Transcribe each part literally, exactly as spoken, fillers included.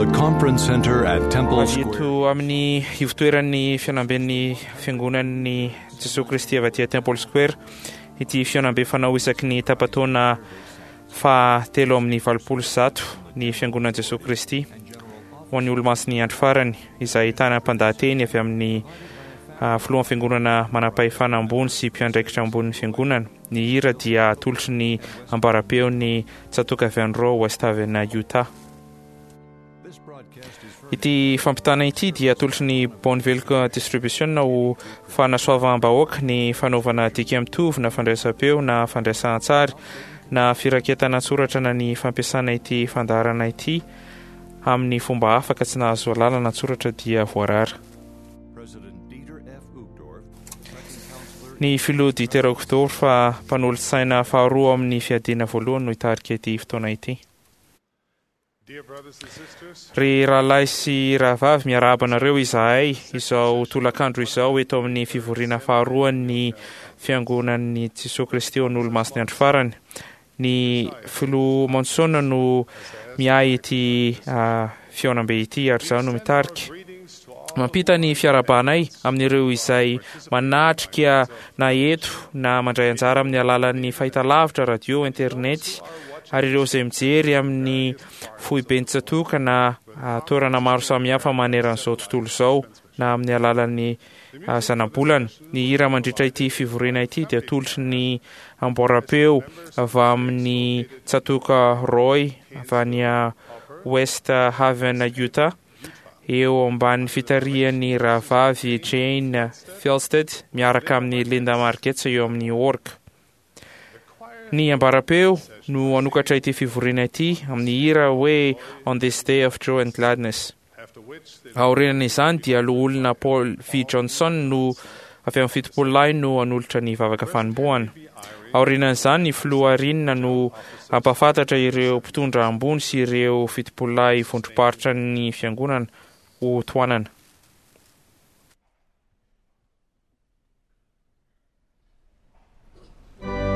the Conference Center at Temple Avy Square. eto amin'ny ivotoeran'ny fihaonamben'ny fiangonan'ny Jesoa Kristy avy aty Temple Square ity fihaonambe fanao isaky ny tapataona fahatelo amin'ny valopolo sy zato ny fiangonan'i Jesoa Kristy ho an'ny olomasin'ny andro farany izay ahitana mpandahateny avy amin'ny ah, filohan'ny fiangonana manam-pahefana ambony sy mpiandraikitra ambonin'ny fiangonana. Ny hira dia atolotry ny ambaram-peon'ny tsatoka avy any Roa West Haven, Utah. Ity fampitana ity dia atolotry ny Bonneville Distribution ho fanasoavam-bahoaka ny fanaovana dika mitovy na fandraisam-peo na fandraisan-tsary na firaketana an-tsoratra na ny fampiasana ity fandaharana ity amin'ny fomba hafa ka tsy nahazo alalana an-tsoratra dia voarara. President Dieter F. Uchtdorf, Second Counselor Ny filoha Dieter Uchtdorf fa mpanolotsaina faharoa amin'ny fiadiana voalohany no hitarika ity fotoana ity. Dear brothers and sisters, Ry rahalahy sy rahavavy, miarahaba anareo izahay izao tolakandro izao eto amin'ny fivoriana faharoan'ny fiangonan'ny Jesoa Kristy ho an'ny olomasin'ny andro farany. Ny filoha Monson no miahy ity ah, fihaonambe ity ary izaho no mitarika. greetings to all Mampita ny fiarahabanay amin'ireo izay manatrika na eto na mandray anjara amin'ny alalan'ny fahitalavitra, radio, internet ary ireo izay mijery amin'ny foiben-tsatoka na ah, toerana maro samihafa maneran'izao tontolo izao na amin'ny alalan'ny ah, zanabolana. Ny hira mandritra ity fivoriana ity dia atolotry ny amboaram-peo avy amin'ny tsatoka Roy avy any ah, West Haven, Utah eo ambanin'ny fitarihan'ny rahavavy Jane Felsted miaraka amin'ny Linda Margetts eo amin'ny orga. Ny ambaram-peo no hanokatra ity fivoriana ity amin'ny hira hoe On This Day of Joy and Gladness. after which the Aorian'izany dia loholona Paul V. Johnson no avy amin'ny fitopolo lahy no hanolotra ny vavaka fanombohana. Aorian'izany ny filoha Rinina no hampahafantatra ireo mpitondra ambony sy ireo fitopolo lahy vondrom-paritra ny fiangonana ho tohanana. We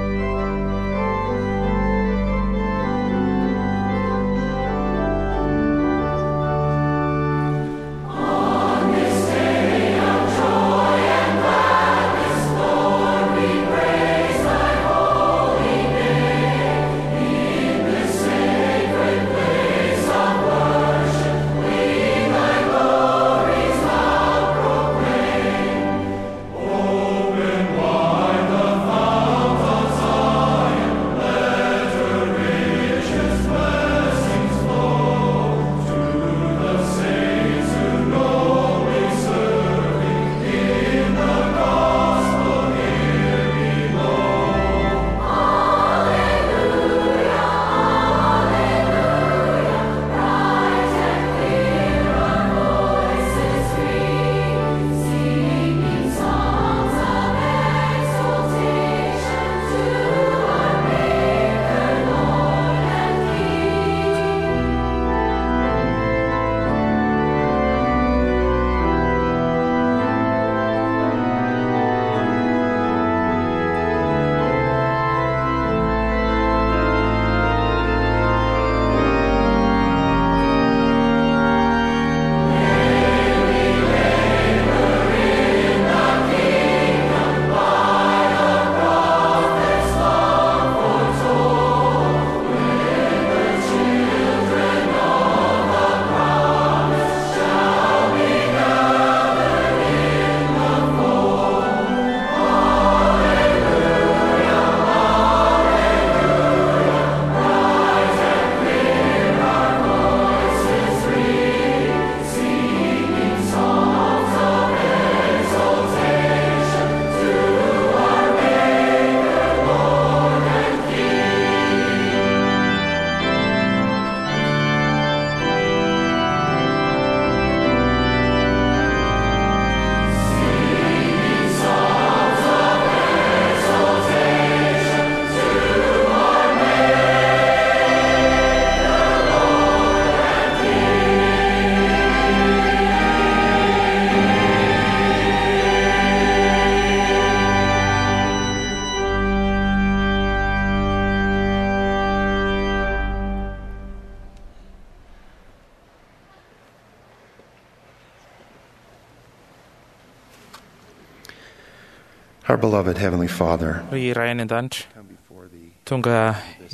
Our beloved Heavenly Father, Ry Ray any an-danitra, come before thee tonga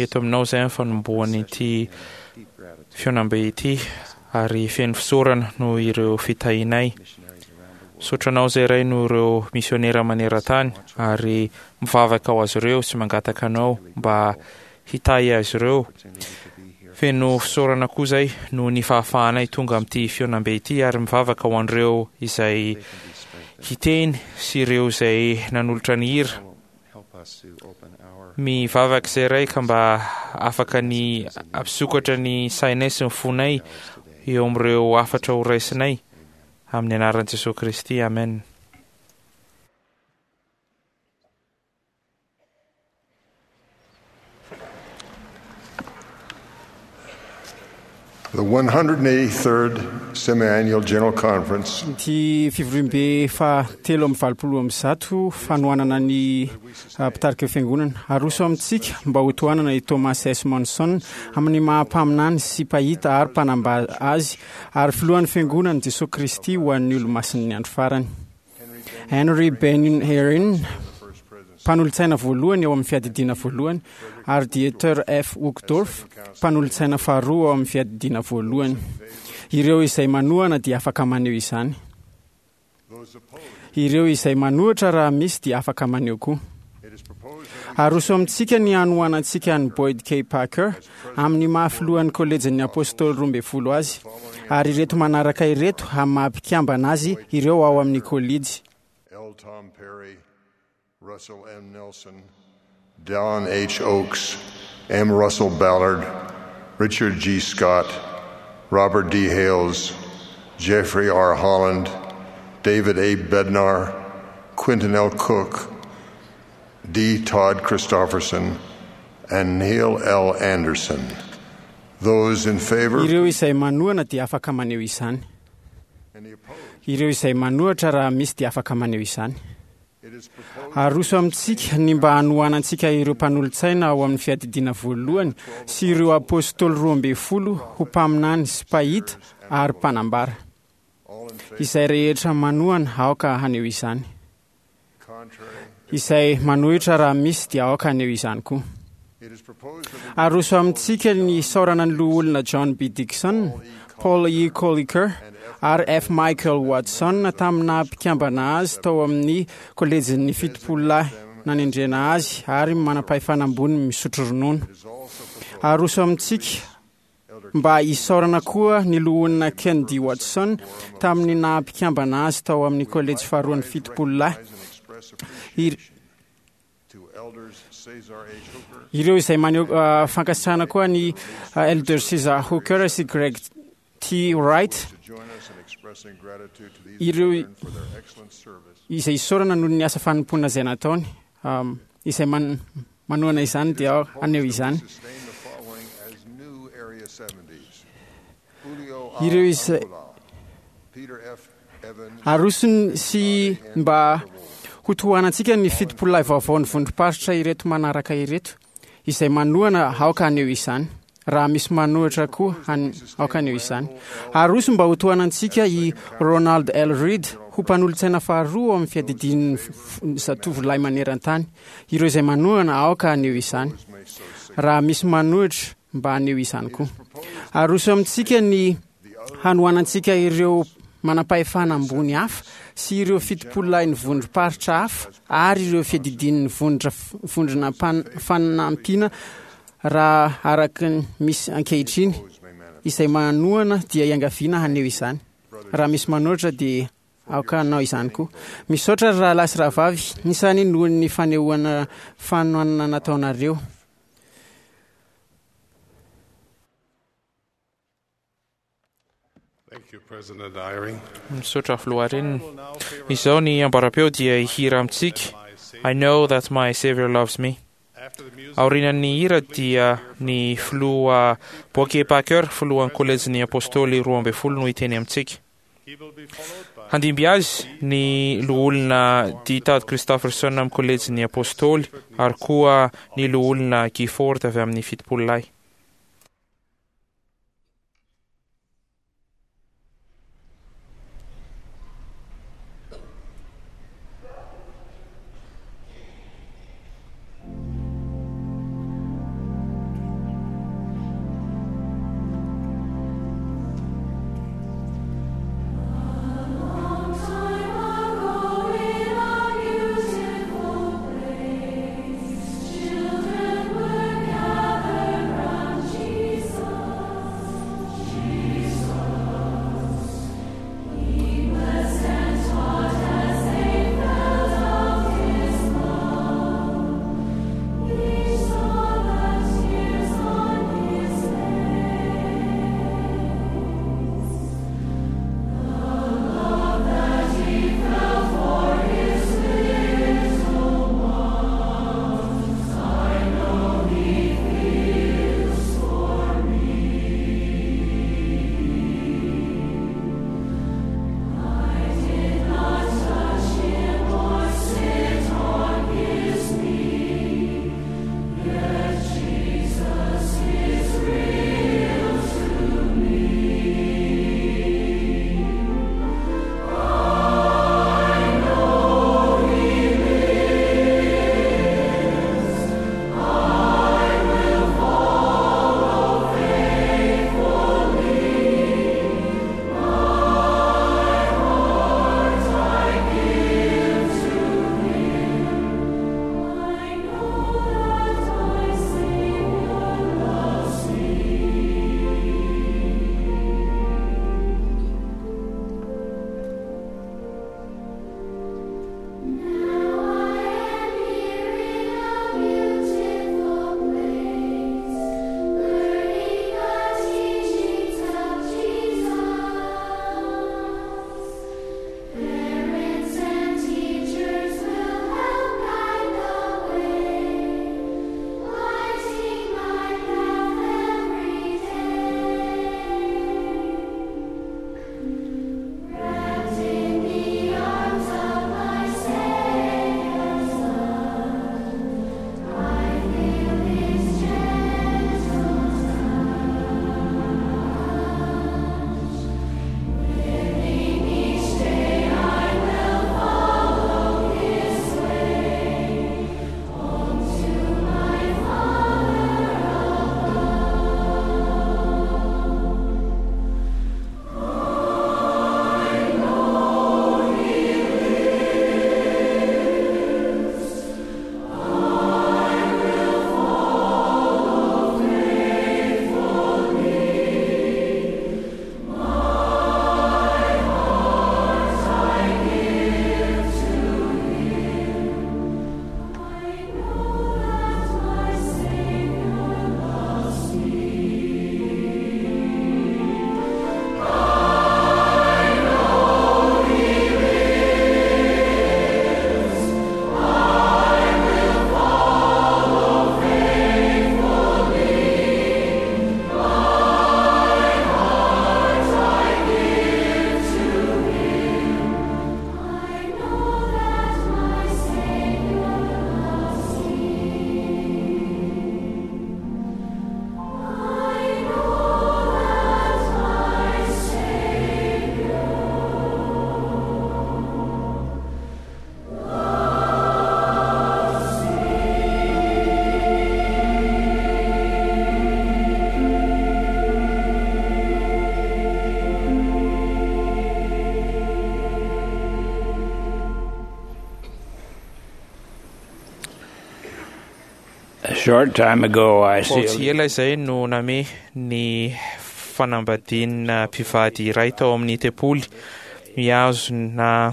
eto aminao izay amin'ny fanombohan'ity deep gratitude fihaonambe ity ary feno fisaorana noho ireo fitahianay. missionaries around the world. Misaotra anao izay Ray noho ireo misionera maneran-tany ary mivavaka ho azy ireo sy mangataka anao mba hitahy azy ireo. Opportunity to be here. Feno fisaorana koa izay noho ny fahafahanay tonga amin'ity fihaonambe ity ary mivavaka ho an'ireo izay They can be strengthened. hiteny sy ireo izay nanolotra ny hira. Will help us to open our Mivavaka izay Ray ka mba afaka ny hampisokatra ny sainay sy ny fonay eyes today. eo amin'ireo hafatra ho raisinay amin'ny anaran'i Jesosy Kristy. Amen. The one hundred eighty-third Semi-Annual General Conference Ity fivoriambe fahatelo amby valopolo amby zato fanohanana ny ah, mpitarika fiangonana aroso amintsika mba ho tohanana i Thomas S. Monson amin'ny maha-mpaminany sy mpahita ary mpanambara azy ary filohan'ny fiangonana Jesosy Kristy ho an'ny olomasin'ny andro farany. Henry Ben Herin, mpanolotsaina voalohany ao amin'ny fiadidiana voalohany, ary Dieter F. Uchtdorf, mpanolotsaina faharoa ao amin'ny fiadidiana voalohany. Ireo izay manohana dia afaka maneho izany. Ireo izay manohitra raha misy dia afaka maneho koa. Aroso amintsika ny hanohanantsika an'i Boyd K. Packer amin'ny maha filohan'ny kolejin'ny apôstôly roa ambin'ny folo azy, ary ireto manaraka ireto amin'ny maha mpikambana azy ireo ao amin'ny kolejy. L. Tom Perry, Russell M. Nelson, Don H. Oaks, M. Russell Ballard, Richard G. Scott, Robert D. Hales, Jeffrey R. Holland, David A. Bednar, Quentin L. Cook, D. Todd Christofferson, and Neil L. Anderson. Those in favor? Ireo izay manohana dia afaka maneho izany. Any opposed? Ireo izay manohitra raha misy dia afaka maneho izany. It is proposed Aroso amintsika ny mba hanohanantsika ireo mpanolotsaina ao amin'ny fiadidiana voalohany sy ireo apôstôly roa ambin'ny folo ho mpaminany sy mpahita ary mpanambara. all in favor, Izay rehetra manohana aoka haneho izany. contrary. Izay manohitra raha misy dia aoka haneho izany koa. It is proposed that we Aroso amintsika ny saorana ny loholona John B. Dixon, Paul E. Colliker ary F. Michael Watson tamina mpikambana azy tao amin'ny kolejin'ny fitopolo lahy nanendrena azy ary manam-pahefana ambony misotro ronono. is also proposed Aroso amintsika mba hisaorana koa ny loholona Ken D. Watson tamin'ny naha mpikambana azy tao amin'ny kolejy faharoan'ny fitopolo lahy. and express Ir- appreciation to elders Cesar H. Hooker, Ireo izay maneho ah, fankasitrahana koa ny ah, Elder Cesar Hooker sy Greg T. Wright to join us in expressing gratitude to these Ireo- brethren for their excellent service. izay isaorana noho ny asa fanompoana izay nataony. Um, izay man, manohana izany dia ao- haneho izany. Sustain the following as new Area seventies. Julio A. Ireo izay- Angula, Peter F. Evans, Arosony sy mba ho tohanantsika ny fitopololahy vaovao ny vondrom-paritra ireto manaraka ireto izay manohana aoka haneho izany. Raha misy manohitra koa han- aoka haneho izany. Aroso mba ho tohanantsika i Ronald L. Reed ho mpanolotsaina faharoa ao amin'ny fiadidian'ny f- f- zatovolahy maneran-tany. Ireo izay manohana aoka haneho izany. Raha misy manohitra mba haneho izany koa. Aroso amintsika ny hanohanantsika ireo manam-pahefana ambony hafa sy ireo fitopololahin'ny vondrom-paritra hafa ary ireo fiadidian'ny vondra vondrona mpan- fanampiana raha araka ny misy ankehitriny. Izay manohana dia iangaviana haneho izany. Raha misy manohitra dia aoka hanao izany koa. Misaotra ry rahalahy sy rahavavy nisany noho ny fanehoana fanohanana nataonareo. Thank you, President Eyring. Misaotra filoha reniny. Izao ny ambaram-peo dia hihira amintsika I know that my Savior loves me. Aorian'ny hira dia ny filoha Boyd Packer, filohan'ny kolejin'ny apôstôly roa ambin'ny folo no hiteny amintsika. Handimby azy ny loholona D. Todd Christofferson amin'ny kolejin'ny apôstôly ary koa ny loholona Gifford avy amin'ny fitopolo lahy. I A short time ago, I Vao tsy sealed ela izay no name ny fanambadiana mpivady iray tao amin'ny tempoly. Mihazona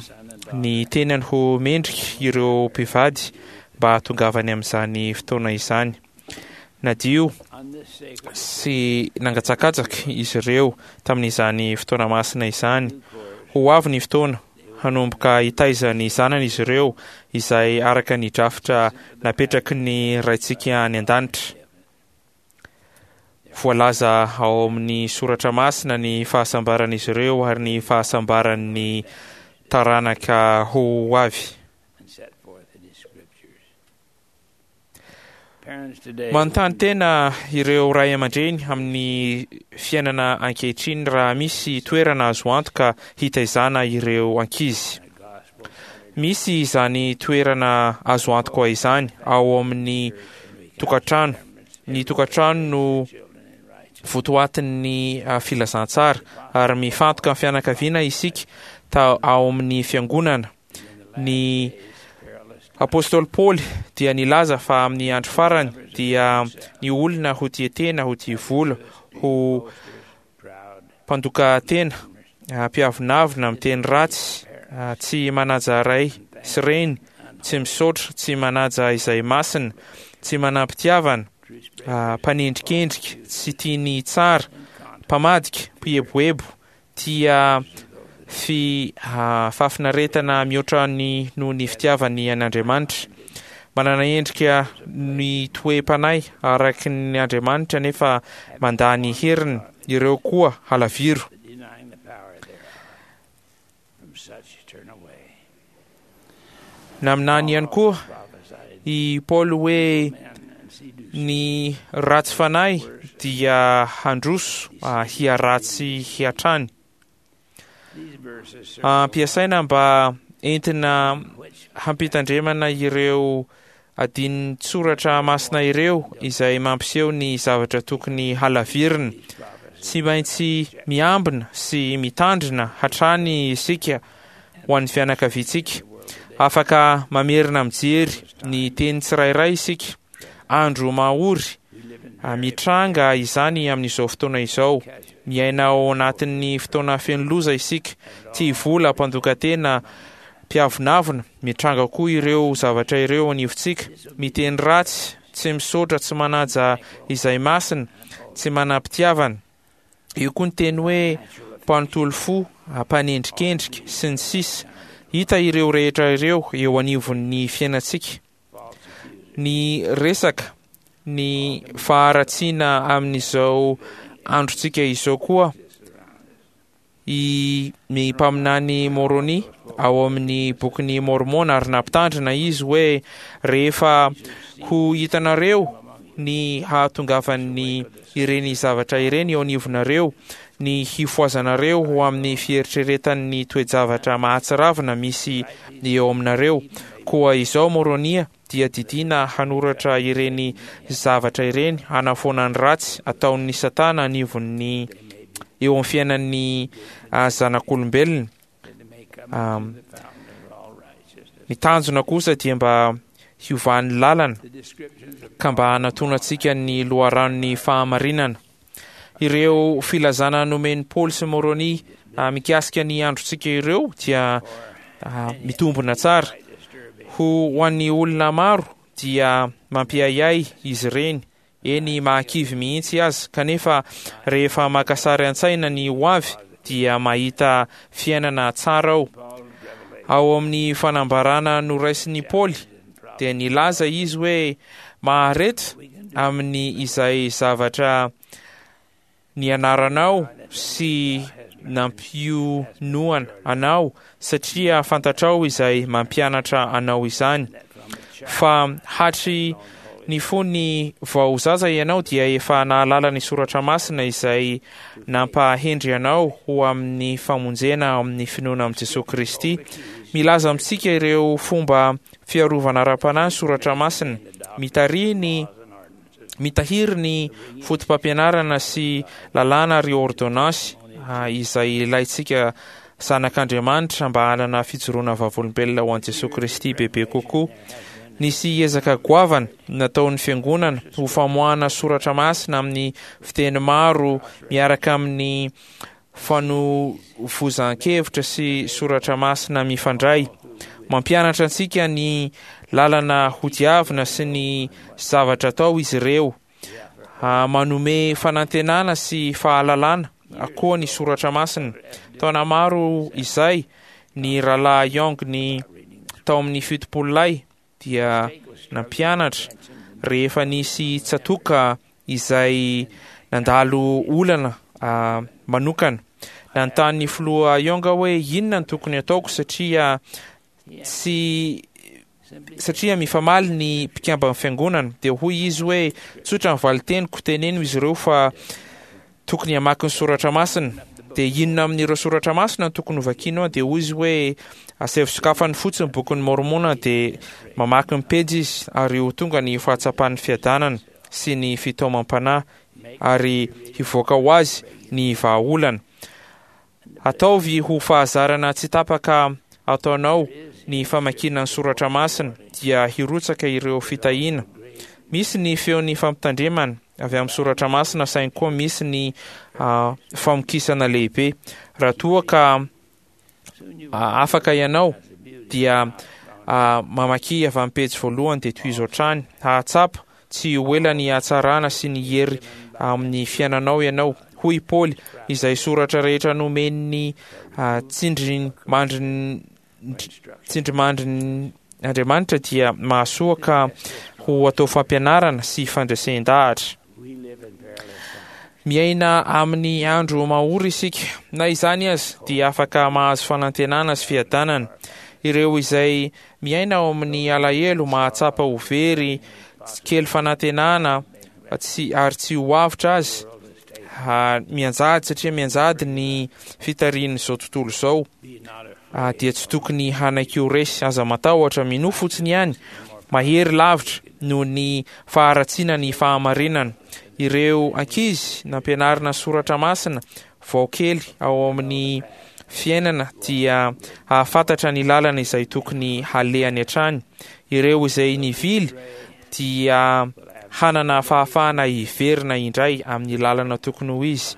ny tenany ho mendrika ireo mpivady mba hahatongavany amin'izany fotoana izany. Nadio sy nangatsakatsaka izy ireo tamin'izany fotoana masina izany. Ho avy ny fotoana hanomboka hitaiza ny zanany izy ireo, izay araka ny drafitra napetraky ny Raintsika any an-danitra. Voalaza ao amin'ny soratra masina ny fahasambaran'izy ireo ary ny fahasambaran'ny taranaka ho avy. and set forth in His scriptures. Parents today Manontany tena ireo ray aman-dreny amin'ny fiainana ankehitriny raha misy toerana azo antoka hitaizana ireo ankizy. Misy izany toerana azo antoka izany ao amin'ny tokantrano. Ny tokantrano no votoatin'ny ah, filazantsara ary mifantoka amin'ny fianakaviana isika ta ao amin'ny fiangonana. Ny Apôstôly Paoly dia nilaza fa amin'ny andro farany dia ny olona ho tia tena, ho tia vola, ho mpandoka tena, ah, mpiavonavona, miteny ratsy, ah, tsy manaja ray sy reny, tsy misaotra, tsy manaja izay masina, tsy manam-pitiavana, ah, mpanendrikendrika, tsy tia ny tsara, mpamadika, mpieboebo, tia fi ah, fahafinaretana mihoatra ny noho ny fitiavany an'Andriamanitra. Manana endrika ny toe-panahy araky ny Andriamanitra nefa mandà ny heriny, ireo koa halaviro. denying the power thereof. From such turn away. Naminany ihany koa Prophesied i Paoly hoe men and seduce ny ratsy fanahy dia handroso ah, hiharatsy hatrany. These verses serve Ampiasaina mba entina which hampitandremana ireo adinin-tsoratra masina ireo izay mampiseho ny zavatra tokony halavirina. Tsy maintsy miambina sy mitandrina hatrany isika ho an'ny fianakaviantsika. Afaka mamerina mijery ny teny tsirairay isika. Andro mahory ah, mitranga izany amin'izao fotoana izao. Miaina ao anatin'ny fotoana feno loza isika. Tia vola, mpandoka tena, mpiavonavona. Mitranga koa ireo zavatra ireo anivontsika. Miteny ratsy, tsy misaotra, tsy manaja izay masina, tsy manam-pitiavana. Io koa ny teny hoe mpanontolo fo, mpanendrikendrika sy ny sisa. Hita ireo rehetra ireo eo anivon'ny fiainantsika. Ny resaka, ny faharatsiana amin'izao androntsika izao koa i ny mpaminany Moroni ao amin'ny bokin'ny Mormona ary nampitandrina izy hoe rehefa ho hitanareo ny hahatongavan'ny ireny zavatra ireny eo anivonareo, ny hifohazanareo ho amin'ny fieritreretan'ny toe-javatra mahatsiravina misy eo aminareo. Koa izao Moronia dia didiana hanoratra ireny zavatra ireny hanafoana ny ratsy ataon'ny Satana anivon'ny eo amin'ny fiainan'ny ah, zanak'olombelona. Um, ny tanjona kosa dia mba hiovan'ny lalana the descriptions of ka mba hanatonantsika ny loharanon'ny fahamarinana. Ireo filazana nomen'i Paoly sy Moroni ah, mikasika ny androntsika ireo dia ah, mitombina tsara. Ho ho an'ny olona maro dia mampiahiahy izy ireny, eny mahakivy mihitsy aza, kanefa rehefa maka sary an-tsaina ny ho avy dia mahita fiainana tsara ao. Ao amin'ny fanambarana noraisin'i Paoly dia nilaza izy hoe mahareta amin'ny izay zavatra nianaranao sy nampionoana anao satria fantatrao izay mampianatra anao izany. Fa hatry ny fony vao zaza ianao dia efa nahalala ny soratra masina izay nampahendry anao ho amin'ny famonjena amin'ny finoana amin'i Jesosy Kristy. Milaza amintsika ireo fomba fiarovana ara-panahy ny soratra masina. Mitarihy ny mitahiry ny foto-pampianarana sy lalàna ary ordonnance ah, izay ilaintsika zanak'Andriamanitra mba hanana fijoroana vavolombelona ho an'i Jesosy Kristy bebe kokoa. Nisy ezaka goavana nataon'ny fiangonana ho famoahana soratra masina amin'ny fiteny maro miaraka amin'ny fanovozan-kevitra sy soratra masina mifandray. Mampianatra antsika ny lalana hodiavina sy ny zavatra atao izy ireo. Manome fanantenana sy fahalalana koa ny soratra masina. Taona maro izay ny rahalahy Young ny tao amin'ny fitopolo lahy dia nampianatra rehefa nisy tsatoka izay nandalo olana manokana. Nanontany ny filoha Young hoe inona no tokony ataoko satria tsy satria mifamaly ny mpikamban'ny fiangonana. Dia hoy izy hoe tsotra ny valin-teniko, teneno izy ireo fa tokony hamaky ny soratra masina. Dia inona amin'ireo soratra masina no tokony hovakiana? Dia hoy izy hoe asaivo sokafany fotsiny bokin'ny Mormona, dia mamaky ny pejy izy ary ho tonga ny fahatsapan'ny fiadanana sy ny fitaomam-panahy ary hivoaka ho azy ny vahaolana. Ataovy ho fahazarana tsy tapaka ataonao ny famakiana ny soratra masina, dia hirotsaka ireo fitahiana. Misy ny feon'ny fampitandremana avy amin'ny soratra masina, saingy koa misy ny famokisana lehibe. Raha toa ka afaka ianao dia mamaky avy amin'ny pejy voalohany dia tohizo hatrany. Hahatsapa tsy ho ela ny hatsarana sy ny hery amin'ny fiainanao ianao. Hoy Paoly, izay soratra rehetra nomen'ny tsindrimandrin tsindrimandrin Andriamanitra dia mahasoa ka ho atao fampianarana sy fandresen-dahatra. Miaina amin'ny andro mahory isika. Na izany aza dia afaka mahazo fanantenana sy fiadanana. Ireo izay miaina ao amin'ny alahelo mahatsapa ho very kely fanantenana tsy ary tsy ho avotra azy, mianjady satria mianjady ny fitarihin'izao tontolo izao, dia tsy tokony hanaiky ho resy. Aza matahotra, minoa fotsiny ihany. Mahery lavitra noho ny faharatsiana ny fahamarinana. Ireo ankizy nampianarina soratra masina vao kely ao amin'ny fiainana dia hahafantatra ny lalana izay tokony halehany hatrany. Ireo izay nivily dia hanana fahafahana hiverina indray amin'ny lalana tokony ho izy.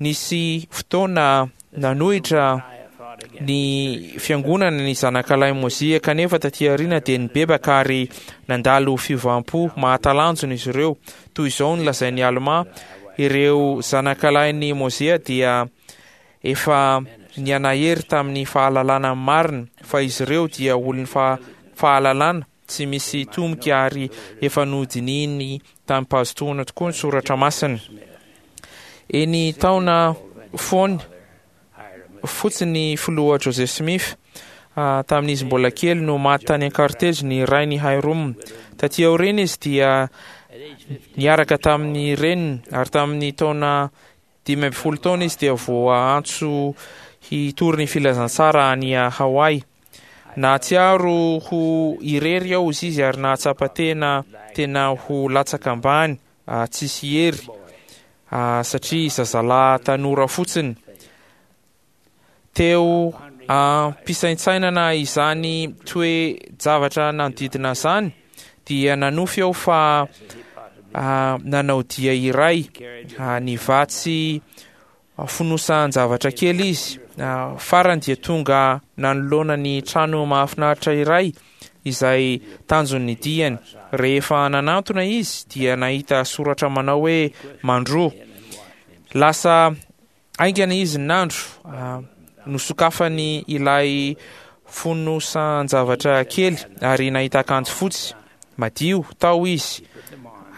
Nisy fotoana nanohitra ny fiangonana ny zanakalahy Mozia, kanefa taty aoriana dia nibebaka ary nandalo fiovam-po mahatalanjona izy ireo. Toy izao no lazain'i Alma: ireo zanakalahin'i Mozia dia efa nianahery tamin'ny fahalalana marina, fa izy ireo dia olon'ny fahalalana tsy misy tomika ary efa nodinihiny tamim-pahazotoana tokoa ny soratra masina. Eny taona foany fotsiny filoha Joseph Smith tamin'izy mbola kely no maty tany an-kartezy ny rainy Hyrum. Taty aoriana izy dia niaraka tamin'ny reniny, ary tamin'ny taona dimy amby folo taona izy dia voaantso hitory ny filazantsara any Hawaii. Nahatsiaro ho irery aho izy ary nahatsapa tena tena ho latsaka ambany, tsisy hery, satria zazalahy tanora fotsiny. Teo am-pisaintsainana izany toe-javatra nanodidina izany dia nanofy aho fa nanao dia iray nivatsy fonosan-javatra kely izy. Farany dia tonga nanoloana ny trano mahafinaritra iray izay tanjon'ny diany. Rehefa nanantona izy dia nahita soratra manao hoe mandroa. Lasa haingana izy nandro, nosokafany ilay fonosan-javatra kely ary nahita akanjo fotsy madio tao izy.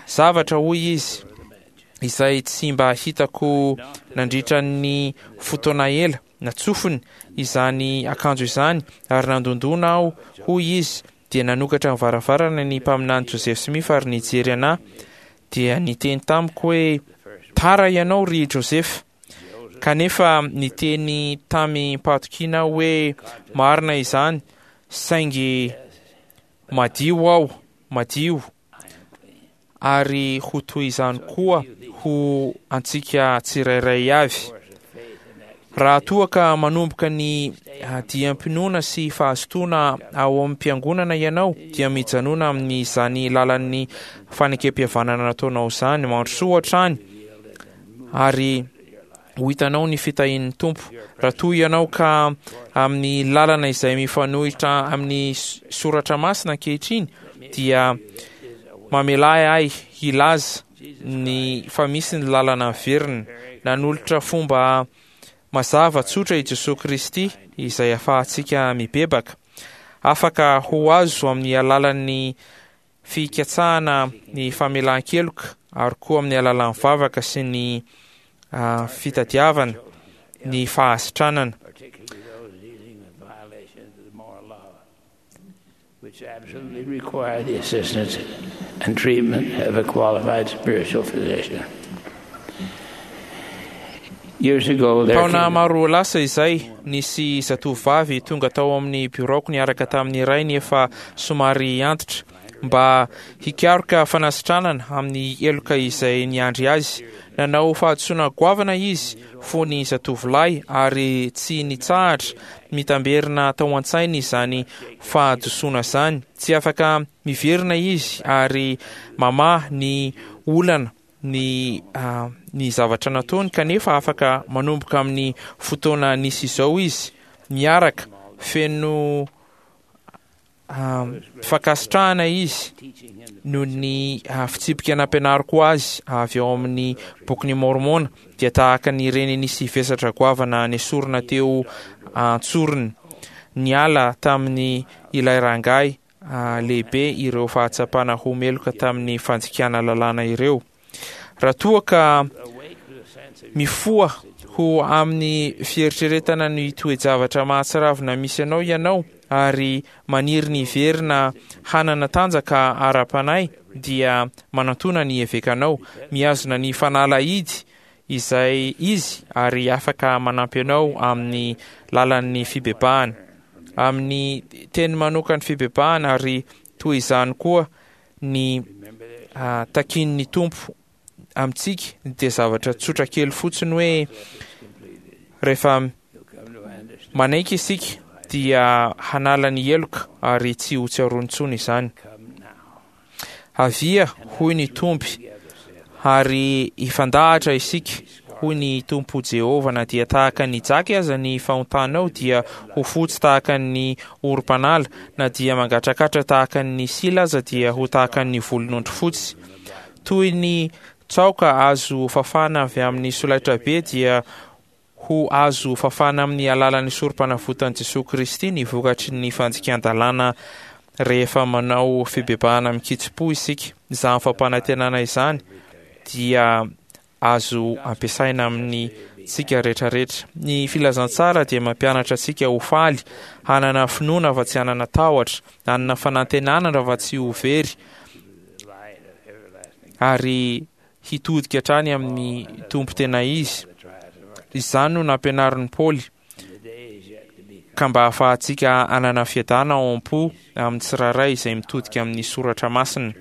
Zavatra, hoy izy, izay tsy mba hitako nandritra ny fotoana ela. Natsofony izany akanjo izany ary nandondona aho, hoy izy. Dia nanokatra ny varavarana ny mpaminany Joseph Smith ary nijery anahy, dia niteny tamiko hoe tara ianao ry Joseph. Kanefa niteny tamim-pahatokiana aho hoe marina izany, saingy madio aho, madio, ary ho toy izany koa ho antsika tsirairay avy. Raha toa ka manomboka ny diam-pinoana sy fahazotoana ao amin'ny mpiangonana ianao, dia mijanona amin'izany lalan'ny fanekempihavanana nataonao izany. Mandrosoa hatrany ary ho hitanao ny fitahian'ny Tompo. Raha toa ianao ka amin'ny lalana izay mifanohitra amin'ny soratra masina ankehitriny, dia mamela ahy hilaza ny fa misy ny lalana miverina. Nanolotra fomba mazava tsotra i Jesoa Kristy izay ahafahantsika mibebaka. Afaka ho azo amin'ny alalan'ny fikatsahana ny famelan-keloka ary koa amin'ny alalan'ny vavaka sy ny uh, fitadiavana ny fahasitranana. Which absolutely require the assistance and treatment of a qualified spiritual physician. Years ago, there Taona came maro lasa izay, nisy zatovovavy tonga tao amin'ny biraoko niaraka tamin'ny rainy efa somary antitra mba hikaroka fanasitranana amin'ny heloka izay niandry azy. Nanao fahadisoana goavana izy fony zatovolahy ary tsy nitsahatra mitamberina tao an-tsainy izany fahadisoana izany. Tsy afaka miverina izy ary mamaha ny olana ny uh, ny zavatra nataony, kanefa afaka manomboka amin'ny fotoana nisy izao izy miaraka feno uh, fankasitrahana izy noho ny uh, fitsipika nampianariko azy avy ao amin'ny bokin'ny Mormona, dia tahaka ny reny nisy vesatra goavana nesorina teo antsorony. Niala tamin'ny ilay rangahy uh, lehibe ireo fahatsapana ho meloka tamin'ny fandikana lalàna ireo. Raha toa ka mifoha ho amin'ny fieritreretana ny toe-javatra mahatsiravina misy anao ianao ary maniry ny hiverina hanana tanjaka ara-panahy, dia manantona ny evekanao, mihazona ny fanalahidy izay izy ary afaka manampy anao amin'ny lalan'ny fibebahana, amin'ny teny manokan'ny fibebahana, ary toy izany koa ny uh, takin'ny Tompo amintsika dia zavatra tsotra kely fotsiny hoe rehefa manaiky isika dia hanala ny heloka ary tsy ho tsiarony intsony izany. Avia, hoy ny Tompo, ary hifandahatra isika, hoy ny Tompo Jehovah, na dia tahaka ny jaky aza ny fahontanao dia ho fotsy tahaka ny orom-panala, na dia mangatrakatra tahaka ny sila aza dia ho tahaka ny volonondry fotsy. Toy ny tsaoka azo fafana avy amin'ny solaitra be dia ho azo fafana amin'ny alalan'ny sorom-panavotan'i Jesoa Kristy ny vokatry ny fandikan-dalàna rehefa manao fibebahana mikitsi-po isika. Izany fampanantenana izany dia azo ampiasaina amin'ny tsika rehetrarehetra. Ny filazantsara dia mampianatra antsika ho faly, hanana finoana fa tsy hanana tahotra, hanana fanantenana raha fa tsy ho very, ary hitodika hatrany amin'ny Tompo tena izy. Izany no nampianarin'i Paoly, ka mba ahafahantsika hanana fiadana ao am-po amin'ny tsirairay izay mitodika amin'ny soratra masina.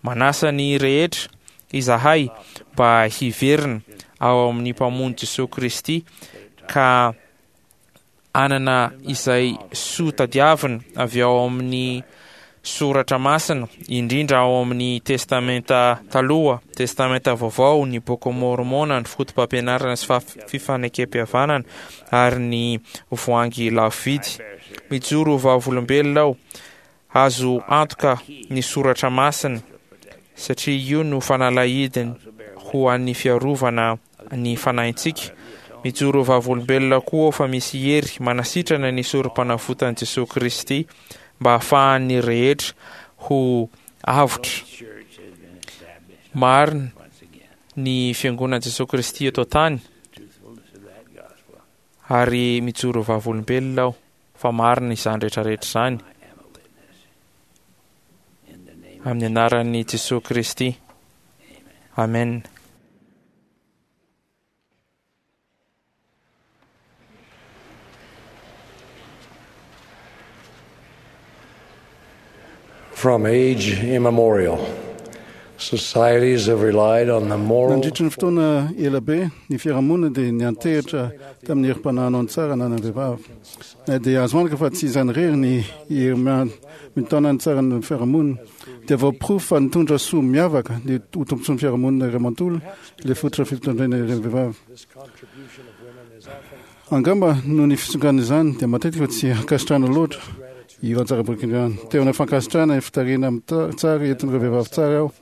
Manasa ny rehetra izahay mba hiverina ao amin'ny Mpamonjy Jesoa Kristy ka hanana izay soa tadiavina avy ao amin'ny soratra masina, indrindra ao amin'ny Testamenta Taloha, Testamenta Vaovao, ny Boky Mormona, ny foto-pampianarana sy fifanekem-pihavanana ary ny voahangy lafo vidy. Mijoro vavolombelona aho, azo antoka ny soratra masina, satria io no fanalahidiny ho an'ny fiarovana ny fanahintsika. Mijoro vavolombelona koa fa misy hery manasitrana ny sorom-panavotan'i Jesoa Kristy mba ahafahan'ny rehetra ho avotra. Marina ny fiangonan'i Jesoa Kristy eto an-tany, ary mijoro vavolombelona aho fa marina izany rehetrarehetra izany. Amin'ny anaran'i Jesoa Kristy. Amen. From age immemorial, Societies have relied on the moral Nandritry ny fotoana ela be, ny fiarahamonina dia niantehitra tamin'ny herim-panahinao ny tsara ananan'ny vehivavy. Na dia azo antoka fa tsy izany irery ny hery mitaona ny tsara ny fiarahamonina, dia voaporofo fa nitondra soa miavaka ny ho tombontsoan'ny fiarahamonina iray manontolo ilay fototra fitondrana ireny vehivavy. Angamba noho ny fisonganana izany dia matetika tsy ankasitrahana loatra ireo anjara birikin'ireo. Te hanao fankasitrahana ny fitarihana tsara entin'ireo vehivavy tsara aho,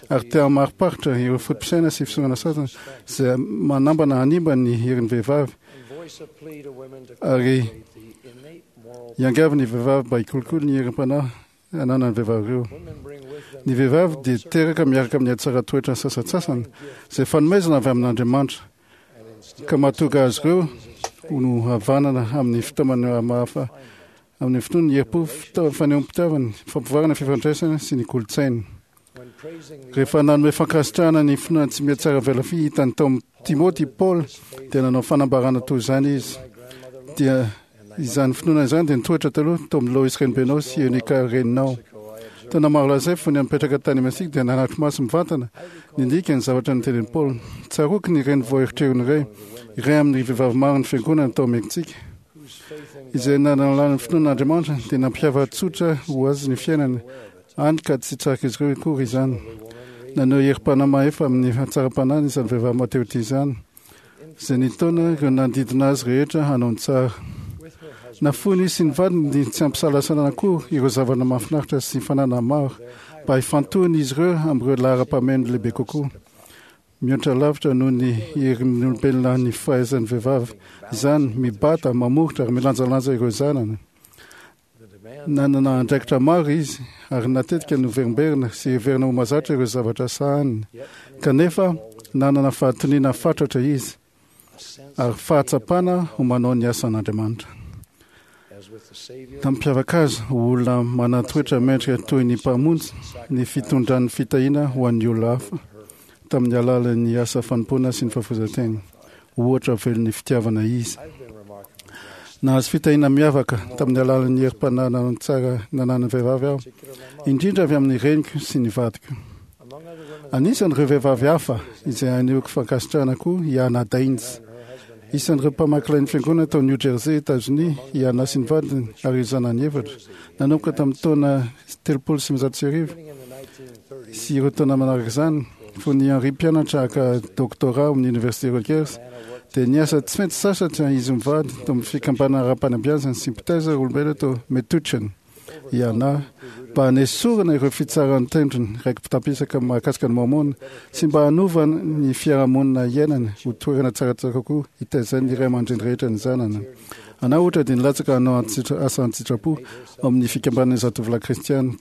ary te hamariparitra ireo foto-pisaina sy fisongana sasany izay manambana hanimba ny herin'ny vehivavy, ary hiangavy ny vehivavy mba hikolokolo ny herim-panahy ananan'ny vehivavy ireo. Ny vehivavy dia teraka miaraka amin'ny hatsaran-toetra sasantsasany izay fanomezana avy amin'Andriamanitra, ka mahatonga azy ireo ho no havanana amin'ny fitaomana mahafa amin'ny finoana, ny herim-po, fanehoam-pitiavana, fampivoarana ny fifandraisana sy ny kolontsaina. Rehefa nanome fankasitrahana ny finoana tsy mihatsara velatsihy hitany tao amin'i Timoty i Paoly, dia nanao fanambarana toy izany izy. Dia izany finoana izany dia nitoetra taloha tao amin'i Lois renibenao sy Eonika reninao. Taona maro lasa izay, fony nipetraka tany Mexique, dia nanatri-maso mivantana nindika ny zavatra notenenin'i Paoly. Tsaroako ny reny vao eritreriny iray, iray amin'ny vehivavy maro ny fiangonana tao Mexique, izay nanalana ny finoan'Andriamanitra, dia nampiava-tsotra ho azy ny fiainany, hany ka tsy tsarak'izy ireo akory izany. Naneho herim-panahy mahefa amin'ny hatsaram-panahiny izany vehivavy mateoty izany, izay nitaona ireo nanodidina azy rehetra hanao ny tsara. Nafoiny sy ny vadiny tsy ampisalasalana koa ireo zavatra mahafinaritra sy fananana maro mba hifantohan'izy ireo amin'ireo laharam-pahamehana lehibe kokoa. Mihoatra lavitra noho ny herin'ny olombelona ny fahaizan'ny vehivavy izany, mibata, mamoritra ary milanjalanja ireo zanany. Nanana andraikitra maro izy ary natetika noverimberina sy heverina ho mahazatra ireo zavatra sahaniny. Kanefa nanana fahatoniana fatratra izy ary fahatsapana ho manao ny asan'Andriamanitra. Nampiavaka azy ho olona manan-toetra mendrika toy ny mpamonjy ny fitondran'ny fitahiana ho an'ny olona hafa tamin'ny alalan'ny asa fanompoana sy ny fahafoizan-tena. Ohatra velon'ny fitiavana izy. Nahazo fitahiana miavaka tamin'ny alalan'ny herim-panahy tsara nananan'ny vehivavy aho, indrindra avy amin'ny reniko sy ny vadiko. Anisan'ireo vehivavy hafa izay anehoako fankasitrahana koa i Anna Daines. Isan'ireo mpamaky lain'ny fiangonana tao New Jersey, Etazonia, i Anna sy ny vadiny ary ireo zanany efatra. Nanomboka tamin'ny taona telopolo sy sivinjato sy arivo sy ireo taona manaraka izany, fony Henry mpianatra haka doctorat ao amin'ny Université Rutgers, dia niasa tsy maintsy sasatra izy mivady tao amin'ny fikambanana ara-panabeazana sy mpitaiza olombelona tao Metuchen. I Anna, mba hanesorana ireo fitsaran'ny tendrony raiki-pitampisaka mahakasika ny Mormona sy mba hanova ny fiarahamonina iainany ho toerana tsaratsara kokoa hitaizan'ny ray aman-dreny rehetra ny zanany. Anna ohatra dia nilatsaka hanao asa an-tsitrapo ao amin'ny fikambanan'ny zatovolahy kristiana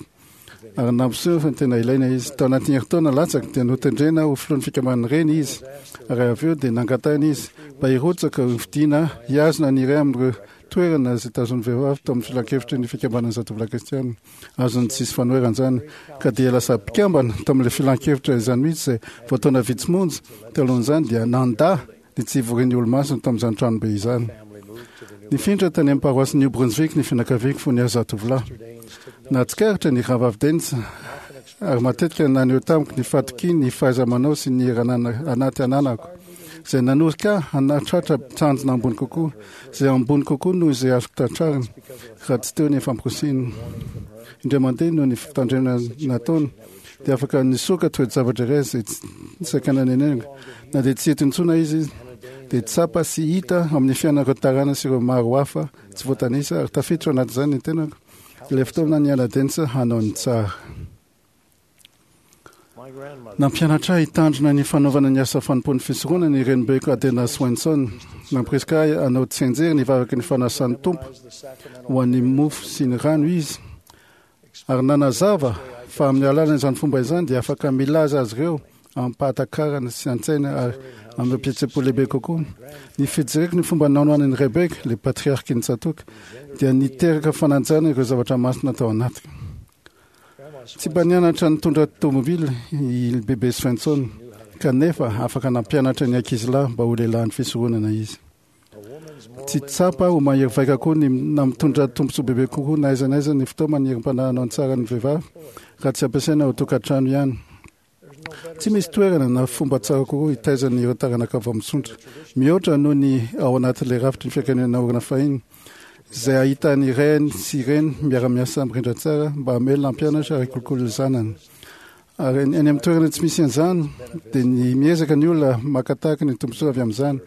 ary nampiseho fa tena ilaina izy. Tao anatin'ny herintaona latsaka dia notendrena ho filohan'ny fikambanan'ny reny izy, ary avy eo dia nangatahina izy mba hirotsaka ho fidiana hihazona ny iray amin'ireo toerana izay tazon'ny vehivavy tao amin'ny filankevitry ny fikambanan'ny zatovolahy kristiana. Azony tsisy fanoherana izany, ka dia lasa mpikambana tao amin'ilay filankevitra izany mihitsy izay vao taona vitsy monja talohan'izany dia nandà ny tsy hivorian'ny olomasina tao amin'izany tranobe izany. Nifindra tany amin'ny paroasy New Brunswick ny fianakaviako fony aho zatovolahy. Nahatsikaritra ny rahavavy Daines ary matetika naneho tamiko ny fahatokiany ny fahaiza-manao sy ny hery anaty ananako, izay nanorika ahy hanatratra tanjona ambony kokoa, izay ambony kokoa noho izay azoko tratrarina raha tsy teo ny famporisihina. Indray mandeha noho ny fitandremana nataony, dia afaka nisoka toe-javatra iray izay tsy saika nanenenako. Na dia tsy eto intsony izy, dia tsapa sy hita amin'ny fiainan'ireo tarana sy ireo maro hafa tsy voatanisa ary tafiditra ao anatin'izany ny tenako, ilay fotoana niala Daines hanao ny tsara. Nampianatra ahy hitandrina ny fanaovana ny asa fanompoan'ny fisoronana ny renibeko Adena Swenson. Nampirisika ahy hanao tsianjery ny vavaky ny fanasan'ny Tompo ho an'ny mofo sy ny rano izy, ary nanazava fa amin'ny alalan'izany fomba izany dia afaka milaza azy ireo amim-pahatakarana sy an-tsaina ary amin'ny fihetseham-po lehibe kokoa. Ny fijereko ny fomba nanohanan'i Rebeka, ilay patriarky ny tsatòka, dia niteraka fanajana ireo zavatra masina tao anatiko. Tsy mba nianatra nitondra tomobily i Bebe Svensson, kanefa afaka nampianatra ny ankizilahy mba ho lehilahin'ny fisoronana izy. Tsy tsapa ho mahery vaika koa ny na mitondra tombontsoa bebe kokoa na aiza na aiza ny fitaoman'ny herim-panahy hanao ny tsara ny vehivavy raha tsy ampiasaina ao an-tokantrano ihany. Tsy misy toerana na fomba tsara kokoa hitaizana ireo taranaka vao misondrotra mihoatra noho ny ao anatin'ilay rafitry ny fianakaviana naorina fahiny, izay ahitany reny sy reny miara-miasa mirindra tsara mba hamelona, hampianatra ary hikolokolo ny zanany. Ary any amin'ny toerana tsy misy an'izany dia ny miezaka ny olona maka tahaka ny tombontsoa avy amin'izany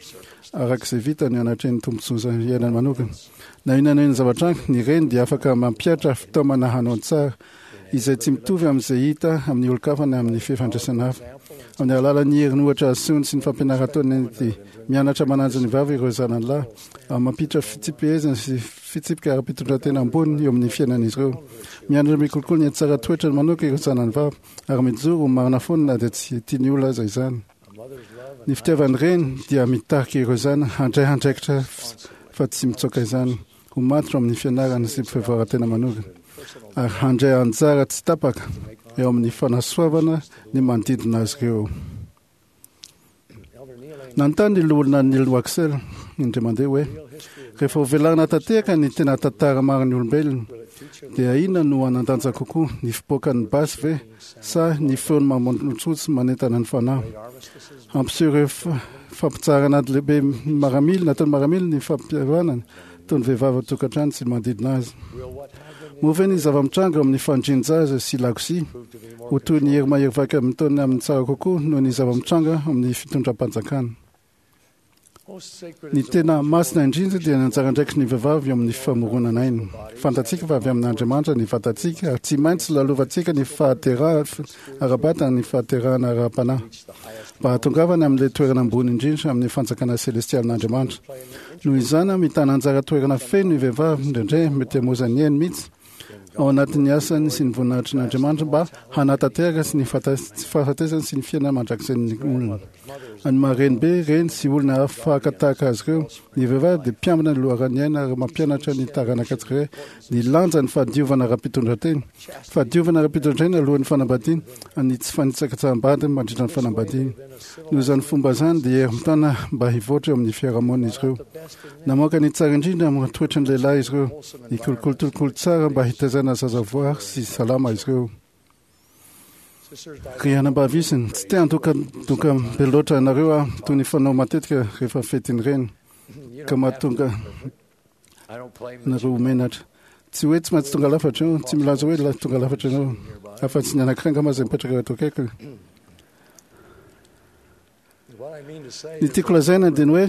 araka izay vita ny anatrehan'ny tombontsoa iainany manokana. Na inona na inona zavatra any, ny reny dia afaka mampihatra fitaomana hanao ny tsara izay tsy mitovy amin'izay hita amin'ny olon-kafa na amin'ny fifandraisana hafa. Amin'ny alalan'ny heriny ohatra asehony sy ny fampianarana ataony dia mianatra manaja ny vavy ireo zanany lahy ary mampiditra fitsipihezana sy fitsipika ara-pitondran-tena ambony eo amin'ny fiainan'izy ireo. Mianatra mikolokolo ny tsara toetrany manoka ireo zanany vavy ary mijoro ho marina foana na dia tsy tian'ny olona aza izany. Ny fitiavan'ny reny dia mitarika ireo zanany handray andraikitra fa tsy mitsoaka izany, ho matotra amin'ny fianarana sy fivoaran-tena manokana ary handray anjara tsy tapaka eo amin'ny fanasoavana ny manodidina azy ireo. Nanontany ny loholona Neil Waxel indray mandeha hoe rehefa hovelarina tanteraka ny tena tantara marin'ny olombelona dia inona no hanan-danja kokoa, ny fipoakan'ny basy ve sa ny feony mamontsotsy manentana ny fanahy? Hampiseho ireo fampitsaharana ady lehibe maramila nataon'ny maramila ny fampihavanana toy ny vehivavy ao an-tokantrano sy ny manodidina azy. Moa ve ny zava-mitranga ao amin'ny fandrian-jaza sy lakozia ho toy ny hery mahery vaika mitaona amin'ny tsara kokoa noho ny zava-mitranga amin'ny fitondram-panjakana? Ny tena masina indrindra dia ny anjara andraikitry ny vehivavy eo amin'ny famoronana aina. Fantatsika fa avy amin'Andriamanitra ny vatantsika ary tsy maintsy lalovantsika ny fahaterahana ara-batana ny fahaterahana ara-panahy mba hahatongavana amin'ilay toerana ambony indrindra amin'ny fanjakana selestialin'Andriamanitra. Noho izany, mitana anjara toerana feno ny vehivavy, indraindray mety hamoizany ainy mihitsy, ao anatin'ny asany sy ny voninahitr'Andriamanitra mba hanatanteraka sy ny fahafatesany sy ny fiainana mandrakizay olona. Ny maha renibe, reny sy olona hafa tahaka azy ireo, ny vehivavy dia mpiambina ny loharan'ny aina ary mampianatra ny taranaka tsirairay ny lanjan'ny fahadiovana ara-pitondran-tena. Fahadiovana ara-pitondran-tena alohan'ny fanambadiana, ny tsy fanitsakitsaham-bady mandritra ny fanambadiana. Noho izany fomba izany dia hery mitana mba hivoatra eo amin'ny fiarahamonina izy ireo. Namoaka ny tsara indrindra amin'ny toetry ny lehilahy izy ireo. Nikolokolo tsara mba hitaizana zaza voary sy salama izy ireo. Ry anabavy isany, tsy te handokandoka be loatra anareo aho toy ny fanao matetika rehefa fetin'ny reny ka mahatonga anareo ho menatra. Tsy hoe tsy maintsy tonga lafatra io, tsy milaza hoe tonga lafatra ianao, afa-tsy ny anankiray angamba izay mipetraka eto akaikiny. Ny tiako lazaina dia ny hoe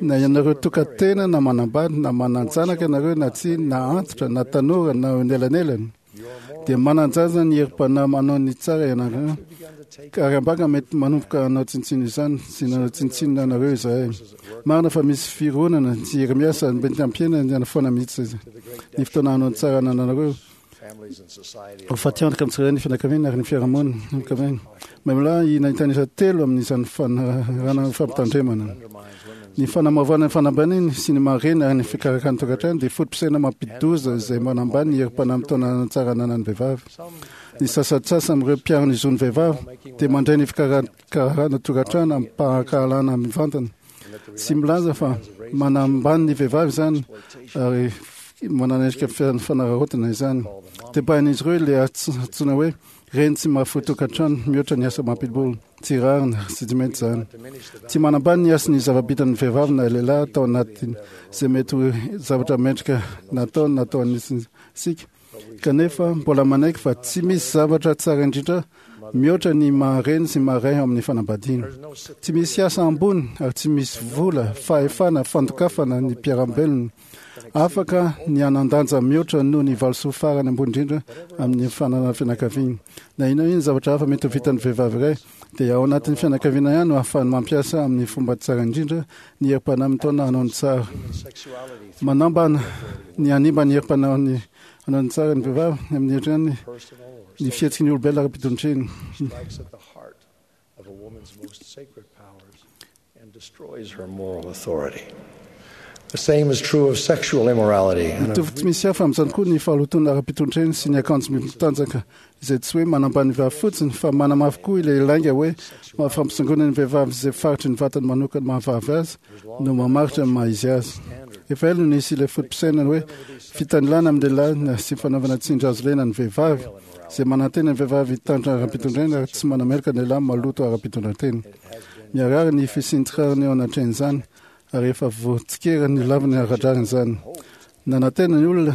na ianareo tokan-tena na manambady na manan-janaka ianareo na tsia, na antitra na tanora na eo anelanelany, dia manan-jaza ny herim-panahy manao ny tsara ianareo, ary ambanga mety manomboka hanao tsinontsinona izany sy nanao tsinontsinona anareo izahay. Marina fa misy fironana sy hery miasa mety hampihena ny foana mihitsy ny fotoana hanao ny tsara anananareo. Ho fatiantoka amin'ny tsirairay ny fianakaviana ary ny fiarahamonina. Fianakaviana. Maimolahy nahitanisa telo amin'izany fanarahana fampitandremana. Ny fanamavana ny fanambaniny sy ny maha-reny ary ny fikarakarana tokantrano dia foto-pisaina mampidi-doza izay manambany ny herim-panahy mitaona tsara ananan'ny vehivavy. Ny sasantsasany amin'ireo mpiaro ny zon'ny vehivavy dia mandray ny fikarakarana tokantrano amim-pahankahalana mivantana. Tsy milaza fa manambany ny vehivavy izany ary manana endrika fanararaotana izany. Tebahin'izy ireo ilay antsoina hoe reny tsy mahafoy tokantrano mihoatra ny asa mampidi-bola. Tsy rariny sy tsy mety izany. Tsy manambany ny hasin'ny zava-bitan'ny vehivavy na lehilahy tao anatin' izay mety ho zavatra mendrika nataony na tao anisantsika, kanefa mbola manaiky fa tsy misy zavatra tsara indrindra mihoatra ny maha-reny sy maha-ray ao amin'ny fanambadiana. Tsy misy asa ambony ary tsy misy vola, fahefana, fandokafana ny mpiara-belona. Afaka ny hanan-danja mihoatra noho ny valisoa farany ambony indrindra amin'ny fananana fianakaviana. Na inona inona zavatra hafa mety ho vitan'ny vehivavy iray, dia ao anatin'ny fianakaviana ihany no ahafahany mampiasa amin'ny fomba tsara indrindra ny herim-panahy mitaona hanao ny tsara. Manambana ny hanimba ny herim-panahy hanao ny tsara ny vehivavy amin'ny endriny ny fihetsiky ny olombelona ara-pitondrena. The same is true of sexual immorality. And of Mitovy tsy misy hafa amin'izany koa ny fahalotoana ara-pitondrena sy ny akanjo mitanjaka, izay tsy hoe manambany vehivavy fotsiny fa manamafy koa ilay lainga hoe fampisongonana ny vehivavy izay faritry ny vatany manokana mahavavy azy no mamaritra ny maha izy azy. Efa ela no nisy ilay foto-pisainana hoe fitanilana amin'ny lehilahy sy fanaovana tsindry hazo lena ny vehivavy izay manantena ny vehivavy hitandrina ara-pitondrana ary tsy manameloka ny lehilahy maloto ara-pitondran-tena. Miharihary ny fisian'ny tsy rariny eo anatrehan'izany ary efa voatsikera ny laviny ara-drariny izany. Nanantena ny olona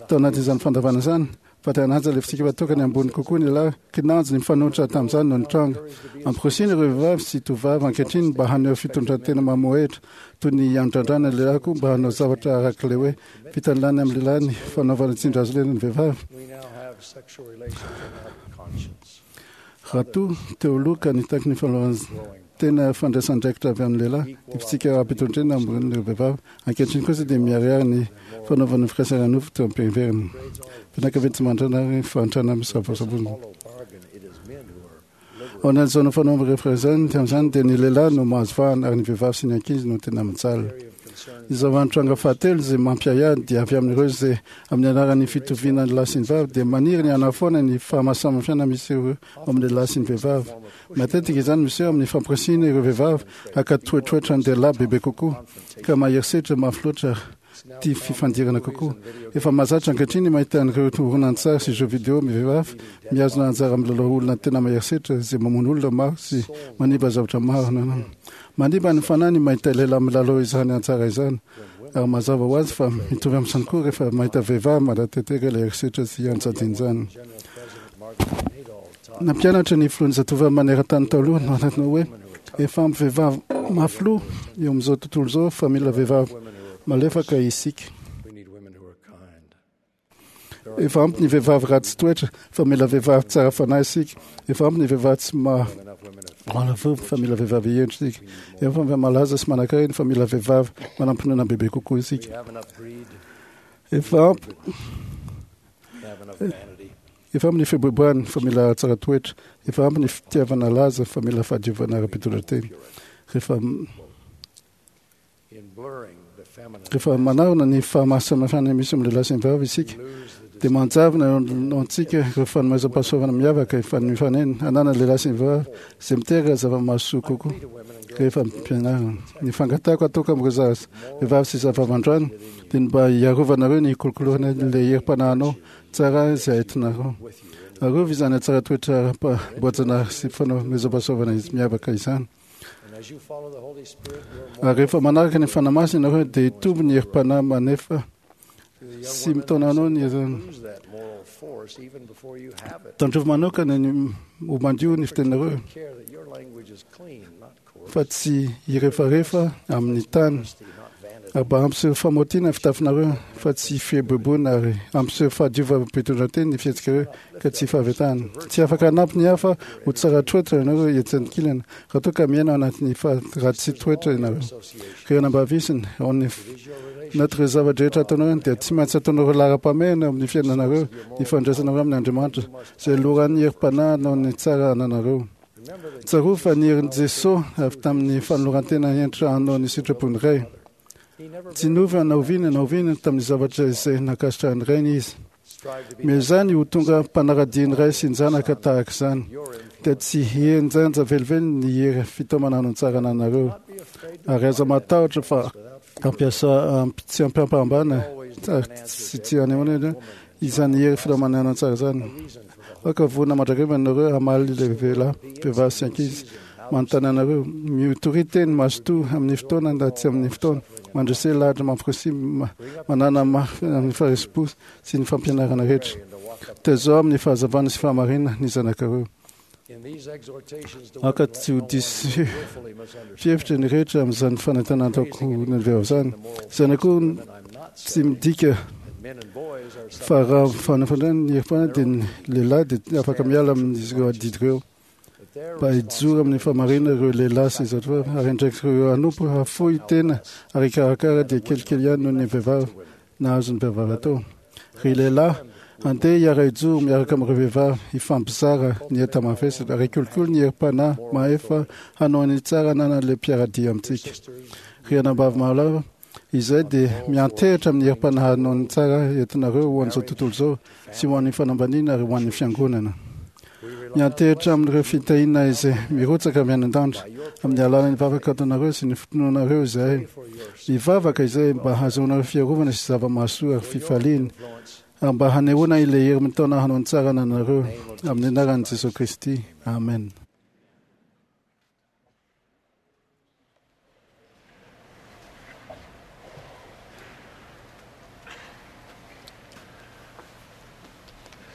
tao anatin'izany fandavana izany fa te hanaja ilay fitsika tokony ambony kokoa ny lehilahy, kinanjo ny mifanohitra tamin'izany no nitranga. Amporisihina ireo vehivavy sy tovovavy ankehitriny mba haneho fitondran-tena mamohehitra toy ny andrandrana ny lehilahy koa mba hanao zavatra araka ilay hoe fitanilana amin'ny lehilahy ny fanaovana tsindry hazo lena ny vehivavy. We now have sexual relations without conscience. Raha toa teo aloha ka nitaky ny fanaovana tena fandraisan'andraikitra avy amin'ny lehilahy ny fitsika ara-pitondrena ambonin'ireo vehivavy, ankehitriny kosa dia miharihary ny fanaovana firaisana nofo teo am-piheverana. Fianakaviana tsy mandrana ary fahantrana misavosavona. Hollow bargain, it is men who are Ao anatin'izao fanaovana rehefa izany, tamin'izany dia ny lehilahy no mahazo vahana ary ny vehivavy sy ny ankizy no tena mijaly. Ny zava-nitranga fahatelo izay mampiahiahy dia avy amin'ireo izay amin'ny anaran'ny fitoviana ny lahy sy ny vavy dia maniry ny hanafoana ny fahamasamafana misy eo amin'ny lehilahy sy ny vehivavy. Matetika izany miseho amin'ny fampirisihina ireo vehivavy haka toetroetra ny lehilahy bebe kokoa ka mahery setra mafy loatra tia fifandirana kokoa. Efa mahazatra ankehitriny mahita an'ireo horonantsary sy jeux vidéo amin'ny vehivavy mihazona anjara amin'ny lalao olona tena mahery setra izay mamono olona maro sy manimba zavatra maro. Manimba ny fanahy ny mahita lehilahy milalao izany anjara izany ary mazava ho azy fa mitovy amin'izany koa rehefa mahita vehivavy manatanteraka ilay herisetra sy anjadian'izany. Nampianatra ny filohan'ny zatovavy maneran-tany taloha no anatina hoe efa ampy vehivavy mafy loha eo amin'izao tontolo izao fa mila vehivavy malefaka isika. We need women who are kind. Efa ampy ny vehivavy ratsy toetra fa mila vehivavy tsara fanahy isika. Efa ampy ny vehivavy tsy ma Enough women of malafo fa mila vehivavy hendry isika. Efa ampy malaza sy manankarena fa mila vehivavy manam-pinoana bebe kokoa We isika. have enough greed, Efa ampy we have enough vanity. efa ampy ny fiboiboihana fa mila tsara toetra. Efa ampy ny fitiavana laza fa mila fahadiovana ara-pitondran-tena. Rehefa In blurring the feminine, rehefa manarona ny fahamasamafana misy amin'ny lehilahy sy ny vehivavy isika lose the dia manjavona eo antsika ireo fanomezam-pahasoavana miavaka efa mifanena ananan'ny lehilahy sy ny vehivavy izay miteraka zava-mahasoa kokoa rehefa ampianarina. Ny fangatahako ataoko amin'ireo zaza vehivavy sy zavavy androany dia ny mba hiarovanareo ny kolokoloana ilay herim-panahinao tsara izay entinareo. Arovy izany hatsara toetra ara-boajanahary sy fanomezam-pahasoavana izy miavaka izany. And as you follow the Holy Spirit, you're more Ary rehefa manaraka ny Fanahy Masina ianareo dia hitombo ny herim-panahy manefa to the young sy women mitaona anao ny lose that moral force even before you have it. tandrovy manokana ny ho mandio ny fiteninareo Take care that your language is clean, not coarse, fa tsy hirefarefa amin'ny tany not vanity. ary mba hampiseho famotiana ny fitafinareo fa tsy fieboeboana ary hampiseho fahadiovam-pitondran-tena ny fihetsikareo ka tsy fahavetahana. Tsy afaka hanampy ny hafa ho tsara toetra ianareo etsy ankilany raha toa ka miaina ao anatin'ny fa- ratsy toetra ianareo. Ry anambavisiny, ao amin'ny anatin'ireo zavatra rehetra ataonareo dia tsy maintsy ataonareo laharam-pahamehana amin'ny fiainanareo ny fandraisanareo amin'ny Andriamanitra izay loharan'ny herim-panahy noho ny tsara ananareo. Tsarovy fa ny herin'i Jesosy avy tamin'ny fanoloran-tena henatra hanao ny sitrapon'ny Ray. Tsy niova na oviana na oviana tamin'ny zavatra izay nankasitrahan'ny Rainy izy. Strive to be Miezany ho tonga mpanara-dia ny Ray sy ny Zanaka tahaka izany. Dia tsy hihenjanja velively ny hery fitaomana hanao ny tsara ananareo. Ary aza matahotra fa hampiasa amp- tsy ampiampahambana ary tsy tsy hanehoana izany hery fitaomana hanao ny tsara izany. Aoka vonona mandrakariva ianareo hamaly ilay lehilahy, vehivavy sy ankizy manontany anareo. Mitoria teny mazotoa amin'ny fotoana na tsy amin'ny fotoana. Mandrese lahatra mampirisy ma- manana mafy amin'ny faharisem-po sy ny fampianarana rehetra. Tezao amin'ny fahazavana sy fahamarinana ny zanakareo. in these exhortations to Aoka women, tsy ho let no one diso willfully misunderstand. fihevitra ny rehetra amin'izany fanentanana ataoko ny vehivavy izany. Izany koa I'm not tsy saying midika that men and boys are fa raha fanafandrany ny herim-panahy dia ny lehilahy dia afaka miala amin'izy ireo adidy ireo. that their Mba hijoro amin'ny fahamarinana ireo lehilahy sy zatovavy ary indraiky ireo hanompo hafoy tena ary hikarakara dia kelikely ihany noho ny vehivavy nahazo ny vehivavy atao. Ry lehilahy, andeha hiara-hijoro miaraka amin'ireo vehivavy hifampizara ny enta-mavesatra ary hikolokolo ny herim-panahy mahefa hanao ny tsara ananan'ilay mpiara-dia amintsika. Ry anabavy mahalala, izay dia miantehitra amin'ny herim-panahy hanao ny tsara entinareo ho an'izao tontolo izao sy ho an'ny fanambaniana ary ho an'ny fiangonana. Miantehitra amin'ireo fitahiana izay mirotsaka avy any an-danitra amin'ny alalan'ny vavaka ataonareo sy ny finoanareo izahay. Mivavaka izay mba hahazoanareo fiarovana sy zava-mahasoa ary fifaliana Mba hanehoana ilay hery mitaona hanao ny tsara anareo amin'ny anaran'i Jesosy Kristy. Amen.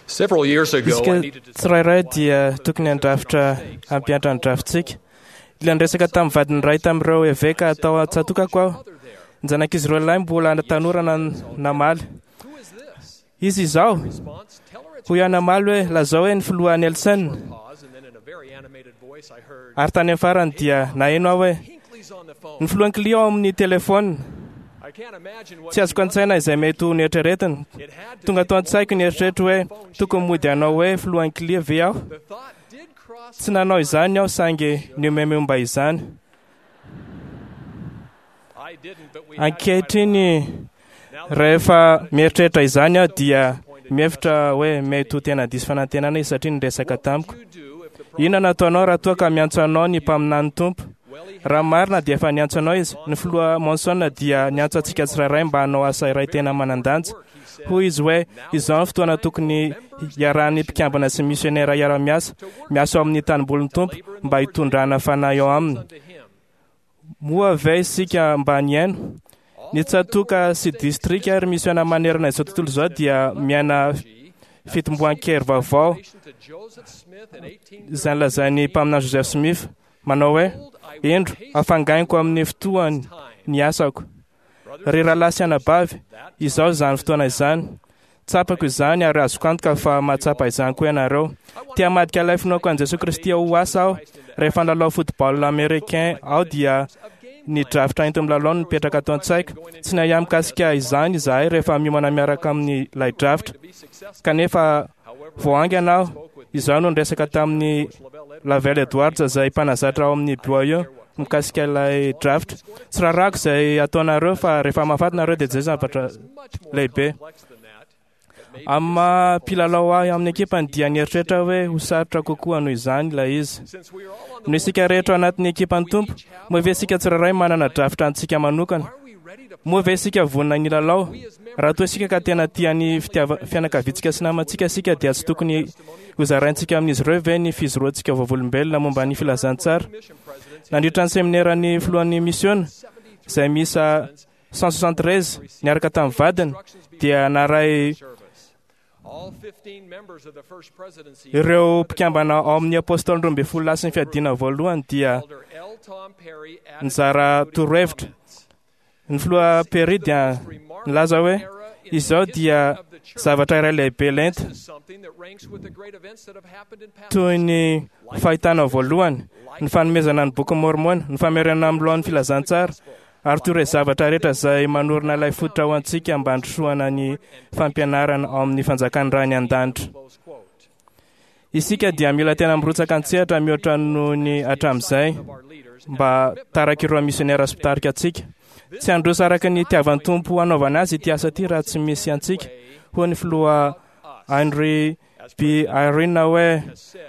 Isika tsirairay dia tokony handrafitra hampiantra ny drafitsika. Ilay niresaka tamin'ny vadiny iray tamin'ireo eveka atao an-tsatokako aho. Ny zanak'izy ireo lahy mbola tanora namaly. Izy izao, hoy aho namaly hoe lazao hoe ny filoha Nelson. Ary tany amin'ny farany dia naheno aho hoe ny filohan'ny Clio ao amin'ny telefôna. Tsy azoko an-tsaina izay mety ho nieritreretiny. Tonga tao an-tsaiko ny eritreritro hoe tokony mody hanao hoe filohan'ny Clio ve aho. Tsy nanao izany aho saingy nihomehy momba izany. Ankehitriny rehefa mieritreritra izany aho dia mihevitra hoe mety ho tena diso fanantenana izy satria niresaka tamiko. Inona no ataonao raha toa ka miantso anao ny mpaminan'ny Tompo? Raha marina dia efa niantso anao izy. Ny filoha Monson dia niantso antsika tsirairay mba hanao asa iray tena manan-danja. Hoy izy hoe izao ny fotoana tokony hiarahan'ny mpikambana sy misionera hiara-miasa, miasa ao amin'ny tanimbolin'ny Tompo mba hitondrana fanahy ao aminy. Moa ve isika mba nihaino? Ny tsatòka sy distrika ary misiona manerana izao tontolo izao dia miaina fitomboan-kery vaovao izay nolazain'ny mpaminany Joseph Smith manao hoe indro hafangainiko amin'ny fotoany ny asako. Ry rahalahy sy anabavy, izao izany fotoana izany. Tsapako izany ary azoko antoka fa mahatsapa izany koa ianareo. Te hamadika ilay finoako an'i Jesosy Kristy ho asa aho. Rehefa nilalao football américain aho dia ny drafitra enti-milalao no nipetraka tao an-tsaiko. Tsy nahiahy mikasika izany izahay rehefa miomana miaraka amin'ilay drafitra. Kanefa vao haingana aho, izaho no niresaka tamin'ny Lavelle Edwards izay mpanazatra ao amin'ny B Y U mikasika ilay drafitra. Tsy raharahako izay ataonareo fa rehefa mahafaty nareo dia izay zavatra lehibe. Amin'ny maha mpilalao ahy amin'ny ekipany dia nieritreritra hoe ho sarotra kokoa noho izany ilay izy. Noho isika rehetra ao anatin'ny ekipan'ny Tompo, moa ve isika tsirairay manana drafitra antsika manokana? Moa ve isika vonona ny hilalao? Raha toa isika ka tena tia ny fitiava- fianakaviantsika sy namantsika isika dia tsy tokony hozaraintsika amin'izy ireo ve ny fijoroantsika vavolombelona momba ny filazantsara? Nandritra ny semineran'ny filohan'ny misiona izay miisa cent soixante-treize niaraka tamin'ny vadiny dia naray ireo mpikambana ao amin'ny apôstôly roa ambin'ny folo lahy sy ny fiadiana voalohany dia nizara torohevitra. Ny filoha Perry dia nilaza hoe izao dia zavatra iray lehibe lenta toy ny fahitana voalohany, ny fanomezana ny boky Mormona, ny famerenana amin'ny lohan'ny filazantsara, ary toy ireo zavatra rehetra izay manorina ilay fototra ho antsika mba handrosoana ny fampianarana ao amin'ny fanjakan'ny Ray any an-danitra. Isika dia mila tena mirotsaka an-tsehatra mihoatra noho ny hatramin'izay mba tarak'ireo misionera sy mpitarika antsika. Tsy handroso araka ny itiavan'ny Tompo hanaovana azy ity asa ity raha tsy misy antsika, hoy ny filoha Henry B. Irene hoe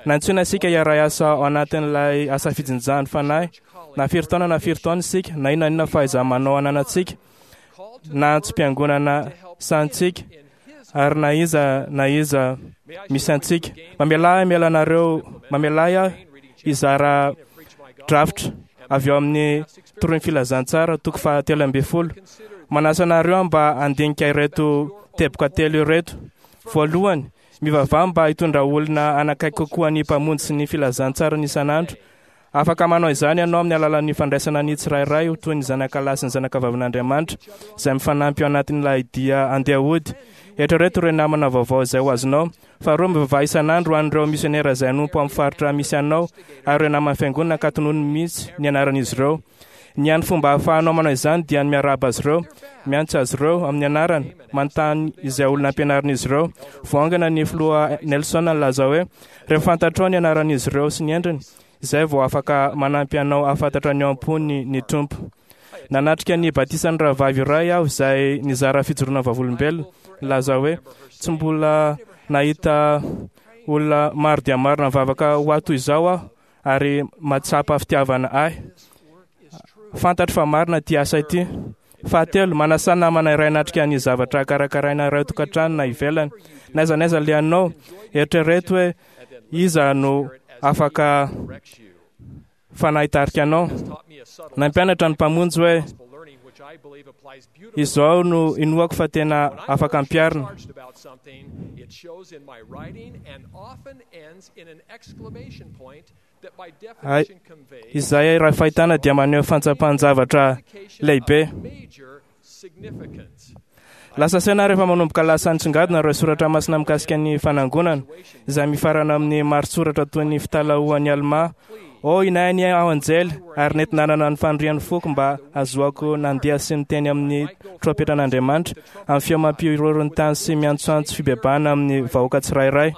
nantsoina isika hiara asa ao anatin'ilay asa fijinjany fanahy na firy taona na firy taona isika, na inona inona fahaiza-manao ananantsika, na antsom-piangonana sahantsika, ary na iza na iza misy antsika. Mamelà ahy miala anareo, mamelà ahy hizara drafitra avy ao amin'ny toroin'ny filazantsara toko fahatelo ambin'ny folo. Manasa anareo aho mba handinika ireto teboka telo ireto. Voalohany, mivavaha mba hitondra olona hanakaiky kokoa ny Mpamonjy sy ny filazantsarany isan'andro. Afaka manao izany ianao amin'ny alalan'ny fandraisana ny tsirairay ho toy ny zanakalahy sy ny zanakavavin'Andriamanitra izay mifanampy ao anatin'ilay dia andeha hody. Eritrereto ireo namana vaovao izay ho azonao. Faharoa, mivavaha isan'andro ho an'ireo misionera izay hanompo amin'ny faritra misy anao ary ireo naman'ny fiangonana ka tonony mihitsy ny anaran'izy ireo. Ny hany fomba ahafahanao manao izany dia ny miarahaba azy ireo, miantso azy ireo amin'ny anarany, manontany izay olona ampianarin'izy ireo. Voaangana ny filoha Nelson nilaza hoe rehefa fantatrao ny anaran'izy ireo sy ny endriny, izay vao afaka manampy anao hahafantatra ny ao am-pony ny Tompo. Nanatrika ny batisan'ny rahavavy iray aho izay nizara fijoroana vavolombelona, nilaza hoe tsy mbola nahita olona maro dia maro nivavaka ho ahy toy izao aho ary mahatsapa fitiavana ahy. Fantatro fa marina ity asa ity. Fahatelo, manasa namana iray hanatrika ny zavatra karakaraina iray tokantrano na ivelany. Na aiza na aiza alehanao, eritrereto hoe iza no afaka fanahy hitarika anao. Nampianatra ny Mpamonjy hoe izao no inoako fa tena afaka ampiharina. Ay, izay raha fahitana dia maneho fantsapan-javatra lehibe. Lasa saina rehefa manomboka lasa nitsongadina ireo soratra masina mikasika ny fanangonana, izay mifarana amin'ny maritsoratra toy ny fitalahoan'i Almà. Ô inay ny aho anjely, ary nety nanana ny fanirian'ny foko mba hahazoako nandeha sy niteny amin'ny trompetran'Andriamanitra, amin'ny feo mampihorohoro ny tany sy miantsoantso fibebahana amin'ny vahoaka tsirairay.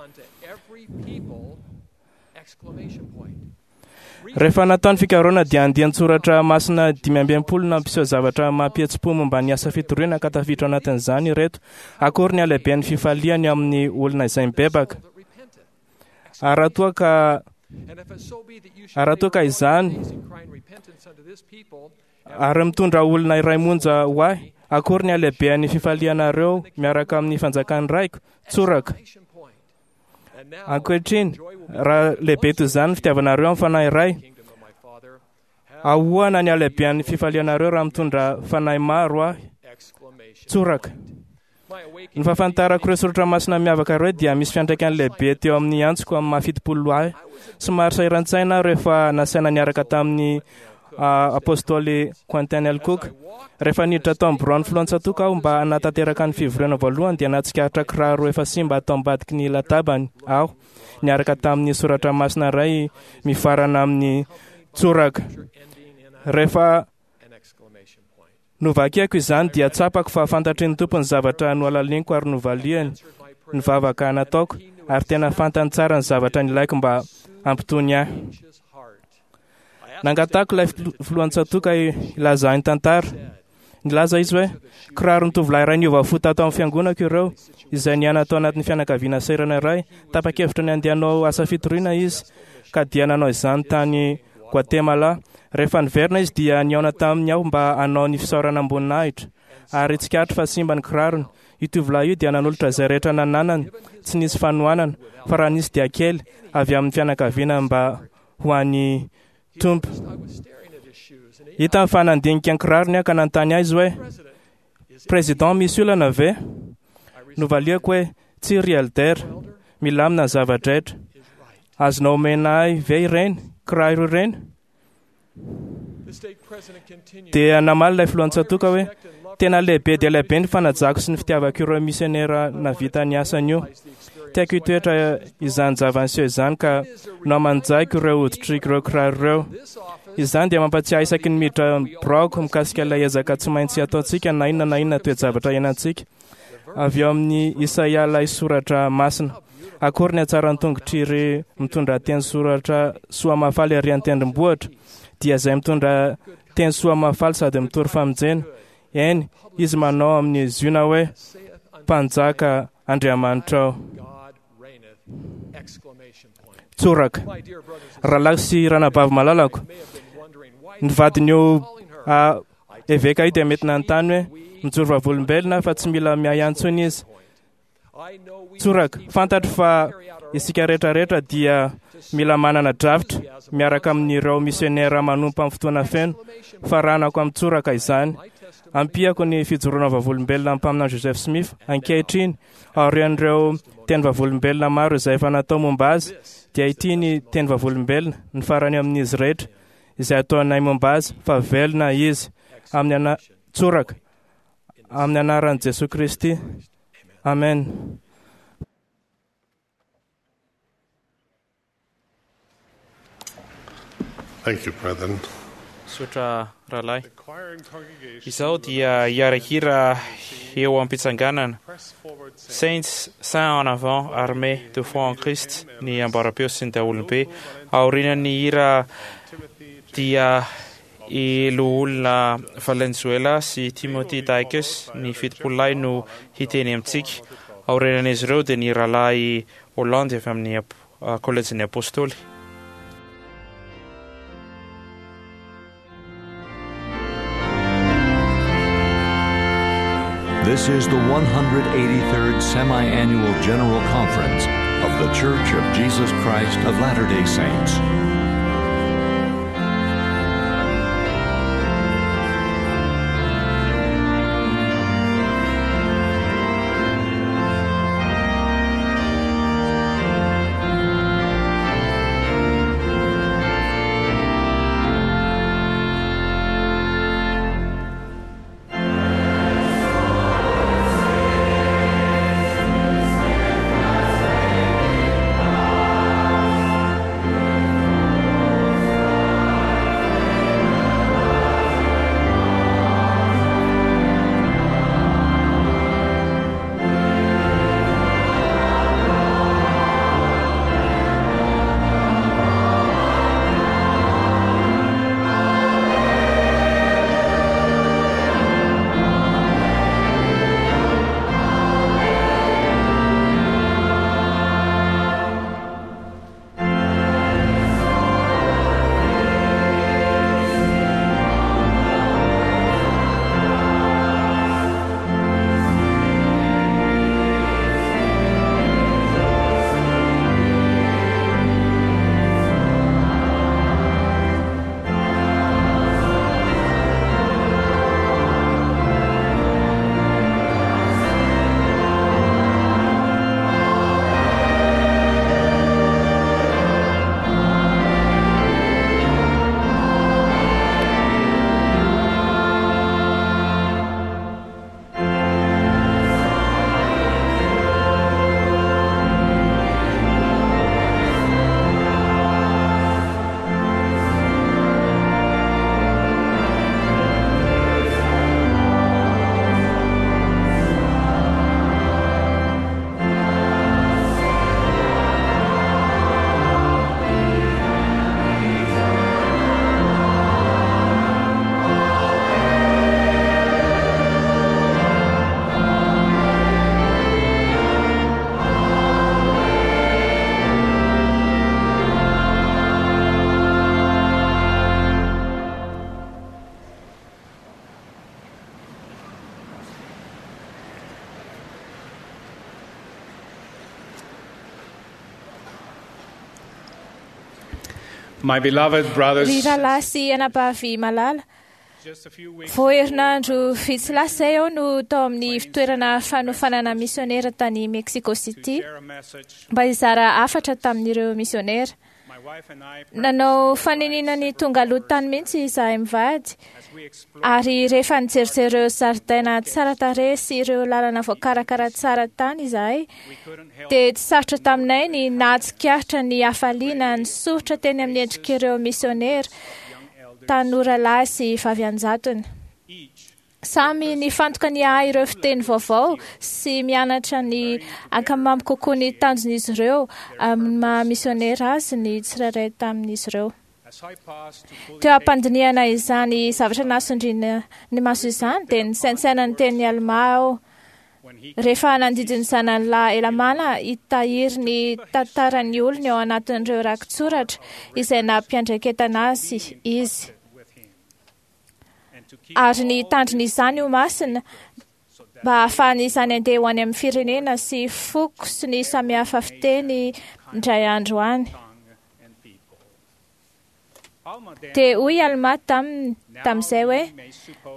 Rehefa natao ny fikarohana dia andian-tsoratra masina dimy amby enimpolo nampiseho zavatra mampihetsi-po momba ny asa fitoriana ka tafiditra ao anatin'izany ireto: akory ny halehiben'ny fifaliany amin'ny olona izay mibebaka. Ary raha toa ka ary raha toa ka izany ary mitondra olona iray monja ho ahy, akory ny halehiben'ny fifalianareo miaraka amin'ny fanjakan'ny Raiko. Tsoraka. Ankehitriny, raha lehibe toy izany ny fitiavanareo amin'ny fanahy iray, ahoana ny halehiben'ny fifalianareo raha mitondra fanahy maro ahy? Tsoraka. Ny fahafantarako ireo soratra masina miavaka ireo dia misy fiantraikany lehibe teo amin'ny antsoko amin'ny maha fitopolo ahy. Somary sahiran-tsaina aho rehefa nasaina niaraka tamin'ny Apôstôly Quentin L. Cook. Rehefa niditra tao amin'ny biraon'ny filohan-tsatoka aho mba hanatanteraka ny fivoriana voalohany dia nahatsikaritra kiraro efa simba tao ambadiky ny latabany aho, niaraka tamin'ny soratra masina iray mifarana amin'ny tsoraka. Rehefa novakiako izany dia tsapako fa fantatry ny Tompo ny zavatra nohalaliniko ary novaliany ny vavaka nataoko, ary tena fantany tsara ny zavatra nilaiko mba hampitony ahy. Nangatahako ilay filohan-tsatoka hilaza ahy ny tantara. Nilaza izy hoe, kiraron'ny tovolahy iray niova fo tato amin'ny fiangonako ireo, izay niaina tao anatin'ny fianakaviana sahirana iray. Tapa-kevitra ny handeha hanao asa fitoriana izy, ka dia nanao izany tany Guatemala. Rehefa niverina izy dia nihaona taminy aho mba hanao ny fisaorana am-boninahitra, ary tsikaritro fa simba ny kirarony. Io tovolahy io dia nanolotra izay rehetra nananany, tsy nisy fanohanana, fa raha nisy dia kely, avy amin'ny fianakaviana mba ho an'ny Tompo. Hitany fa nandinika ny kirarony aho ka nanontany ahy izy hoe, Président, misy olana ve? Novaliako hoe, Tsia ry Elder, milamina ny zava-drehetra. Azonao omena ahy ve ireny kiraro ireny? Dia namaly ilay filohan-tsatoka hoe, Tena lehibe dia lehibe ny fanajako sy ny fitiavako ireo misionera nahavita ny asany io. Tiako hitoetra izany zava-niseho izany ka nohamanjaiko ireo hoditr'ireo kiraro ireo. Izany dia mampatsiahy isaky ny miditra biraoko mikasika ilay ezaka tsy maintsy ataontsika na inona na inona toe-javatra iainantsika. Avy ao amin'ny Isaia ilay soratra masina. Akory ny hatsaran'ny tongotr'iry mitondra teny soratra soa mahafaly ary an-tendrombohitra, dia izay mitondra teny soa mahafaly sady mitory famonjena. Eny, izy manao amin'ny Ziona hoe, Mpanjaka Andriamanitrao. Tsoraka. Rahalahy sy ranabavy malalako, ny vadin'io eveka io dia mety nanontany hoe, mijoro vavolombelona fa tsy mila miahy intsony izy. Tsoraka. Fantatro fa isika rehetra rehetra dia mila manana drafitra miaraka amin'ireo misionera manompo amin'ny fotoana feno. Faranako amin'ny tsoraka izany. Ampiako ny fijoroana vavolombelona amin'ny mpaminany Joseph Smith ankehitriny, aorian'ireo teny vavolombelona maro izay efa natao momba azy, dia ity ny teny vavolombelona, ny farany amin'izy rehetra, izay ataonay momba azy, fa velona izy. Amin'ny ana- tsoraka. Amin'ny anaran'i Jesoa Kristy. Amen. Thank you, brethren. Misaotra rahalahy. Izao dia hiara-hira eo am-pitsanganana. Saints, Saints en avant, armés de foi en Christ, ny ambaram-peo sy ny daholobe. Aorian'ny hira dia I Loholona Valenzuela sy Timothy Dykes, ny Fitopololahy no hiteny amintsika. Aorianan'izy ireo dia ny Rahalahy Holland avy amin'ny Kolejin'ny Apostoly. This is the one hundred eighty-third Semi-Annual General Conference of The Church of Jesus Christ of Latter-day Saints. My beloved brothers, Ry rahalahy sy anabavy malala, vao herinandro vitsy lasa izay aho no tao amin'ny fitoerana fanofanana misionera tany Mexico City mba hizara hafatra tamin'ireo misionera. Nanao fanenina ny tonga aloha tany mihitsy izahay mivady, ary rehefa nijerijery ireo zaridaina tsara tarehy sy ireo lalana voakarakara tsara tany izahay, dia tsy sarotra taminay ny nahatsikaritra ny hafaliana nisoritra teny amin'ny endrik'ireo misionera tanora lahy sy vavy an-jatony. Samy nifantoka ny ahy ireo fiteny vaovao sy mianatra ny ankamamy kokoa ny tanjon'izy ireo amin'ny maha misionera azy ny tsirairay tamin'izy ireo. Teo am-pandinihana izany zavatra nasondriana ny maso izany dia nisaintsaina ny teny Almà aho. Rehefa nandidy ny zanany lahy Elamana hitahiry ny tantaran'ny olony ao anatin'ireo rakitsoratra izay nampiandraiketana azy izy, ary ny tandriny izany ho masina mba hahafahany izany andeha ho any amin'ny firenena sy foko sy ny samihafa fiteny indray andro any. Dia hoy Almà taminy tamin'izay hoe: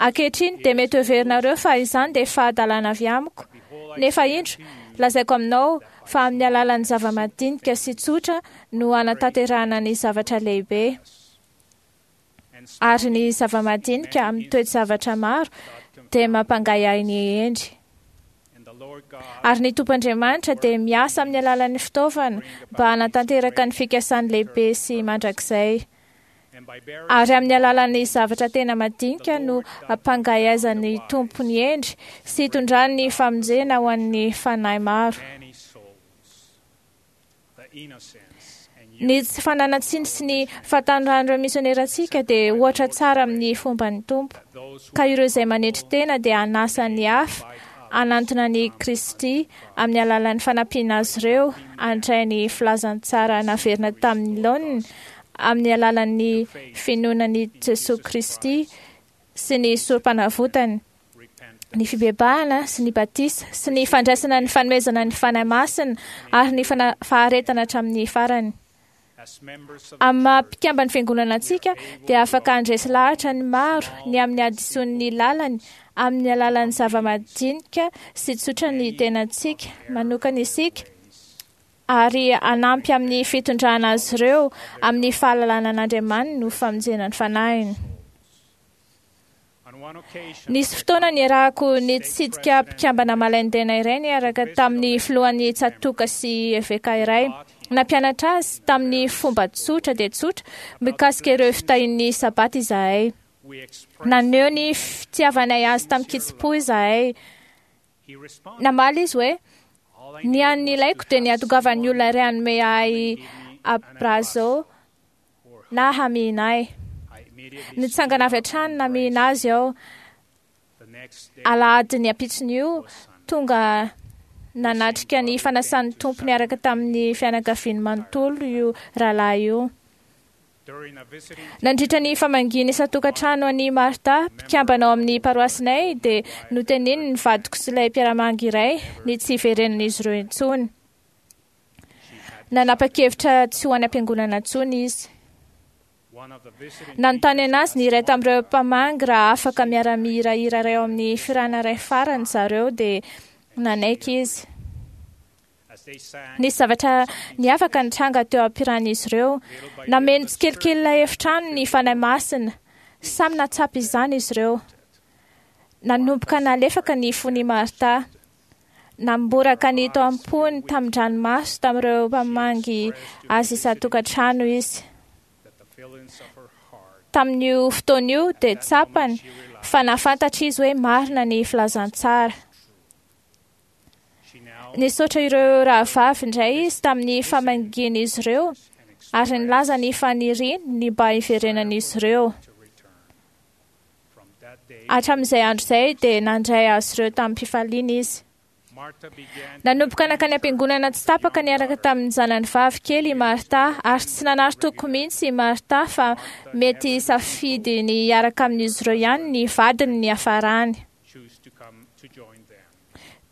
ankehitriny dia mety heverinareo fa izany dia fahadalana avy amiko, nefa indro lazaiko aminao fa amin'ny alalan'ny zava-madinika sy tsotra no hanatanterahana ny zavatra lehibe. Ary ny zava-madinika amin'ny toe-javatra maro dia mampangahiahy ny hendry. Ary ny Tompo Andriamanitra dia miasa amin'ny alalan'ny fitaovana mba hanatanteraka ny fikasany lehibe sy mandrakizay. Ary amin'ny alalan'ny zavatra tena madinika no ampangahiaizan'ny Tompo ny hendry sy hitondrany ny famonjena ho an'ny fanahy maro. Ny tsy fananan-tsiny sy ny fahatanoran'ireo misionerantsika dia ohatra tsara amin'ny fomban'ny Tompo, ka ireo izay manetry tena dia hanasa ny hafa hanantona ny Kristy amin'ny alalan'ny fanampiana azy ireo handray ny filazantsara naverina tamin'ny laoniny amin'ny alalan'ny finoana an'i Jesoa Kristy sy ny sorom-panavotany Ny fibebahana sy ny batisa sy ny fandraisana ny fanomezana ny Fanahy Masina ary ny fana- faharetana hatramin'ny farany. Amin'ny maha mpikamban'ny fiangonana antsika dia afaka handresy lahatra ny maro ny amin'ny hadisoan'ny lalany amin'ny alalan'ny zava-madinika sy tsotra ny tenantsika manokana isika ary hanampy amin'ny fitondrana azy ireo amin'ny fahalalana an'Andriamaniny no famonjena ny fanahiny. Nisy fotoana niarahako nitsidika mpikambana malain-tena iray niaraka tamin'ny filohan'ny tsatoka sy eveka iray. Nampianatra azy tamin'ny fomba tsotra dia tsotra mikasika ireo fitahian'ny sabata izahay. Naneho ny fitiavanay azy tamin-kitsim-po izahay. Namaly izy hoe, ny an'ny ilaiko dia ny hahatongavan'ny olona iray hanome ahy abrazo na hamihina ahy. Nitsangana avy hatrany namihina azy aho. Alahady ny ampitson'io, tonga nanatrika ny fanasan'ny Tompo niaraka tamin'ny fianakaviany manontolo io rahalahy io. Nandritra ny famangiana isan-tokantrano an'i Martha, mpikambana ao amin'ny paroasinay, dia noteneniny ny vadiko sy ilay mpiara-mangy iray ny tsy hiverenan'izy ireo intsony. Nanapa-kevitra tsy ho any am-piangonana intsony izy. Nanontany anazy ny iray tamin'ireo mpamangy raha afaka miara-mihirahira iray ao amin'ny firana iray farany zareo, dia nanaiky izy. Nisy zavatra niavaka nitranga teo am-piran'izy ireo. Nameno tsikelikely ilay efitrano ny Fanahy Masina. Samy nahatsapa izany izy ireo. Nanomboka nalefaka ny fon'i Martha. Namboraka ny tao am-pony tamin-dranomaso tamin'ireo mpamangy azy isan-tokantrano izy. Tamin'io fotoana io dia tsapany fa nahafantatra izy hoe marina ny filazantsara. Nisaotra ireo rahavavy indray izy tamin'ny famangian'izy ireo ary nilaza ny faniriany ny mba hiverenan'izy ireo. Hatramin'izay andro izay dia nandray azy ireo tamin'ny-pifaliana izy. Nanomboka nankany am-piangonana tsy tapaka niaraka tamin'ny zanany vavy kely i Martha ary tsy nanary toko mihitsy i Martha fa mety safidy ny hiaraka amin'izy ireo ihany ny vadiny ny hafarany.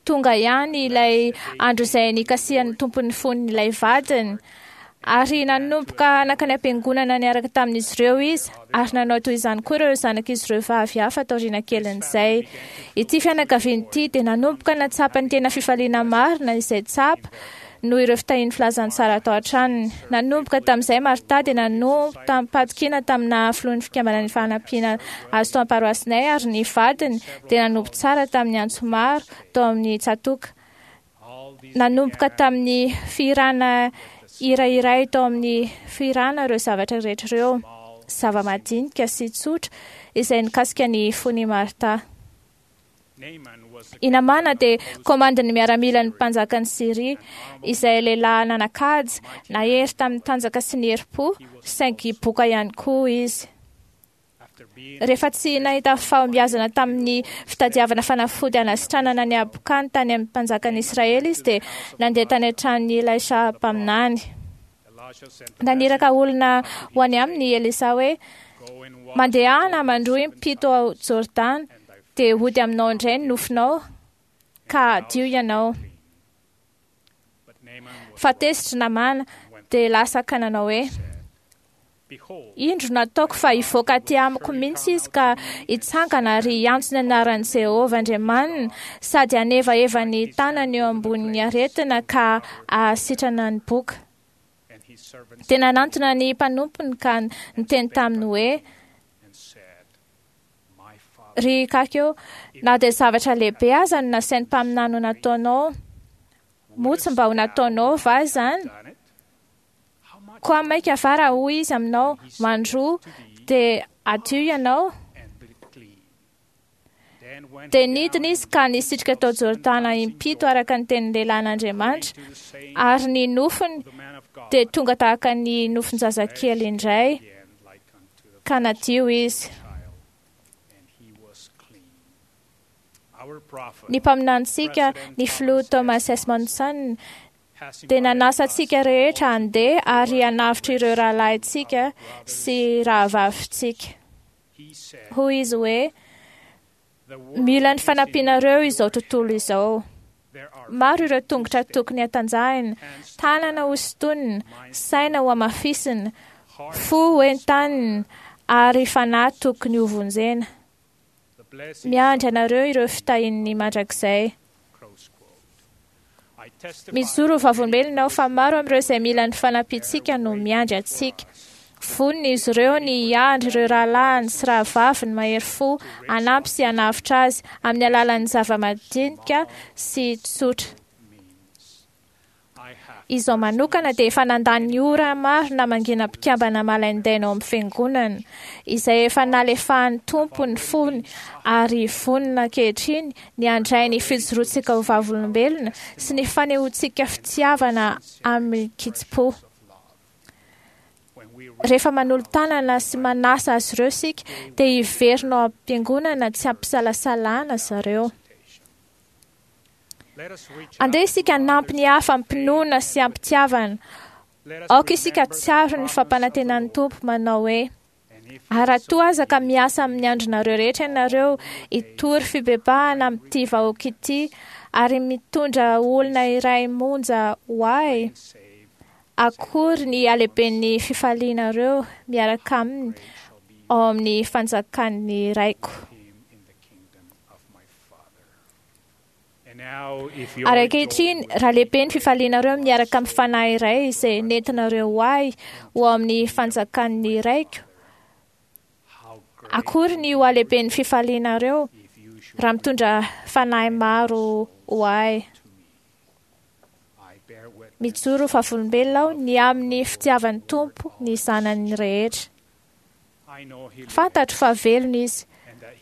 Tonga ihany ilay andro izay nikasihan'ny tompon'ny fon'ilay vadiny ary nanomboka nankany am-piangonana niaraka tamin'izy ireo izy ary nanao toy izany koa ireo zanak'izy ireo vavy hafa taoriana kelin'izay. Ity fianakaviana ity dia nanomboka nahatsapa ny tena fifaliana marina izay tsapa noho ireo fitahian'ny filazantsara tao an-tranony. Nanomboka tamin'izay Martha dia nanompo tamim-pahatokiana tamina filohan'ny fikambanan'ny fanampiana azy tao am-paroasinay ary ny vadiny dia nanompo tsara tamin'ny antso maro tao amin'ny tsatoka. Nanomboka tamin'ny fihirana hira iray tao amin'ny fihirana ireo zavatra rehetra ireo, zava-madinika sy tsotra izay nikasika ny fon'i Martha. I Namana dia komandin'ny miaramilan'ny mpanjakan'i Syria, izay lehilahy nanan-kaja, nahery tamin'ny tanjaka sy ny herim-po, saingy boka ihany koa izy. Rehefa tsy nahita fahombiazana tamin'ny fitadiavana fanafody hanasitranana ny habokany tany amin'ny mpanjakan'i Israely izy dia nandeha tany an-tranon'i Elisha mpaminany. Naniraka olona ho any aminy i Elisa hoe, mandehana mandroa impito ao Jordana dia hody aminao indray ny nofonao ka hadio ianao. Fa tezitra Namana dia lasa ka nanao hoe, indro nataoko fa hivoaka aty amiko mihitsy izy ka hitsangana ary hiantso ny anaran'i Jehovah Andriamaniny sady hanevaeva ny tanany eo ambonin'ny aretina ka hahasitrana ny boka. Dia nanantona ny mpanompony ka niteny taminy hoe, ry kakeo, na dia zavatra lehibe aza no nasain'ny mpaminany ho nataonao, moa tsy mba ho nataonao va izany? Koa maika va raha hoy izy aminao, mandroa, dia adio ianao? Dia nidina izy ka nisitrika tao Jordana impito araka ny tenin'ny lehilahin'Andriamanitra, ary ny nofony dia tonga tahaka ny nofon-jazakely indray, ka nadio izy. Ny mpaminanintsika, ny filoha Thomas S. Monson, dia nanasa antsika rehetra handeha ary hanavotra ireo rahalahintsika sy rahavavintsika. Hoy izy hoe, Mila ny fanampianareo izao tontolo izao. Maro ireo tongotra tokony hatanjahina, tanana ho sintonina, saina ho hamafisina, fo ho entanina ary fanahy tokony ho vonjena. Miandry anareo ireo fitahian'ny mandrakizay. Mijoro ho vavolombelona aho fa maro amin'ireo izay mila ny fanampiantsika no miandry antsika. Vonona izy ireo ny hiandry ireo rahalahiny sy rahavaviny mahery fo hanampy sy hanavotra azy amin'ny alalan'ny zava-madinika sy tsotra. Izao manokana dia efa nandany ora maro namangiana mpikambana malaindaina ao amin'ny fiangonana, izay efa nalefahan'ny Tompo ny fony ary vonona ankehitriny ny handray ny fijoroantsika ho vavolombelona sy ny fanehoantsika fitiavana amin'ny kitsim-po. Rehefa manolo-tanana sy manasa azy ireo isika, dia hiverina ao am-piangonana tsy ampisalasalana zareo. Andeha isika hanampy ny hafa am-pinoana sy am-pitiavana. Aoka isika tsiaro ny fampanantenan'ny Tompo manao hoe: ary raha toa aza ka miasa amin'ny andronareo rehetra ianareo hitory fibebahana amin'ity vahoaka ity ary mitondra olona iray monja ho ahy, akory ny halehiben'ny fifalianareo miaraka aminy ao amin'ny fanjakan'ny Raiko. Ary ankehitriny, raha lehibe ny fifalianareo miaraka amin'ny fanahy iray izay nentinareo ho ahy ho ao amin'ny fanjakan'ny Raiko, akory ny ho halehiben'ny fifalianareo raha mitondra fanahy maro ho ahy. Mijoro ho vavolombelona aho ny amin'ny fitiavan'ny Tompo ny zanany rehetra. Fantatro fa velona Izy,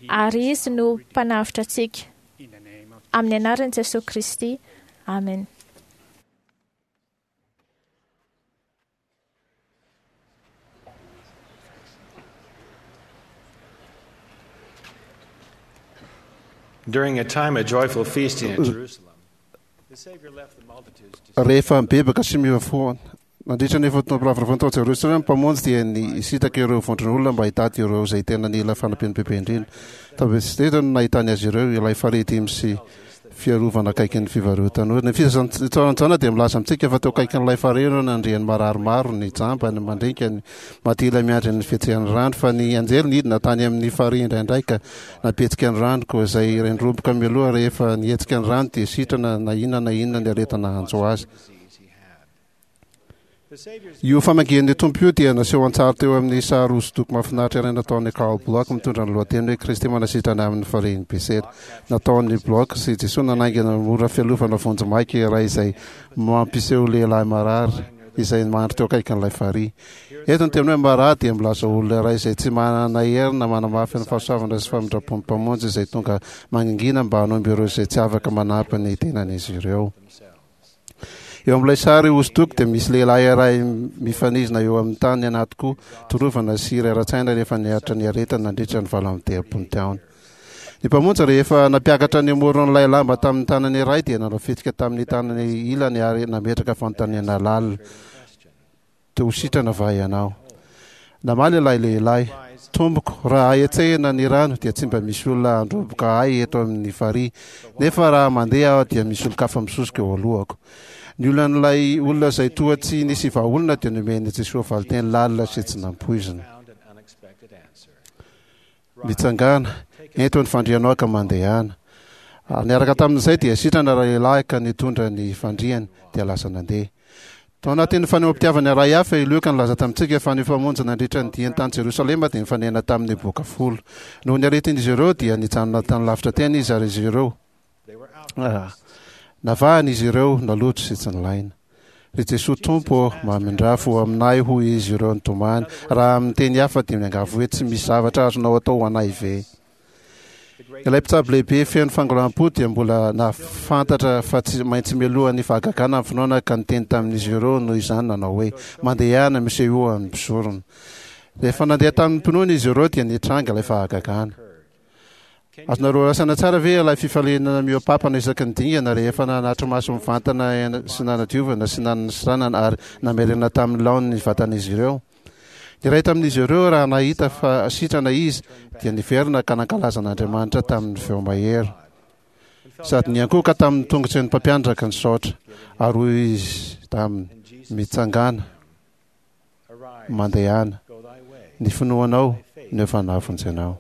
ary Izy no mpanavotra antsika. Amin'ny anaran'i Jesoa Kristy. Amen. During a time of joyful feasting at Jerusalem, the Savior left the multitudes to Rehefa mibebaka sy miova fo nandritra ny fotoam-piravoravoana tao Jerosalema, ny Mpamonjy dia nisintaka ireo vondron'olona mba hitady ireo izay tena nila fanampiana bebe indrindra. Tao Betsaida no nahitany azy ireo, ilay farihy dimy sy fiarovana akaikin'ny fivarotan'olona. Ny filazantsaran'i Jaona dia milaza amintsika fa teo akaikin'ilay farihy no nandrian'ny marary maro, ny jamba, ny mandringa, ny maty ila miandry ny fihetsehan'ny rano, fa ny anjely nidina tany amin'ny farihy indraindray ka nampihetsika ny rano, koa izay rendromboka mialoha rehefa nihetsika ny rano dia sitrana na inona na inona ny aretina hanjo azy. Io famangian'ny Tompo io dia naseho an-tsary teo amin'ny sary hosodoko mahafinaritra iray nataon'i Carl Bloch mitondra ny lohateny hoe Kristy manasitrana amin'ny farihin'i Besera. Nataon'i Bloch sy Jesoa nanaingana mora fialofana vonjimaika iray izay mampiseho lehilahy marary izay mandry teo akaikin'ilay farihy. Eto ny teny hoe marary dia milaza olona iray izay tsy manana hery na manamafy ny fahasoavana sy famindram-pon'ny Mpamonjy izay tonga mangingina mba hanomby ireo izay tsy afaka manampy ny tenan'izy ireo. Eo amin'ilay sary hosodoko dia misy lehilahy iray mifanizina eo amin'ny tany anaty koa torovana sy rera-tsaina rehefa niaritra ny aretina nandritra ny valo amby telopolo taona. Ny Mpamonjy rehefa nampiakatra ny moron'ilay lamba tamin'ny tanany iray dia nanao fihetsika tamin'ny tanany ilany ary nametraka fanontaniana lalina. Te ho sitrana va ianao? Namaly ilay lehilahy, Tompoko, raha hetsehina ny rano dia tsy mba misy olona handroboka ahy eto amin'ny farihy, nefa raha mandeha aho dia misy olon-kafa misosoka eo alohako. Ny olan'ilay olona izay toa tsy nisy vahaolana dia nomen'i Jesoa valinteny lalina sy tsy nampoizina. Mitsangàna, ento ny fandrianao ka mandehana. Ary niaraka tamin'izay dia sitrana ralehilahy ka nitondra ny fandriany dia lasa nandeha. Tao anatin'ny fanehoam-pitiavana iray hafa i Lioka nilaza tamintsika fa ny Mpamonjy nandritra ny diany tany Jerosalema dia nifanena tamin'ny boka folo. Noho ny aretin'izy ireo dia nijanona tany lavitra teny izy ary izy ireo Navahana izy ireo, naloto sy tsy nilaina. Ry Jesoa Tompo ô, mamindrà fo aminay, hoy izy ireo nitomany. Raha amin'ny teny hafa dia miangavy hoe tsy misy zavatra azonao atao ho anay ve? Ilay mpitsabo lehibe feno fangoraham-po dia mbola nahafantatra fa tsy maintsy mialoha ny fahagagana ny finoana ka niteny tamin'izy ireo noho izany nanao hoe, Mandehana, misehoa amin'ny mpisorona. Rehefa nandeha tamin'ny mpinoana izy ireo dia nitranga ilay fahagagana. Azonareo raisana tsara ve ilay fifaliana mihoa-papana isaky ny dingana rehefa nanatri-maso mivantana sy nanadiovana sy nanasitranana ary namerina tamin'ny laoniny ny vatan'izy ireo? Ny iray tamin'izy ireo, raha nahita fa sitrana izy, dia niverina ka nankalaza an'Andriamanitra tamin'ny feo mahery. Sady niankohoka tamin'ny tongotry ny mpampianatra ka nisaotra, ary hoy izy taminy, Mitsangàna, mandehana, ny finoanao no efa nahavonjy anao.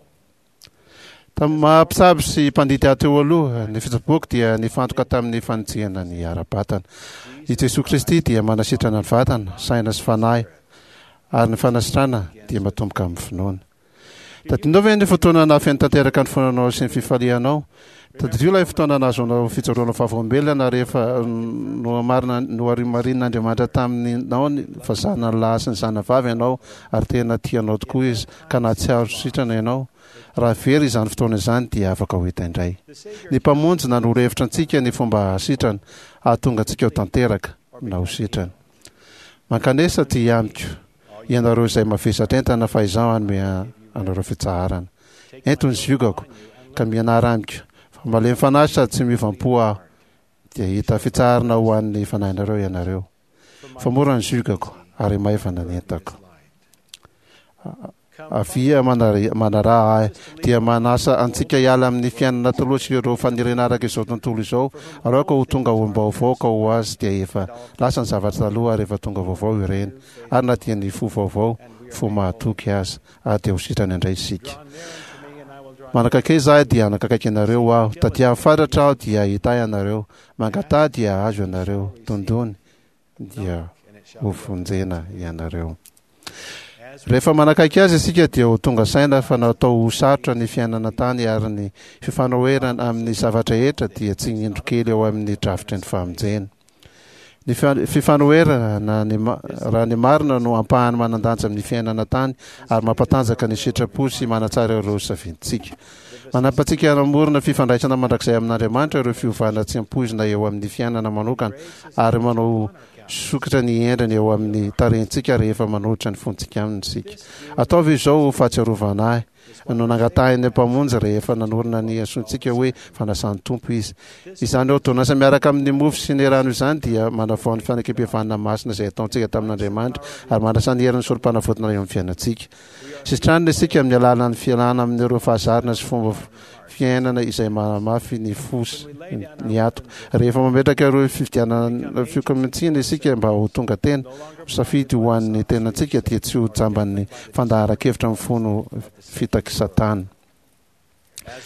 Tamin'ny maha mpitsabo sy mpandidy ahy teo aloha, ny fitsaboako dia nifantoka tamin'ny fanitsihana ny ara-batana. I Jesoa Kristy dia manasitrana ny vatana, saina sy fanahy, ary ny fanasitrana dia matomboka amin'ny finoana. Tadidinao ve ny fotoana nahafeno tanteraka ny fonanao sy ny fifalianao? Tadidio ilay fotoana nahazoanao fijoroana vavolombelona rehefa nohamarina noharimarin'Andriamanitra taminao fa zanany lahy sy ny zanany vavy ianao ary tena tia anao tokoa izy ka nahatsiaro sitrana ianao. Raha very izany fotoana izany dia afaka ho hita indray. Ny Mpamonjy nanoro hevitra antsika ny fomba hahasitrana, hahatonga antsika ho tanteraka na ho sitrana. Mankanesa aty amiko, ianareo izay mavesatra entana, fa izaho hanome anareo fitsaharana. Ento ny ziogako, ka mianara amiko, fa malemy fanahy sady tsy miovam-po aho, dia hahita fitsaharana ho an'ny fanahinareo ianareo. Fa mora ny ziogako, ary maivana ny entako. Avia manaraha ahy, dia manasa antsika hiala amin'ny fiainana taloha sy ireo faniriana araka izao tontolo izao, ary aoka ho tonga olom-baovao ka ho azy dia efa lasa ny zavatra taloha ary efa tonga vaovao ireny, ary na dia ny fo vaovao, fo mahatoky aza, ary dia ho sitrana indray isika. Manakakaiza ahy dia hanakakaiky anareo aho, tadiavo fatratra aho dia hahita ahy ianareo, mangataha dia hahazo ianareo, dondony dia hovonjena ianareo. Rehefa manakaiky azy isika dia ho tonga saina fa natao ho sarotra ny fiainana tany ary ny fifanoherana amin'ny zava-drehetra dia tsy indro kely eo amin'ny drafitry ny famonjena. Ny fifanoherana na ny raha ny marina no ampahany manan-danja amin'ny fiainana tany ary mampatanjaka ny sitrapo sy manatsara ireo safintsika. Manampy antsika hanamorona fifandraisana mandrakizay amin'Andriamanitra ireo fiovana tsy ampoizina eo amin'ny fiainana manokana ary manao sokitra ny endriny eo amin'ny tarehintsika rehefa manolotra ny fontsika aminy isika. Ataovy izao ho fahatsiarovana ahy no nangatahin'ny Mpamonjy rehefa nanorina ny antsointsika hoe fanasan'ny Tompo izy. Izany ôrdônansa miaraka amin'ny mofo sy ny rano izany dia manavao ny fanekempihavanana masina izay ataontsika tamin'Andriamanitra ary manasa ny herin'ny Sorompanavotana eo amin'ny fiainantsika. Sitranina isika amin'ny alalan'ny fialana amin'ireo fahazarana sy fomba fiainana izay manamafy ny fo sy ny hatoka. Rehefa mametraka ireo fifidianana fiokamintsina isika mba ho tonga tena, ho safidy ho an'ny tenantsika dia tsy ho jamban'ny fandaharan-kevitra mifono fitak'i Satana.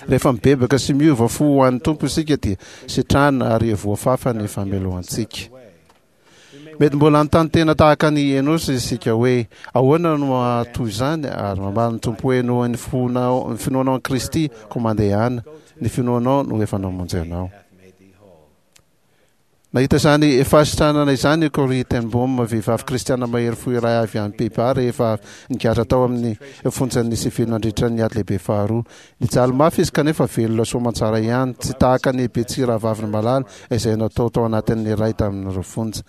Rehefa mibebaka sy miova fo ho an'ny Tompo isika dia sitrana ary voafafa ny famelohantsika. Mety mbola hanontany tena tahaka an'i Enosy isika hoe, Ahoana no hahatoy izany? Ary mamaly ny Tompo hoe, Noho ny fonao, ny finoanao an'i Kristy, koa mandehana, ny finoanao no efa namonjy anao. Nahita izany fahasitranana izany i Corrie ten Boom, vehivavy kristiana mahery fo iray avy any Pays-Bas, rehefa avy nigadra tao amin'ny fonjan'ny sivily nandritra ny Ady Lehibe Faharoa. Nijaly mafy izy kanefa velona soamantsara ihany, tsy tahaka an'i Betsy rahavaviny malala izay natao tao anatin'ny iray tamin'ireo fonja.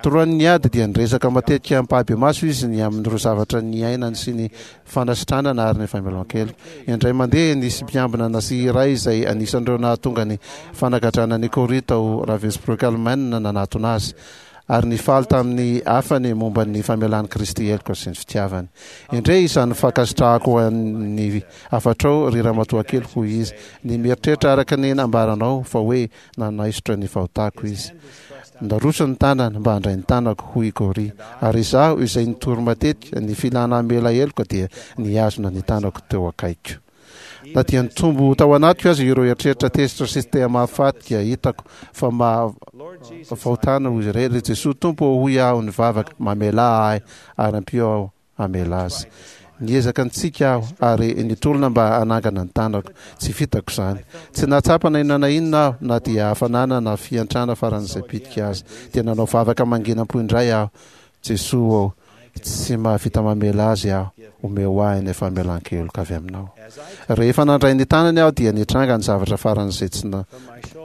Toroan'ny ady dia niresaka matetika ampahibemaso izy ny amin'ireo zavatra niainany sy ny fanasitranana ary ny famelan-keloka. Indray mandeha nisy mpiambina Nazi iray izay anisan'ireo nahatonga ny fanagadrana an'i Corrie tao Ravensbrück Alemaina nanatona azy. Ary nifaly tamin'ny hafany momba ny famelan'i Kristy heloka sy ny fitiavany. Endrey izany fankasitrahako ny hafatrao, ry ramatoakely, hoy izy, ny mieritreritra araka ny nambaranao fa hoe nanaisotra ny fahotako izy. Naroso ny tanany mba handray ny tanako, hoy i Corrie, ary izaho izay nitory matetika ny filana hamela heloka dia nihazona ny tanako teo akaikiko. Na dia nitombo tao anatiko aza ireo eritreritra tezitra sy te hamahafaty dia hitako fa maha fahotana hoy izy ireny. Ry Jesoa Tompo ô, hoy aho nivavaka, mamelà ahy ary ampio aho hamela azy. Niezaka nitsiky aho ary nitolona mba hanangana ny tanako. Tsy vitako izany. Tsy nahatsapa na inona na inona aho, na dia hafanana na fiantrana faran'izay bitika aza. Dia nanao vavaka manginam-po indray aho, Jesoa ô, tsy mahavita mamela azy aho, omeo ahy ny famelan-keloka avy aminao. Rehefa nandray ny tanany aho dia nitranga ny zavatra faran'izay tsy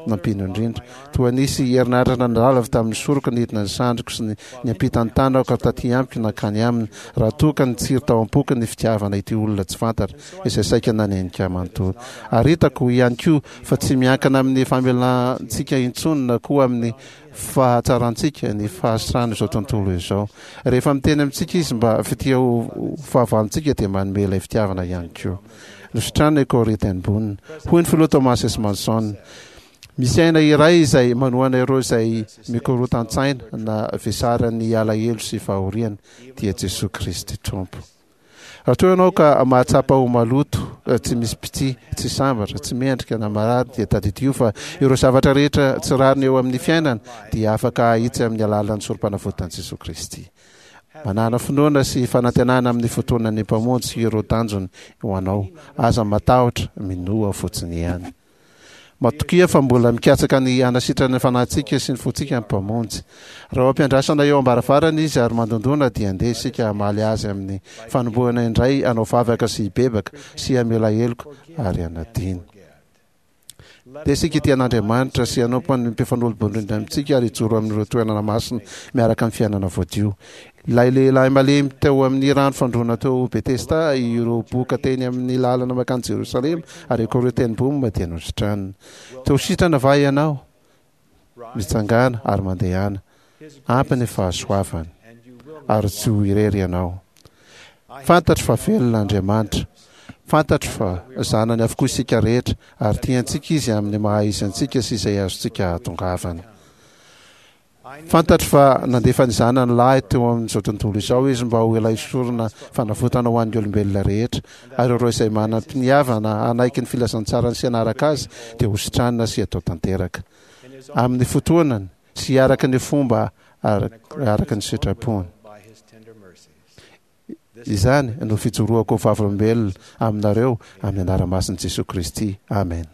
nampino indrindra. Toa nisy herinaratra nandalo avy tamin'ny soroko nidina ny sandriko sy niampita ny tanako taty amiko nankany aminy, raha toa ka nitsiry tao am-poko ny fitiavana ity olona tsy fantatra izay saika nanenika ahy manontolo. Ary hitako ihany koa fa tsy miankina amin'ny famelantsika intsony na koa amin'ny fahatsarantsika, ny fahasitran'izao tontolo izao. Rehefa miteny amintsika Izy mba fitia ho fahavalontsika dia manome ilay fitiavana ihany koa. Nositranina i Corrie ten Boom. Hoy ny filoha Thomas S. Monson, Misy aina iray izay manohana ireo izay mikorotan-tsaina na vesaran'ny alahelo sy fahoriana, dia Jesoa Kristy Tompo. Raha toa ianao ka mahatsapa ho maloto, tsy misy mpitia, tsy sambatra, tsy mendrika na marary dia tadidio fa ireo zavatra rehetra tsy rariny eo amin'ny fiainana dia afaka ahitsy amin'ny alalan'ny sorompanavotan'i Jesoa Kristy. Manàna finoana sy fanantenana amin'ny fotoanan'ny Mpamonjy sy ireo tanjony ho anao. Aza matahotra, minoa fotsiny ihany. Matokia fa mbola mikatsaka ny hanasitrana ny fanahintsika sy ny fontsika ny Mpamonjy. Raha eo am-piandrasana eo am-baravarana Izy ary mandondòna dia andeha isika hamaly Azy amin'ny fanombohana indray hanao vavaka sy hibebaka sy hamela heloka ary hanadino. Andeha isika hitia an'Andriamanitra sy hanompo ny mpifanolo-bondrindra amintsika ary hijoro amin'ireo toerana masina miaraka amin'ny fiainana voadio. Ilay lehilahy malemy teo amin'ny rano fandroana teo Betesda, ireo boka teny amin'ny lalana mankany Jerosalema, ary ireo teny Boom dia nositranina. Te ho sitrana va ianao? Mitsangàna ary mandehana. Ampy ny fahasoavany. Ary tsy ho irery ianao. Fantatro fa velona Andriamanitra. Fantatro fa zanany avokoa isika rehetra, ary tiantsika Izy amin'ny maha-izy antsika sy izay azontsika ahatongavana. Fantatro fa nandefa ny Zanany lahy teo amin'izao tontolo izao Izy mba ho ilay sorona fanavotana ho an'ny olombelona rehetra, ary ireo izay manam-piniavana hanaiky ny filazantsarany sy hanaraka Azy dia hositranina sy hatao tanteraka amin'ny fotoanany sy araka ny fomba araka ny sitrapony. Izany no fijoroako ho vavolombelona aminareo amin'ny anara-masin'i Jesoa Kristy. Amena.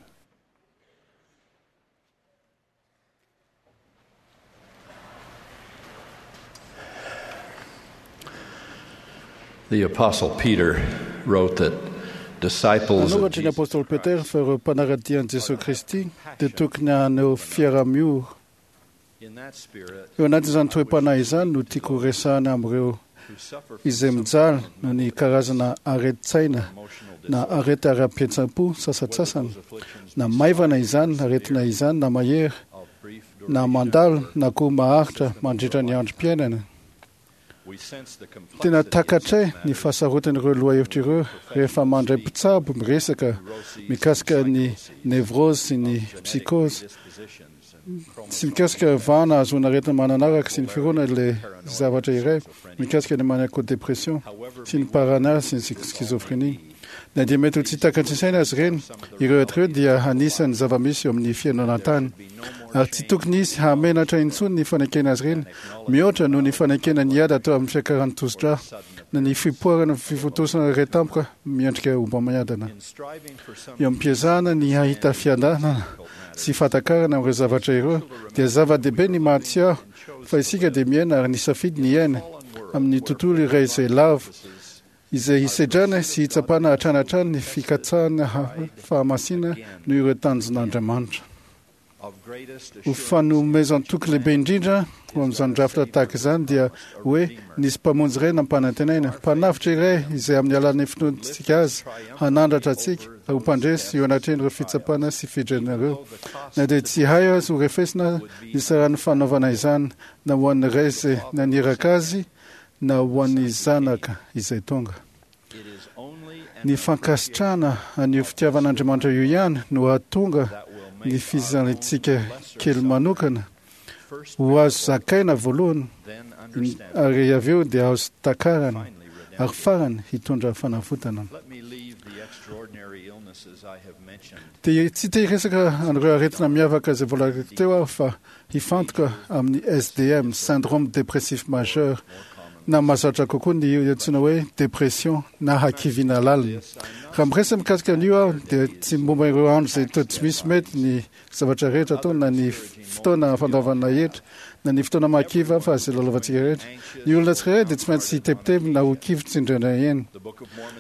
The Apostle Peter wrote that disciples of Nanoratra ny apostoly Petera fa ireo mpanara-dia an'i Jesoa Kristy dia tokony haneho fiaraha-miory. Eo anatin'izany toe-panahy izany no tiako horesahana amin'ireo izay mijaly noho ny karazana aretin-tsaina na arety ara-pihetseham-po sasantsasany, na maivana izany aretina izany na mahery, na mandalo na koa maharitra mandritra ny androm-piainana. Tena takatray ny fahasarotan'ireo lohahevitra ireo rehefa mandray mpitsabo miresaka mikasika ny névrose sy ny psychose, sy mikasika vahana ahazoana aretina mananaraka sy ny fironana ilay zavatra iray mikasika ny maniaco-dépression sy ny paranoia sy ny schizophrénie. Na dia mety ho tsy takatry ny saina azy ireny, ireo aretina ireo dia anisan'ny zava-misy eo amin'ny fiainana an-tany. Ary tsy tokony hisy hahamenatra intsony ny fanekena azy ireny, mihoatra noho ny fanekena ny ady atao amin'ny fiakaran'ny tosidra na ny fipoirana fifontosana iray tampoka miendrika homamiadana. Eo am-piezahana ny hahita fiadanana sy fahatakarana amin'ireo zavatra ireo, dia zava-dehibe ny mahatsiaro fa isika dia miaina ary nisafidy ny hiaina amin'ny tontolo iray izay lavo, izay hisedrana sy hitsapana hatrany hatrany ny fikatsahana fahamasina noho ireo tanjon'Andriamanitra. Ho fanomezan-toky lehibe indrindra ho amin'izany drafitra tahaka izany dia hoe nisy Mpamonjy iray nampanantenaina, Mpanavotra iray izay amin'ny alalan'ny finoantsika Azy hanandratra antsika ho mpandresy eo anatrehan'ireo fitsapana sy fiadrana ireo. Na dia tsy hay aza ho refesina ny saran'ny fanaovana izany na ho an'ny Ray izay naniraka Azy na ho an'ny Zanaka izay tonga. Ny fankasitrahana an'io fitiavan'Andriamanitra io ihany no hahatonga ny fijaliantsika kely manokana ho azo zakaina voalohany ary avy eo dia azo takarana ary farany hitondra fanavotana. Dia tsy te hiresaka an'ireo aretina miavaka izay voalazako teo aho fa hifantoka amin'ny S D M, syndrome dépressif majeur, na mahazatra kokoa ny antsoina hoe dépression na hakiviana lalina. Raha miresaka mikasika an'io aho dia tsy momba ireo andro izay toa tsy misy mety ny zavatra rehetra atao na ny fotoana fandoavana hetra na ny fotoana mahakivy fa izay lalaovantsika rehetra. Ny olona tsirairay dia tsy maintsy hitebiteby na ho kivy tsindraindray eny.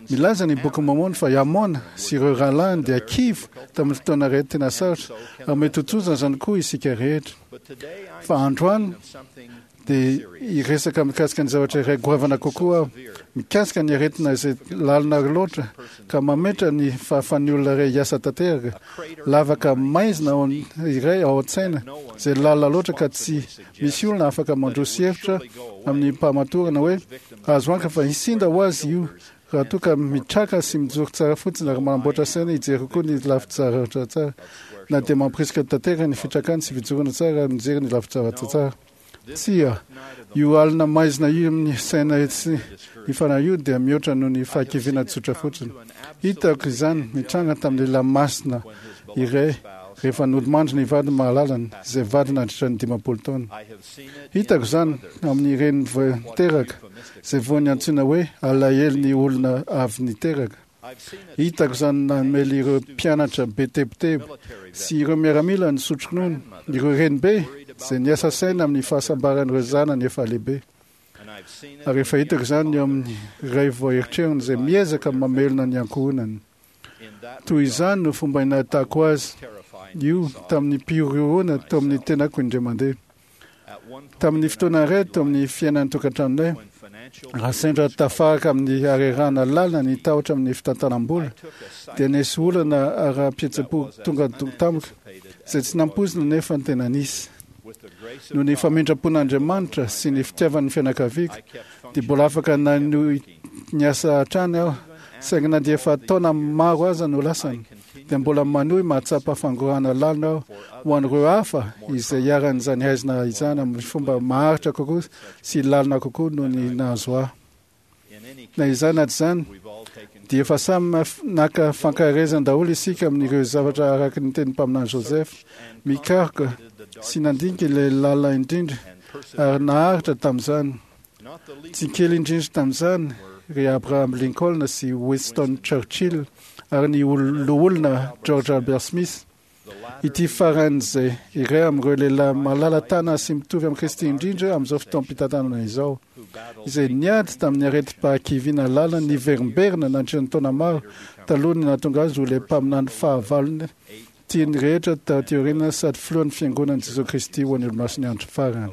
Milaza ny Boky Mômôna fa i Amôna sy ireo rahalahiny dia kivy tamin'ny fotoana rehetra tena sarotra ary mety ho tojo izany koa isika rehetra. Fa androany dia hiresaka mikasika ny zavatra iray goavana kokoa aho, mikasika ny aretina izay lalina loatra ka mametra ny fahafahan'ny olona iray hiasa tanteraka, lavaka maizina ao iray ao an-tsaina izay lalina loatra ka tsy misy olona afaka mandroso hevitra amin'ny mpamatorana hoe azo antoka fa hisinda ho azy io raha toa ka mitraka sy mijoro tsara fotsiny ary manamboatra saina hijery kokoa ny lafin-javatra tsara, na dia mampirisika tanteraka ny fitrakany sy fijoroana tsara ary mijery ny lafin-javatra tsara. Tsia, io alina maizina io amin'ny saina sy ny fanahy io dia mihoatra noho ny fahakiviana tsotra fotsiny. Hitako izany nitranga tamin'ny lehilahy masina iray rehefa nodimandry ny vadiny mahalalany, izay vady nandritra ny dimampolo taona. Hitako izany amin'ny reny vao niteraka, izay voan'ny antsoina hoe alahelon'ny olona avy niteraka. Hitako izany namely ireo mpianatra be tebiteby sy ireo miaramila nisotro ronono, ireo renibe izay niasa saina amin'ny fahasambaran'ireo zanany efa lehibe. Ary efa hitako izany eo amin'ny ray vao eritreriny izay miezaka mamelona ny ankohonany. Toy izany no fomba nahitako azy io tamin'ny mpihorohoroana teo amin'ny tenako indray mandeha. Tamin'ny fotoana iray teo amin'ny fiainan'ny tokantranonay, raha sendra tafaraka amin'ny harerahana lalina ny tahotra amin'ny fitantanam-bola, dia nisy olana ara-pihetseham-po tonga tamiko, izay tsy nampoizina nefa tena nisy. Noho ny famindram-pon'Andriamanitra sy ny fitiavan'ny fianakaviako, dia mbola afaka nanohy niasa hatrany aho, saingy na dia efa taona maro aza no lasana, dia mbola manohy mahatsapa fangorahana lalina aho ho an'ireo hafa izay iharan'izany haizina izany amin'ny fomba maharitra kokoa sy lalina kokoa noho ny nahazo ahy. Na izany na tsy izany, dia efa samy naka fankaherezana daholo isika amin'ireo zavatra araka ny tenin'ny mpaminany Joseph, mikaroka sy nandinika ilay lalina indrindra ary naharitra tamin'izany. Tsy kely indrindra tamin'izany ry Abraham Lincoln sy Winston Churchill ary ny loholona George Albert Smith. Ity farany izay iray amin'ireo lehilahy malala-tanana sy mitovy amin'i Kristy indrindra amin'izao fotoam-pitantanana izao, izay niady tamin'ny aretim-pahakiviana lalina niverimberina nandritra ny taona maro talohan'ny nahatonga azy ho ilay mpaminany fahavalony tian'ny rehetra taty aoriana sady filohan'ny Fiangonan'i Jesoa Kristy ho an'ny Olomasin'ny Andro Farany.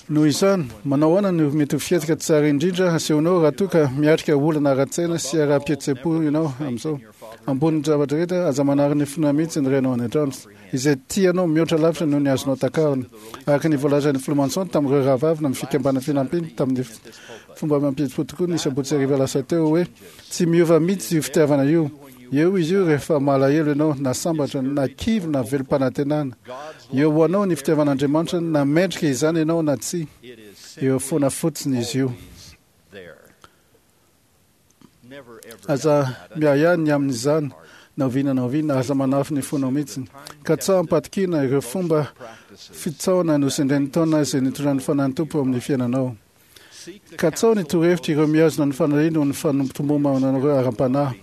Noho izany, manao ahoana no mety ho fihetsika tsara indrindra hasehonao raha toa ka miatrika olana ara-tsaina sy ara-pihetseham-po ianao amin'izao? Ambonin'ny zavatra rehetra, aza manary ny finoana mihitsy ny Rainao any an-tranitra, izay tia anao mihoatra lavitra noho ny azonao takarina. Araka ny voalazan'ny Filoha Monson tamin'ireo rahavavy amin'ny Fikambanana Fanampiana tamin'ny fomba mampihetsi-po tokoa ny sabotsy hariva lasa teo hoe, Tsy miova mihitsy io fitiavana io. Eo izy io rehefa malahelo ianao, na sambatra, na kivy, na velom-panantenana. Eo ho anao ny fitiavan'Andriamanitra, na mendrika izany ianao na tsia. Eo foana fotsiny izy io. Aza miahiahy ny amin'izany na oviana na oviana, aza manafy ny fonao mihitsy. Katsaho am-patokiana ireo fomba fitsaohana nosendrain'ny taona izay nitondran'ny Fanahin'ny Tompo eo amin'ny fiainanao. Katsaho ny torohevitr' ireo mihazona ny fanahiny noho ny fanompotombomana anareo ara-panahy.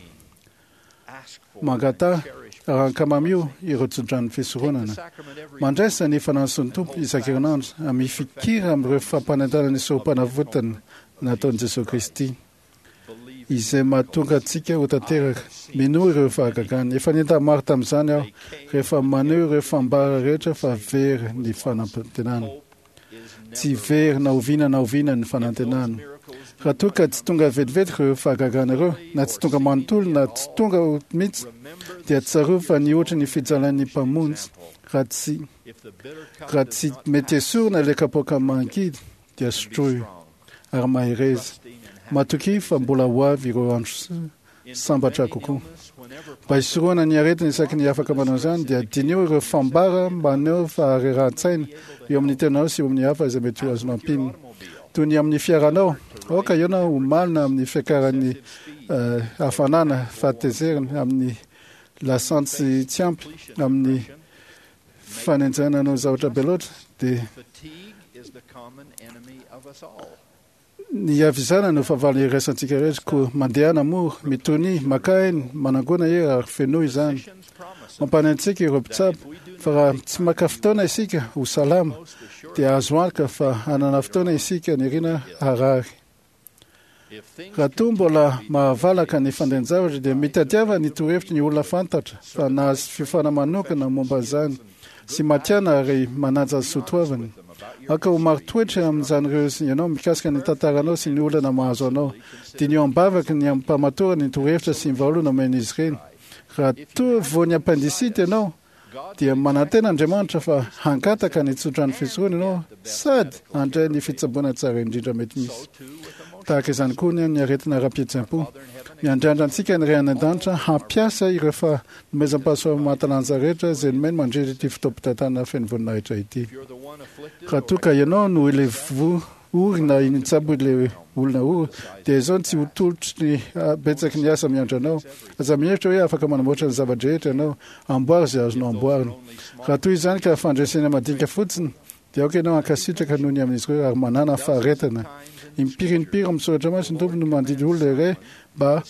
Mangataha ary ankamamio ireo tsodranon'ny fisoronana. Mandraisa ny fanason'ny Tompo isan-kerinandro ary mifikira amin'ireo fampanentanana ny Sorompanavotana nataon'i Jesoa Kristy, izay mahatonga antsika ho tanteraka. Minoa ireo fahagagany. Efa nientana maro tamin'izany aho rehefa maneho ireo fambara rehetra fa very ny fanantenana. Tsy very na oviana na oviana ny fanantenana. Raha toa ka tsy tonga vetivety ireo fahagagana ireo, na tsy tonga manontolo na tsy tonga mihitsy, dia tsarovy fa nihoatra ny fijalan'ny Mpamonjy. Raha tsy raha tsy mety esorina ilay kapoaka mangidy, dia sotroy ary mahereza. Matokia fa mbola ho avy ireo andro sambatra kokoa. Mba hisorohana ny aretina isaky ny afaka manao izany, dia diniho ireo fambara maneho faharerahan-tsaina eo amin'ny tenanao sy eo amin'ny hafa izay mety ho azonao ampiana. Toy ny amin'ny fiaranao, aoka ianao ho malina amin'ny fiakaran'ny hafanana, fahatezerana, amin'ny lasantsy tsy ampy, amin'ny fanenjehana hanao zavatra be loatra, dia Ny havizana no fahavalo iraisantsika rehetra, koa mandehana mora, mitonia, makà aina, manangona hery ary fenoy izany. Mampanahy antsika ireo mpitsabo fa raha tsy maka fotoana isika ho salama, dia azo antoka fa hanana fotoana isika nirina harary. Raha toa mbola mahavalaka ny fandehan-javatra dia mitadiava ny torohevitry ny olona fantatra fa nahazo fiofana manokana momba izany, sy matiana ary manaja ny soatoaviny. Aoka ho marin-toetra amin'izany ireo ianao mikasika ny tantaranao sy ny olana mahazo anao. Diniho am-bavaka ny amim-pahamatorana ny torohevitra sy ny vahaolana omen'izy ireny. Raha toa voan'ny appendicite ianao, dia manantena Andriamanitra fa hangataka ny tsodrano fisoronana ianao sady handray ny fitsaboana tsara indrindra mety misy. Tahaka izany koa ny aretina ara-pihetseham-po. Miandrandra antsika ny Ray any An-danitra hampiasa ireo fanomezam-pahasoavana mahatalanja rehetra izay nomeny mandritra ity fotoam-pitantanana feno voninahitra ity. Raha toa ka ianao no ilay voa ory na nitsabo ilay olona ory, dia izao tsy ho tolotry ny betsaky ny asa miandry anao. Aza mihevitra hoe afaka manamboatra ny zava-drehetra ianao. Amboary izay azonao amboarina. Raha toa izany ka fandresena madinika fotsiny, dia aoka ianao hankasitraka noho ny amin'izy ireo ary manàna faharetana. Impiry impiry amin'ny Soratra Masina ny Tompo no mandidy olona iray mba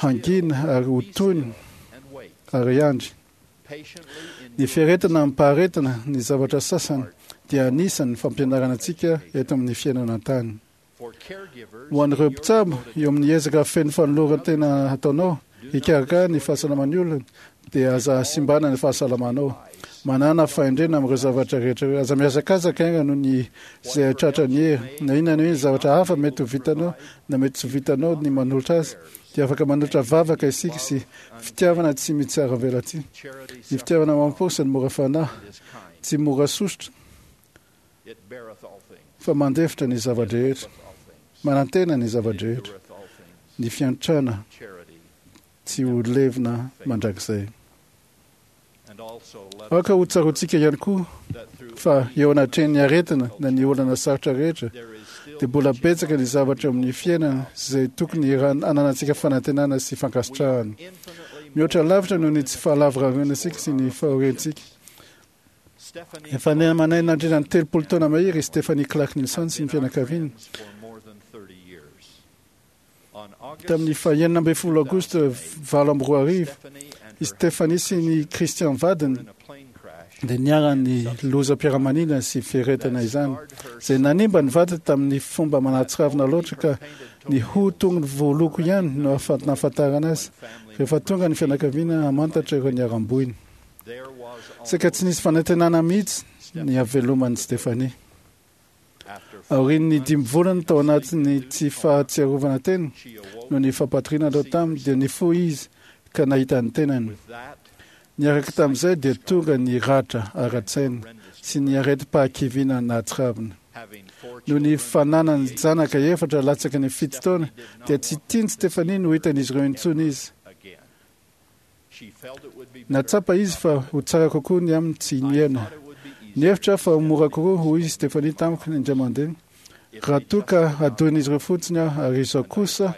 hangina ary ho tony ary hiandry. Ny fiaretana amim-paharetana ny zavatra sasany dia anisan'ny fampianarana antsika eto amin'ny fiainana an-tany. Ho an'ireo mpitsabo, eo amin'ny ezaka feno fanoloran-tena ataonao hikarakara ny fahasalaman'ny olona, dia aza simbana ny fahasalamanao. Manàna fahendrena amin'ireo zavatra rehetra ireo. Aza mihazakazaka haingana noho ny izay tratra ny hery. Na inona na inona zavatra hafa mety ho vitanao na mety tsy ho vitanao ny manolotra azy, dia afaka manolotra vavaka isika sy fitiavana tsy mitsaravelatsihy. Ny fitiavana mampo sy ny mora fanahy, tsy mora sosotra, fa mandefitra ny zava-drehetra, manantena ny zava-drehetra, ny fiantrana tsy ho levona mandrakizay. Aoka ho tsaroantsika ihany koa fa eo anatrehan'ny aretina na ny olana sarotra rehetra, dia mbola betsaka ny zavatra eo amin'ny fiainana izay tokony hananantsika fanantenana sy fankasitrahana. Mihoatra lavitra noho ny tsy fahalavorariana antsika sy ny fahoriantsika. Efa namanay nandritra ny telopolo taona mahery i Stephanie Clark Nilsson sy ny fianakaviany. Tamin'ny fahenina ambin'ny folo aogositra valo amby roa arivo, i Stephanie sy ny Christian vadiny dia niharan'ny lozam-piaramanidina sy fiaretana izany, izay nanimba ny vadiny tamin'ny fomba manatsiravina loatra ka ny hoho tongony voaloko ihany no nahafantarana azy rehefa tonga ny fianakaviana hamantatra ireo niharam-boina. Saika tsy nisy fanantenana mihitsy ny haveloman'i Stephanie. Aorian'ny dimy volana tao anatin'ny tsy fahatsiarovana tena noho ny fampatoriana natao taminy dia nifoha izy ka nahita ny tenany. Niaraka tamin'izay dia tonga ny ratra ara-tsaina sy ny aretim-pahakiviana nahatsiravina. Noho ny fananany zanaka efatra latsaky ny fito taona dia tsy tian'i Stephanie no hitan'izy ireo intsony izy. Nahatsapa izy fa ho tsara kokoa ny aminy tsy niaina. Nihevitra aho fa ho mora kokoa, hoy i Stephanie tamiko indray mandeha, raha toa ka hadon'izy ireo fotsiny aho ary izaho kosa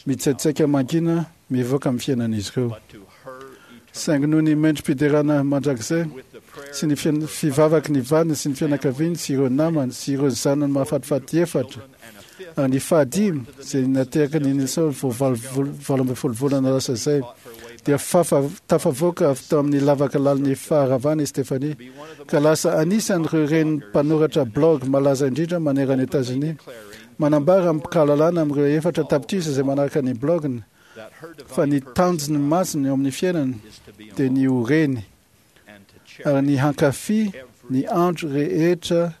mitsaitsaika mangina mivoaka amin'ny fiainan'izy ireo. Saingy noho ny mendri-piderana mandrakizay sy ny fivavaky ny vadiny sy ny fianakaviany sy ireo namany sy ireo zanany mahafatifaty efatra ary ny fahadimy izay nateraky ny Nilsson vao valo valo ambin'ny folo volana lasa izay dia fafa tafavoaka avy tao amin'ny lavaka lalin'ny faharavana i Stephanie ka lasa anisan'ireo reny mpanoratra blog malaza indrindra manerana Etazonia manambara amim-pahalalana amin'ireo efatra tapitrisa izay manaraka ny bloginy fa ny tanjony masina eo amin'ny fiainany dia ny ho reny ary ny hankafy ny andro rehetra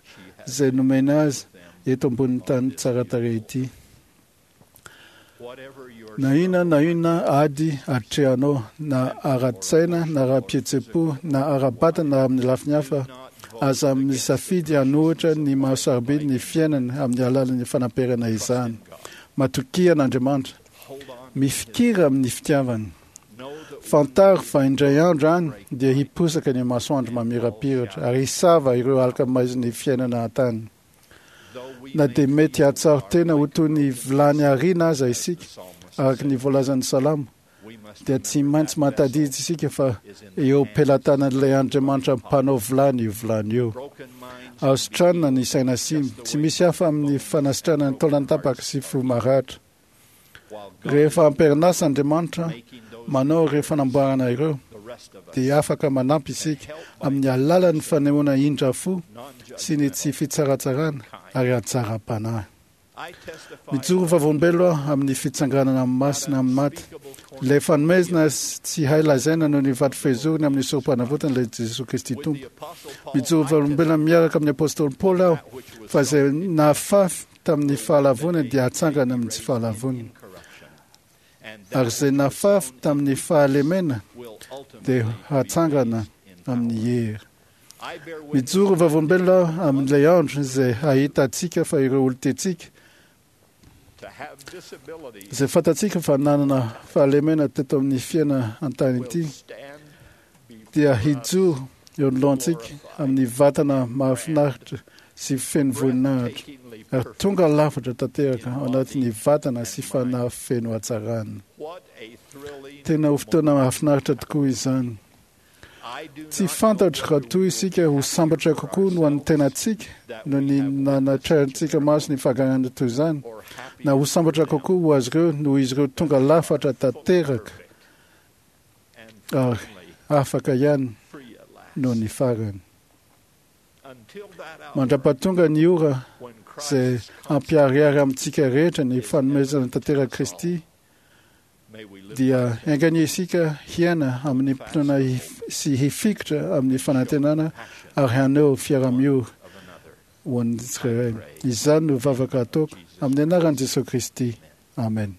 izay nomena azy eto ambonin'ny tany tsara tarehy ity. Na inona na inona ady atrehanao, na ara-tsaina, na ara-pihetseham-po, na ara-batana, na amin'ny lafiny hafa, aza misafidy hanohitra ny maha-sarobidy ny fiainana amin'ny alalan'ny fanamperana izany. Matokia an'Andriamanitra. Mifikira amin'ny fitiavany. Fantaro fa indray andro any dia hiposaka ny masoandro mamirapiratra ary hisava ireo aloka maizin'ny fiainana an-tany. Na dia mety hahatsiaro tena ho toy ny vilany ariana aza isika, araka ny voalazan'ny Salamo, dia tsy maintsy mahatadidy isika fa eo am-pelatanan'ilay Andriamanitra mpanao vilany io vilany io. Azo sitranina ny saina simba, tsy misy hafa amin'ny fanasitranana ny taolan-tapaka sy fo maratra. Rehefa am-perinasa Andriamanitra manao ireo fanamboarana ireo, dia afaka manampy isika amin'ny alalan'ny fanehoana indra fo sy ny tsy fitsaratsarana ary hatsaram-panahy. Mijoro vavolombelona aho amin'ny fitsanganana amin'ny masina amin'ny maty. Ilay fanomezana tsy hay lazaina noho ny vato fehizorony amin'ny sorom-panavotana ilay Jesoa Kristy Tompo. Mijoro vavolombelona miaraka amin'ny Apôstôly Paoly aho fa izay nafafy tamin'ny fahalavoana dia hatsangana amin'ny tsy fahalavoana. Ary izay nafafy tamin'ny fahalemena dia hatsangana amin'ny hery. Mijoro vavolombelona aho amin'ilay andro izay hahitantsika fa ireo olon-tiantsika izay fantatsika fa nanana fahalemena teto amin'ny fiainana an-tany ity dia hijoro eo anoloantsika amin'ny vatana mahafinaritra sy feno voninahitra ary tonga lafatra tanteraka ao anatin'ny vatana sy fanahy feno hatsarana. Tena ho fotoana mahafinaritra tokoa izany. Tsy fantatro raha toa isika ho sambatra kokoa noho an'ny tenantsika noho ny nanatrehantsika maso ny fahaganana toy izany, na ho sambatra kokoa ho azy ireo noho izy ireo tonga lafatra tanteraka ary afaka ihany noho ny farany. Mandra-pahatonga ny ora izay hampiharihary amintsika rehetra ny fanomezana tanteraka Kristy, dia enga anie isika hiaina amin'ny finoana sy hifikitra amin'ny fanantenana ary haneho fiaraha-miory ho an'ny tsirairay. Izany no vavaka ataoko amin'ny anaran'i Jesoa Kristy. Amen.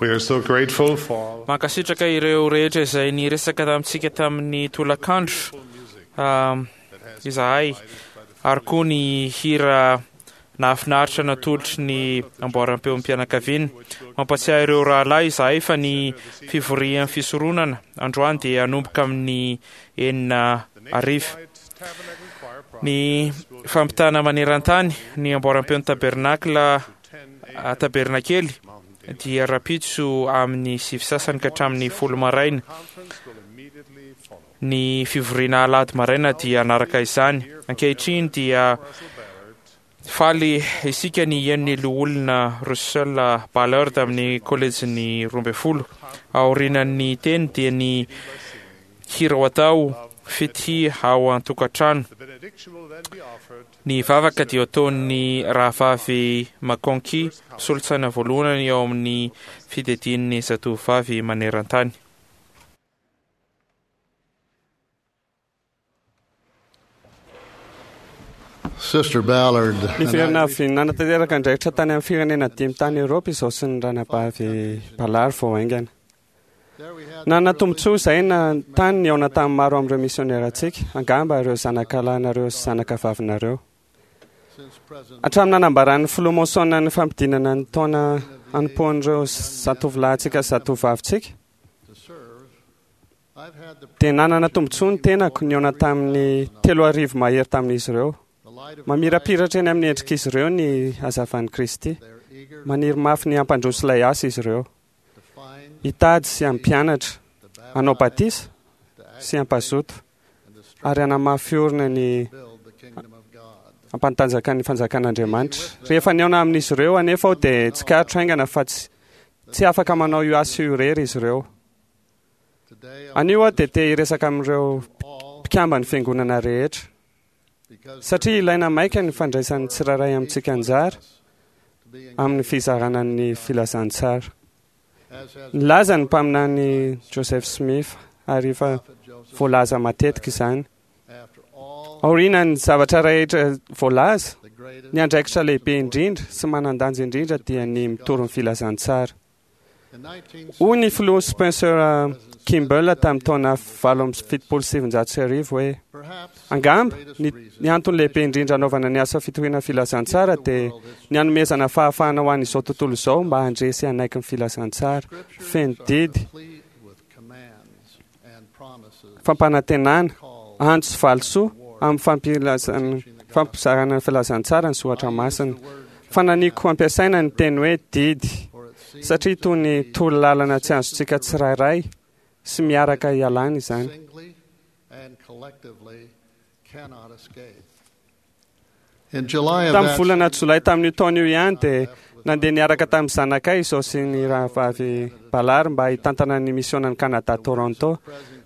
We are so grateful for Mankasitraka ireo rehetra izay niresaka tamintsika tamin'ny tolakandro um, izahay ary koa ny hira nahafinaritra natolotry ny amboaram-peom-pianakaviana. Mampatsiahy ireo rahalahy izahay fa ny fivorian'ny fisoronana androany dia hanomboka amin'ny enina hariva. Ny fampitana maneran-tany ny amboaram-peon'ny tabernakla tabernakely dia rahampitso amin'ny sivy sasany ka hatramin'ny folo maraina. Ny fivoriana alahady maraina dia hanaraka izany. Ankehitriny dia faly isika ny hihaino ny loholona Russell Ballard amin'ny kolejin'ny roa ambin'ny folo. Aorianan'ny teny dia ny hira ho atao fitia ao an-tokantrano. Ny vavaka dia ataon'ny rahavavy McConkie, solontsaina voalohany ao amin'ny fiadidian'ny zatovovavy maneran-tany. Sister Ballard. Ny firenena avy nanatanteraka andraikitra tany amin'ny firenena dimy tany Eoropa izao sy ny ranabavy Ballard vao haingana. Nanana tombontsoa izahay na tany nihaona tamin'ny maro amin'ireo misionerantsika, angamba ireo zanakalahinareo sy zanakavavinareo. Hatramin'ny nanambaran'ny filoha Monson ny fampidinana ny taona hanompoan'ireo zatovolahintsika sy zatovovavintsika, dia nanana tombontsoa ny tenako nihaona tamin'ny telo arivo mahery tamin'izy ireo. Mamirapiratra eny amin'ny endrik'izy ireo ny hazavan'i Kristy. Maniry mafy ny hampandroso ilay asa izy ireo. Hitady sy hampianatra, hanao batisa sy hampazoto ary hanamafy orina ny hampantanjaka ny fanjakan'Andriamanitra. Rehefa nihaona amin'izy ireo anefa aho dia tsikaritro haingana fa tsy tsy afaka manao io asa io irery izy ireo. Anio aho dia te hiresaka amin'ireo mpikamban'ny fiangonana rehetra. Satria ilaina maika ny fandraisan'ny tsirairay amintsika anjara amin'ny fizarana ny filazantsara. Nilaza ny mpaminany Joseph Smith ary efa voalaza matetika izany. Aorian'ny zavatra rehetra voalaza, ny andraikitra lehibe indrindra sy manan-danja indrindra dia ny mitory ny filazantsara. Hoy ny filoha Spencer Kimball tamin'ny taona valo amby fitopolo sy sivinjato sy arivo hoe, Angamba, ny, ny antony lehibe indrindra anaovana ny asa fitoriana filazantsara dia ny hanomezana fahafahana ho an'izao tontolo izao mba handre sy hanaiky ny filazantsara feno didy, fampanantenana, antso sy valisoa amin'ny fampilazana, fampizarana ny filazantsara ny soratra masina. Fananiako ampiasaina ny teny hoe didy, satria toy ny torolalana tsy azontsika tsirairay sy miaraka ialana izany. In July of Tamin'ny that volana jolay tamin'io taona io ihany dia nandeha niaraka tamin'ny zanakay izao sy ny rahavavy Ballard mba hitantana ny misionan'i Canada Toronto.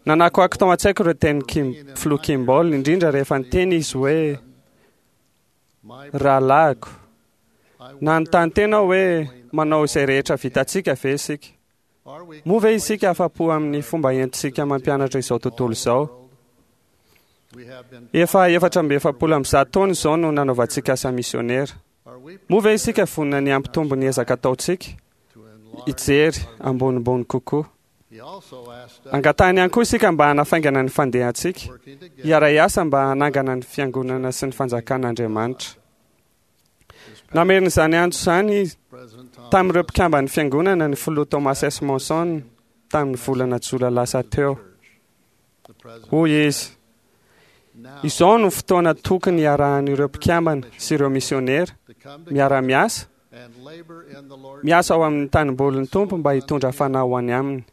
Nanakoako tao an-tsaiko ireo teny Kim, filoha Kimball, indrindra rehefa niteny izy hoe rahalahiko. Nanontany tena aho hoe manao izay rehetra vitantsika ve isika? Moa ve isika afa-po amin'ny fomba entintsika mampianatra izao tontolo izao? Efa efatra amby efapolo amby zato taona izao no nanaovantsika asa misionera. Moa ve isika vonona ny hampitombo ny ezaka ataontsika? Hijery ambonimbony kokoa. Angatahany ihany koa isika mba hanafaingana ny fandehantsika, hiara-hiasa mba hanangana ny fiangonana sy ny fanjakan'Andriamanitra. Namerina izany antso izany izy tamin'ireo mpikamban'ny fiangonana ny filoha Thomas S. Monson tamin'ny volana jolay lasa teo. Hoy izy, izao no fotoana tokony hiarahan'ireo mpikambana sy ireo misionera miara-miasa miasa ao amin'ny tanimbolin'ny Tompo mba hitondra fanahy ho any aminy.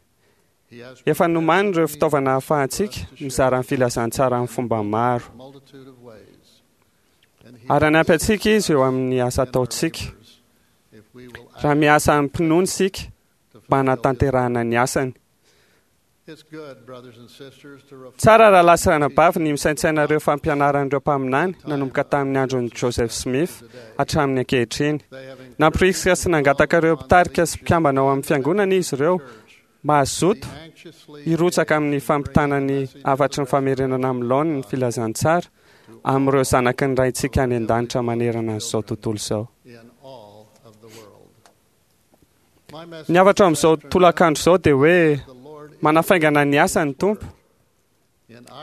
Efa nomany ireo fitaovana ahafahantsika mizara ny filazantsara amin'ny fomba maro. Ary hanampy antsika izy eo amin'ny asa ataontsika. Raha miasa amim-pinoana isika mba hanatanterahana ny asany. It's good, brothers and sisters, to reflect Tsara rahalahy sy ranabavy ny misaintsaina ireo fampianaran'ireo mpaminany nanomboka tamin'ny andron'i Joseph Smith hatramin'ny ankehitriny. Nampirisika sy nangataka ireo mpitarika sy mpikambana ao amin'ny fiangonana izy ireo mba hazoto hirotsaka amin'ny fampitana ny hafatry ny famerenana amin'ny laoniny ny filazantsara amin'ireo zanaky ny Raintsika any an-danitra manerana an'izao tontolo izao. in all of the world. My message Ny hafatra amin'izao tolakandro izao dia hoe manafaingana ny asa ny Tompo.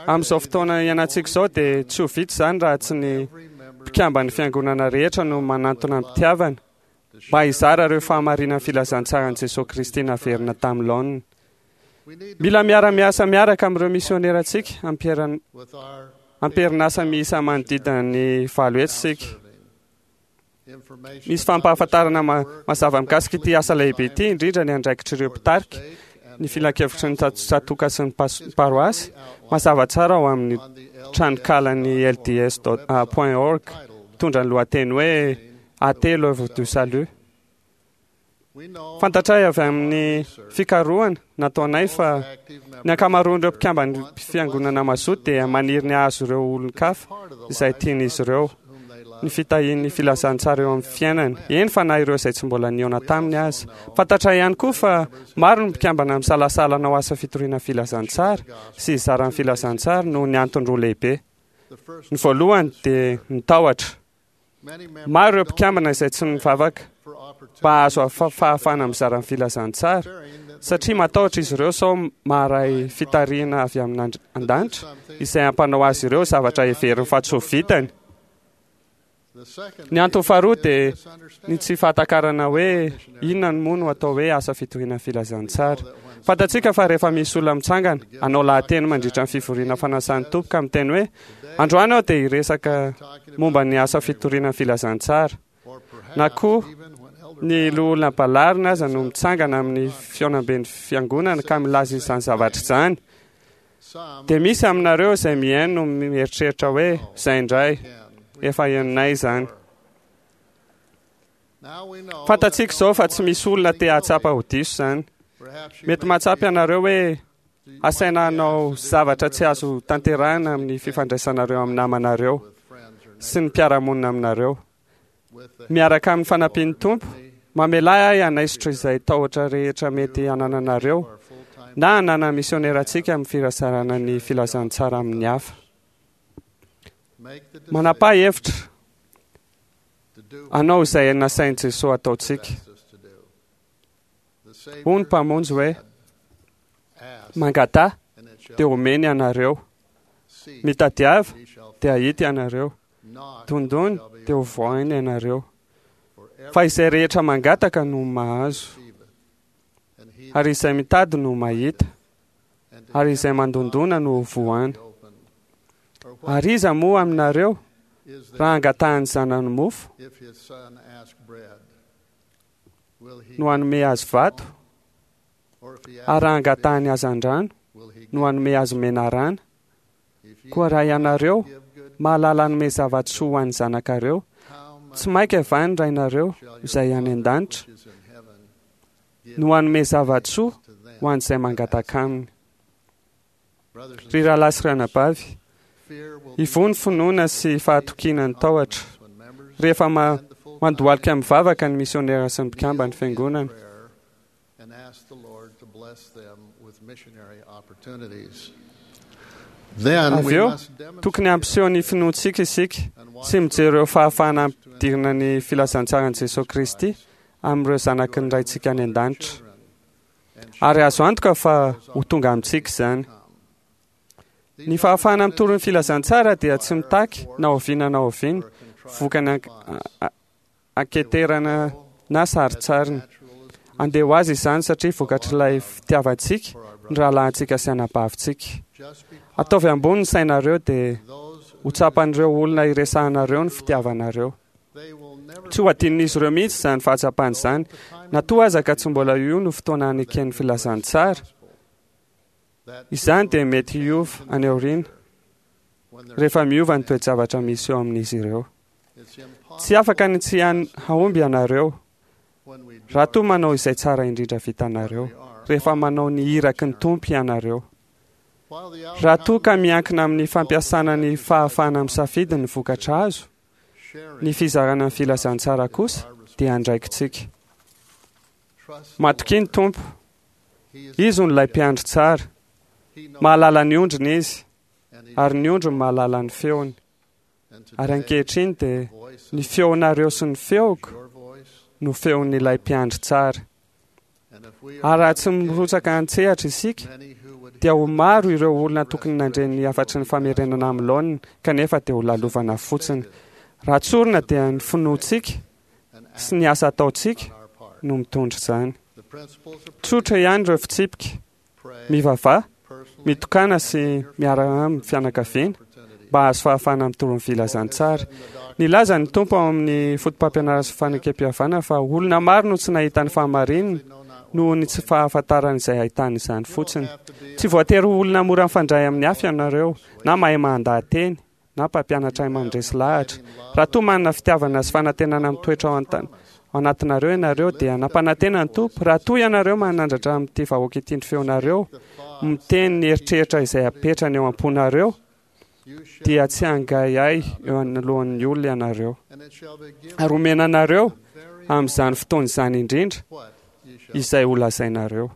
Amin'izao fotoana iainantsika izao dia tsy ho vita izany raha tsy ny mpikamban'ny fiangonana rehetra no manantona am-pitiavana mba hizara ireo fahamarinan'ny filazantsaran'i Jesosy Kristy naverina tamin'ny laoniny. Mila miara-miasa miaraka amin'ireo misionerantsika ampiaran- amperinasa miisa manodidina ny valo hetsy isika. Misy fampahafantarana ma- mazava mikasika ity asa lehibe ity, indrindra ny andraikitr'ireo mpitarika, ny filankevitry ny tsatòka sy ny pas- paroasy, mazava tsara ao amin'ny tranokalan'ny L D S dot point org, mitondra ny lohateny hoe A T l'œuvre du salut. Fantatray avy amin'ny fikarohana nataonay fa ny ankamaroan'ireo mpikamban'ny fiangonana mazoto dia maniry ny hahazo ireo olon-kafa izay tian'izy ireo ny fitahian'ny filazantsara eo amin'ny fiainany, eny fa na ireo izay tsy mbola nihaona taminy aza. Fantatra ihany koa fa maro ny mpikambana misalasala hanao asa fitoriana filazantsara sy hizara ny filazantsara noho ny antony roa lehibe. Ny voalohany dia ny tahotra. Maro ireo mpikambana izay tsy mivavaka mba hahazo fahafahana mizara ny filazantsara satria matahotra izy ireo sao maharay fitarihana avy amin'Andriamanitra izay hampanao azy ireo zavatra heveriny fa tsy ho vitany. Ny antony faharoa dia ny tsy fahatakarana hoe inona moa no atao hoe asa fitoriana filazantsara. Fantatsika fa rehefa misy olona mitsangana hanao lahateny mandritra ny fivoriana fanasan'ny Tompo ka miteny hoe androany aho dia hiresaka momba ny asa fitoriana filazantsara, na koa ny loholona Ballarina aza no mitsangana amin'ny fihaonamben'ny fiangonana ka milaza izany zavatra izany, dia misy aminareo izay mihaino no mieritreritra hoe izay indray efa henonay izany. Fantatsika izao fa tsy misy olona te hahatsapa ho diso izany. Mety mahatsapa ianareo hoe asaina hanao zavatra tsy azo tanterahina amin'ny fifandraisanareo amin'ny namanareo sy ny mpiara-monina aminareo. Miaraka amin'ny fanampian'ny Tompo, mamelà ahy hanaisotra izay tahotra rehetra mety hanananareo na hanana misionerantsika amin'ny firazarana ny filazantsara amin'ny hafa. Manapaha hevitra hanao izay nasain'i Jesosy ataontsika. Hoy ny Mpamonjy hoe mangataha dia omeny ianareo, mitadiava dia hahita ianareo, dondony dia ho vohaina ianareo. Fa izay rehetra mangataka no mahazo, ary izay mitady no mahita, ary izay mandondona no ho vohaina. Ary iza moa aminareo raha angatahan'ny zanany mofo no hanome azy vato, ary raha angatahany hazandrano no hanome azy menarana? Koa raha ianareo mahalala hanome zava-tsoa ho an'ny zanakareo, tsy mainka va ny Rainareo izay any an-danitra no hanome zava-tsoa ho an'izay mangataka aminy. Ry rahalahy sy ranabavy, ivoho ny finoana sy fahatokiana ny tahotra rehefa mandohalika mivavaka ny misionera sy ny mpikamban'ny fiangonana. Avy eo, tokony hampiseho ny finoantsika isika sy mijery ireo fahafahana hampidirina ny filazantsaran'i Jesosy Kristy amin'ireo zanaky ny Raintsika any an-danitra. Ary azo antoka fa ho tonga amintsika izany. Ny fahafahana mitory ny filazantsara dia tsy mitaky na oviana na oviana vokany anketerana na sarintsariny. Andeha ho azy izany satria vokatr'ilay fitiavantsika ny rahalahintsika sy anabavintsika. Ataovy ambony ny sainareo dia ho tsapan'ireo olona iresahanareo ny fitiavanareo. Tsy ho adinon'izy ireo mihitsy izany fahatsapana izany, na toa aza ka tsy mbola io no fotoana haneken'ny filazantsara. Izany dia mety hiova any aoriana rehefa miova ny toe-javatra misy eo amin'izy ireo. Tsy afaka ny tsy hahomby ianareo raha toa manao izay tsara indrindra vitanareo rehefa manao ny iraky ny Tompo ianareo. Raha toa ka miankina amin'ny fampiasana ny fahafahana misafidy ny vokatra azo, ny fizarana ny filazantsara kosa dia andraikitsika. Matokia ny Tompo. Izy no ilay mpiandry tsara. Mahalala ny ondriny izy, ary ny ondriny mahalala ny feony. Ary ankehitriny dia ny feonareo sy ny feoko no feon'ilay mpiandry tsara. Ary raha tsy mirotsaka an-tsehatra isika, dia ho maro ireo olona tokony nandre ny hafatry ny famerenana amin'ny laoniny, kanefa dia ho lalovana fotsiny. Raha tsorina dia ny finoantsika sy ny asa ataontsika no mitondra izany. Tsotra ihany ireo fitsipika: mivavaha, mitokana sy miaraka amin'ny fianakaviana mba hahazo fahafahana mitory ny filazantsara. Nilaza ny Tompo ao amin'ny foto-pampianarana sy fanekem-pihavanana fa olona maro no tsy nahita ny fahamarinana noho ny tsy fahafantarana izay ahitana izany fotsiny. Tsy voatery ho olona mora mifandray amin'ny hafa ianareo, na mahay mandaha-teny, na mpampianatra hahay mandresy lahatra. Raha toa manana fitiavana sy fanantenana mitoetra ao ao anatinareo ianareo, dia nampanantena ny Tompo, raha toa ianareo manandratra amin'ity vahoaka ity ny feonareo, miteny ny eritreritra izay apetrany eo am-ponareo, dia tsy hangaihay eo anoloan'ny olona ianareo. Ary homena anareo amin'izany fotoana izany indrindra izay ho lazainareo.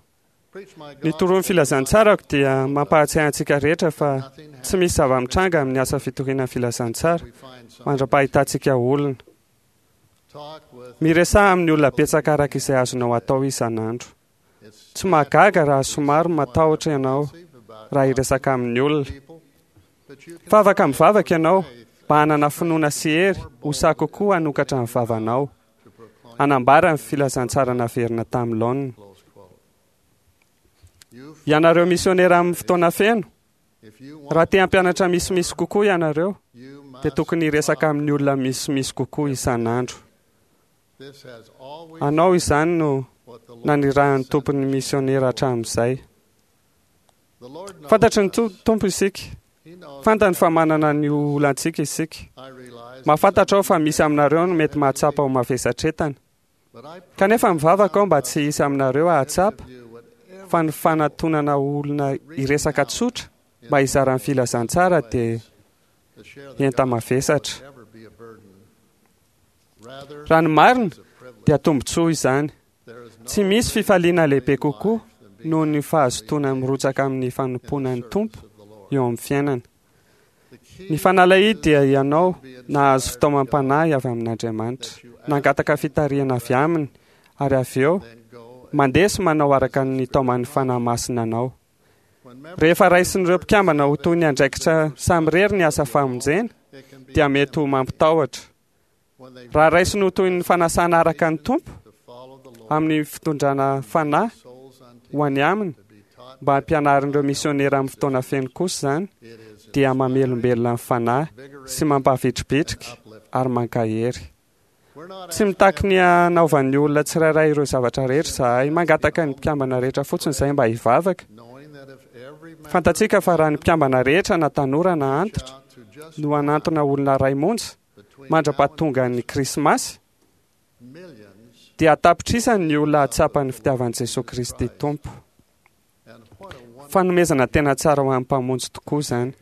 Ny toroan'ny filazantsarako dia mampahatsiahy antsika rehetra fa tsy misy zava-mitranga amin'ny asa fitoriana ny filazantsara mandra-pahitantsika olona. Miresaha amin'ny olona betsaka araka izay azonao atao isan'andro. Tsy mahagaga raha somary matahotra ianao raha hiresaka amin'ny olona. Fa afaka mivavaka ianao mba hanana finoana sy hery ho sahy kokoa hanokatra ny vavanao, hanambara ny filazantsara naverina tamin'ny laoniny. Ianareo misionera amin'ny fotoana feno, raha te hampianatra misimisy kokoa ianareo, dia tokony hiresaka amin'ny olona misimisy kokoa isan'andro. Anao izany no nanirahan'ny Tompon'ny misionera hatramin'izay. Fantatry ny Tompo isika. Fantany fa manana ny olantsika isika. Mahafantatra aho fa misy aminareo no mety mahatsapa ho mavesatretana. Kanefa mivavaka aho mba tsy hisy aminareo hahatsapa fa ny fanatonana olona hiresaka tsotra mba hizara ny filazantsara dia enta-mavesatra. Raha ny marina dia tombontsoa izany. Tsy misy fifaliana lehibe kokoa noho ny fahazotoana mirotsaka amin'ny fanompoana ny Tompo eo amin'ny fiainana. Ny fanalahidy dia ianao nahazo fitaomam-panahy avy amin'Andriamanitra, nangataka fitarihana avy aminy, ary avy eo mandeha sy manao araka ny taoman'ny Fanahy Masina anao. Rehefa raisin'ireo mpikambana ho toy ny andraikitra samirery ny asa famonjena, dia mety ho mampitahotra. Raha raisiny ho toy ny fanasana araka ny Tompo amin'ny fitondrana fanahy ho any aminy mba hampianarin'ireo misionera amin'ny fotoana feno kosa izany, dia mamelombelona ny fanahy sy mampahavitribitrika ary mankahery. Tsy mitaky ny hanaovan'ny olona tsirairay ireo zavatra rehetra izahay. Mangataka ny mpikambana rehetra fotsiny izahay mba hivavaka. Fantatsika fa raha ny mpikambana rehetra na tanora na antitra no hanantona olona iray monja mandra-pahatonga ny Krismasy, dia an-tapitrisany ny olona hahatsapa ny fitiavan'i Jesoa Kristy Tompo. Fanomezana tena tsara ho an'ny Mpamonjy tokoa izany.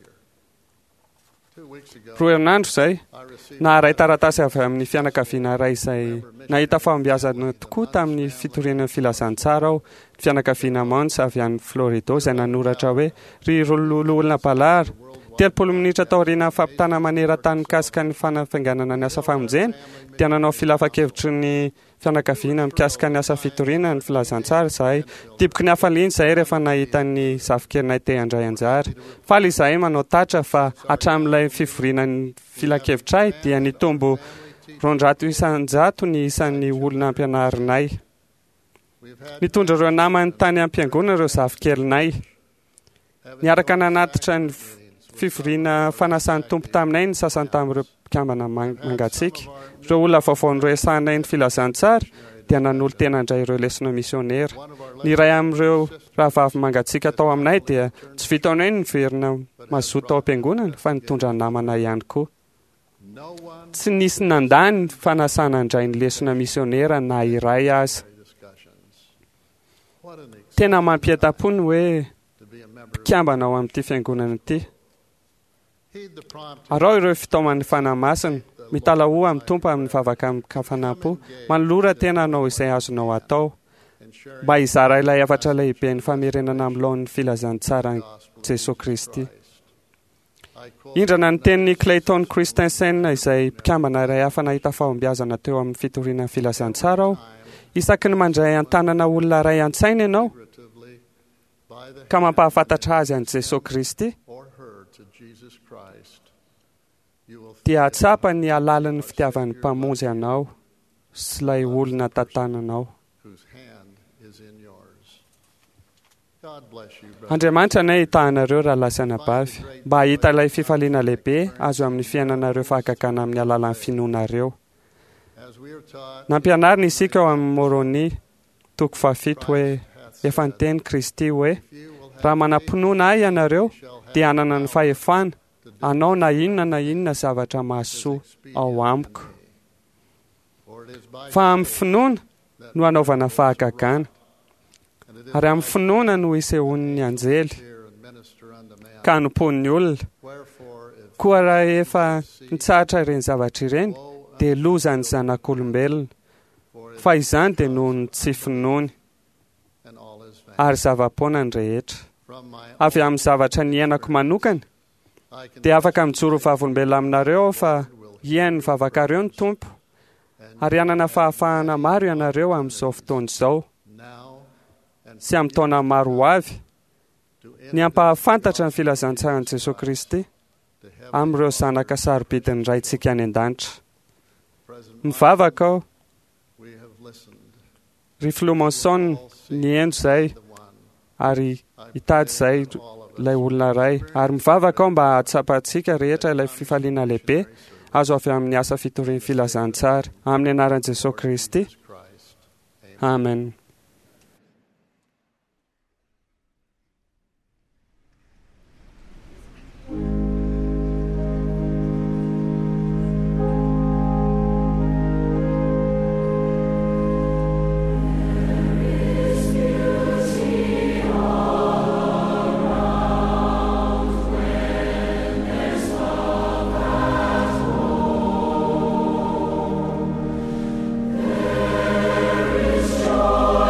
Roa herinandro izay, naharay taratasy avy amin'ny fianakaviana iray izay nahita fahombiazana tokoa tamin'ny fitoriana ny filazantsara aho, ny fianakaviana Mons avy any Florida izay nanoratra hoe: "Ry loholona Ballard, telopolo minitra taorian'ny fampitana maneran-tany mikasika ny fanafainganana ny asa famonjena, dia nanao filankevitry ny fianakaviana mikasika ny asa fitoriana ny filazantsara izahay. Diboky ny hafaliana izahay rehefa nahita ny zafikelinay te handray anjara. Faly izahay manao tatra fa hatramin'ilay fivoriana ny filankevitray dia nitombo roanjato isan-jato ny isan'ny olona ampianarinay. Nitondra ireo namany tany am-piangonana ireo zafikelinay. Niaraka nanatitra ny fivoriana fanasan'ny Tompo taminay ny sasany tamin'ireo mpikambana mangatsiaka. Ireo olona vaovao noresahanay ny filazantsara dia nanolo-tena handray ireo lesona misionera. Ny iray amin'ireo rahavavy mangatsiaka tao aminay dia tsy vitan'ny hoe niverina mazoto tao am-piangonana fa nitondra namana ihany koa. Tsy nisy nandà ny fanasana handray ny lesona misionera na iray aza. Tena mampientam-po ny hoe mpikambana ao amin'ity fiangonana ity. Araho ireo fitaoman'ny Fanahy Masina. Mitalahoa amin'ny Tompo amin'ny vavaka amin-kafanam-po. Manolora tena hanao izay azonao atao mba hizara ilay hafatra lehibe ny famerenana amin'ny laoniny filazantsaran'i Jesoa Kristy. Indrana ny tenin'i Clayton Christensen izay mpikambana iray hafa nahita fahombiazana teo amin'ny fitoriana ny filazantsara aho. Isaky ny mandray an-tanana olona iray an-tsaina ianao ka mampahafantatra azy an'i Jesoa Kristy, dia hahatsapa ny halalin'ny fitiavan'ny Mpamonjy anao sy ilay olona tantananao. Andriamanitra anie hitahanareo rahalahy sy anabavy, mba hahita ilay fifaliana lehibe azo amin'ny fiainanareo fahagagana amin'ny alalan'ny finoanareo. Nampianarina isika ao amin'ny Môrônia toko fahafito hoe efa niteny Kristy hoe raha manam-pinoana ahy ianareo dia hanana ny fahefana hanao na inona na inona zavatra mahasoa ao amiko. Fa amin'ny finoana no hanaovana fahagagana, ary amin'ny finoana no isehoan'ny anjely ka hanompoan'ny olona. Koa raha efa nitsahatra ireny zavatra ireny dia lozan'ny zanak'olombelona, fa izany dia noho ny tsy finoany ary zava-poana ny rehetra. Avy amin'ny zavatra niainako manokana dia afaka mijoro vavolombelona aminareo aho fa hihaino ny vavakareo ny Tompo ary hanana fahafahana maro ianareo amin'izao fotoana izao sy amin'ny taona maro ho avy ny hampahafantatra ny filazantsaran'i Jesoa Kristy amin'ireo zanaka sarobidin'ny Raintsika any an-danitra. Mivavaka aho, ry Filoha Monson, nihaino izay ary hitady izay ilay olona iray, ary mivavaka aho mba hahatsapantsika rehetra ilay fifaliana lehibe azo avy amin'ny asa fitorian'ny filazantsara amin'ny anaran'i Jesoa Kristy. Amen. There is joy.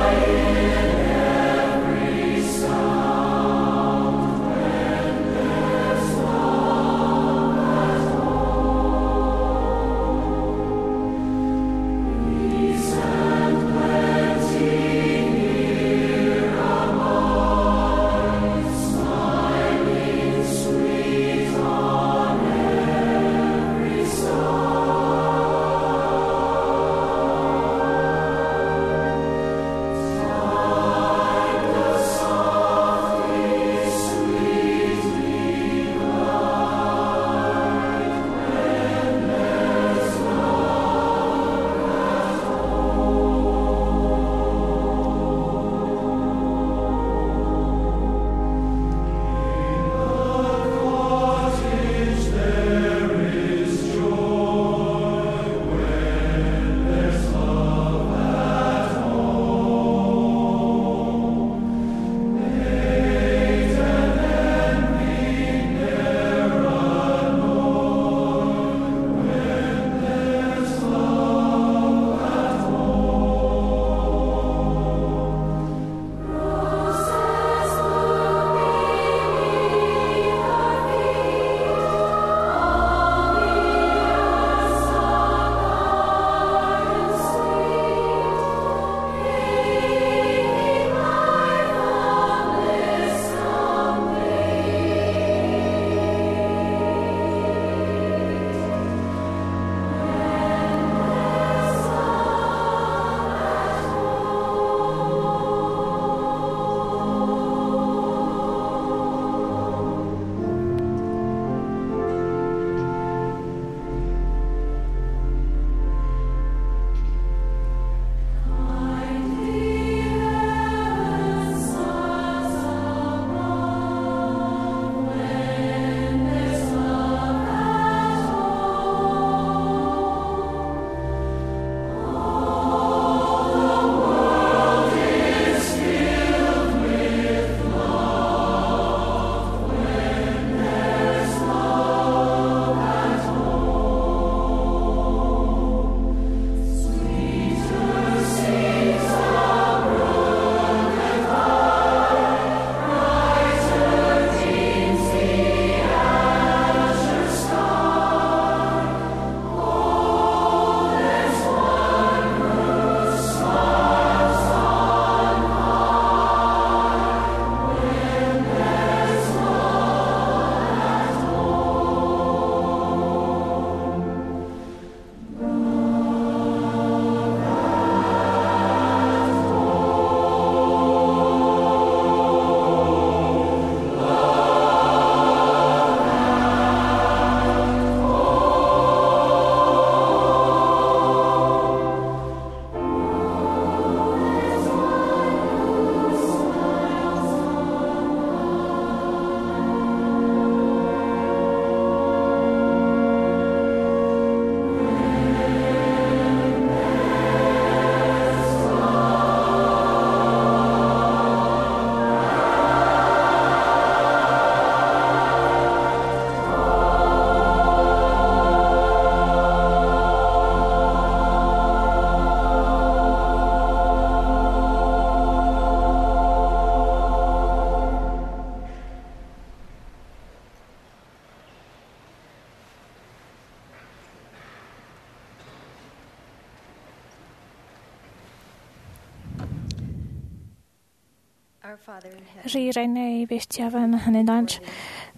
Ry Rainay be fitiavana any an-danitra,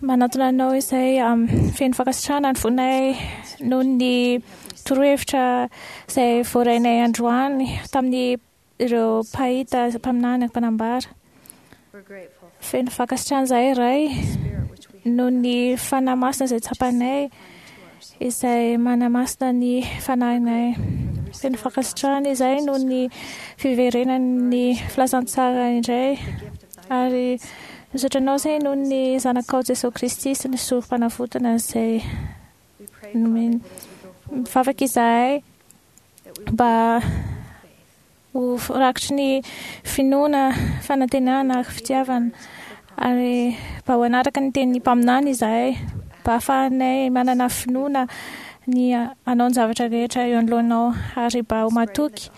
manatona anao izay feno fankasitrahana ny fonay noho ny torohevitra izay voarainay androany tamin'ny ireo mpahita, mpaminany, mpanambara. Feno fankasitrahana izahay Ray noho ny Fanahy Masina izay tsapanay, izay manamasina ny fanahinay. Feno fankasitrahana izahay noho ny fiverenan'ny filazantsara indray, ary misaotra anao izahay noho ny Zanakao Jesoa Kristy sy ny sorom-panavotana izay nomeny. Mivavaka izahay mba ho rakitry ny finoana, fanantenana ary fitiavana, ary mba ho hanaraka ny tenin'ny mpaminany izahay, mba hahafahanay manana finoana ny hanao ny zavatra rehetra eo anoloanao, ary mba ho matoky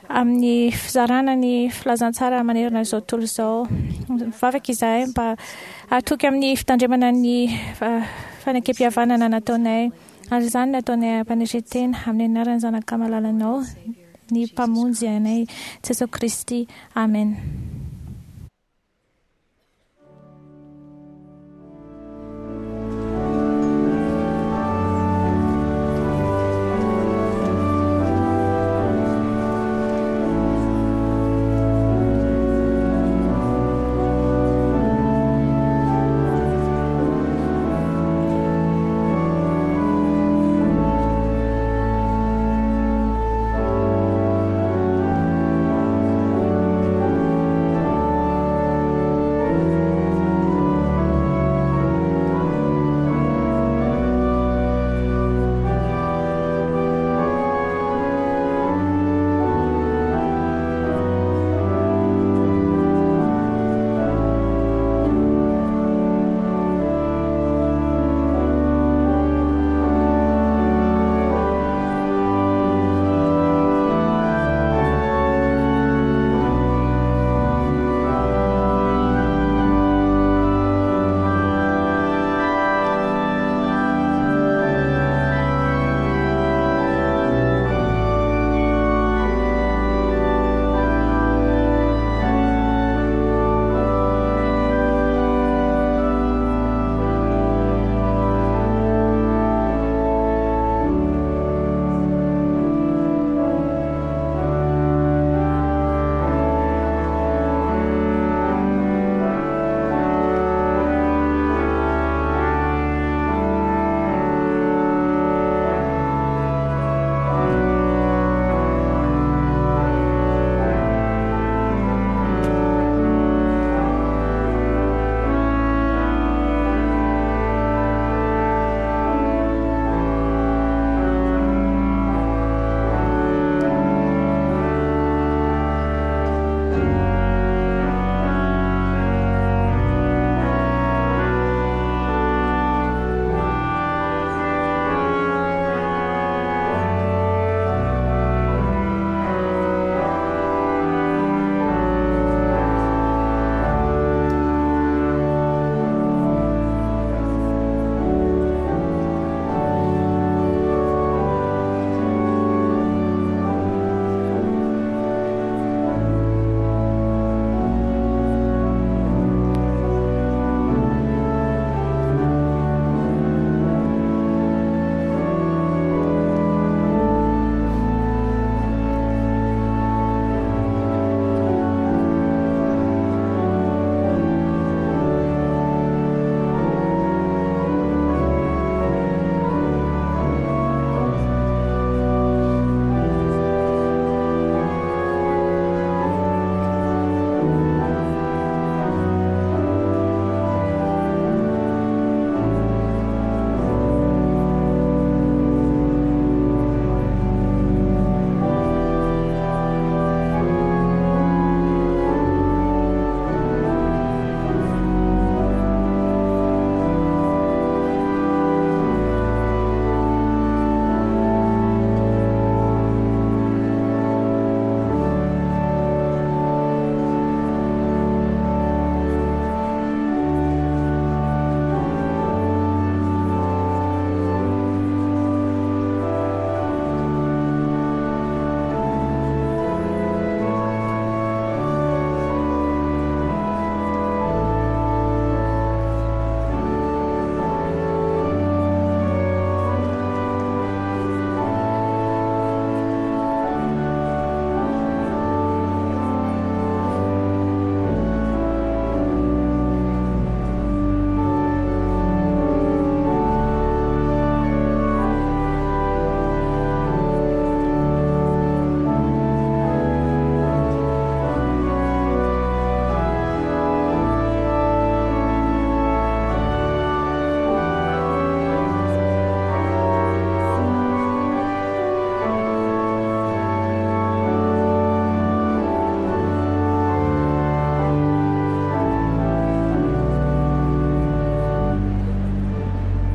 amin'ny fizarana ny filazantsara manerana izao tontolo izao. Mivavaka izahay mba hatoky amin'ny fitandremana ny fanekempihavanana nataonay, ary izany no ataonay am-panetren-tena amin'ny anaran'ny Zanaka malalanao, ny Mpamonjy anay, Jesoa Kristy. Amen.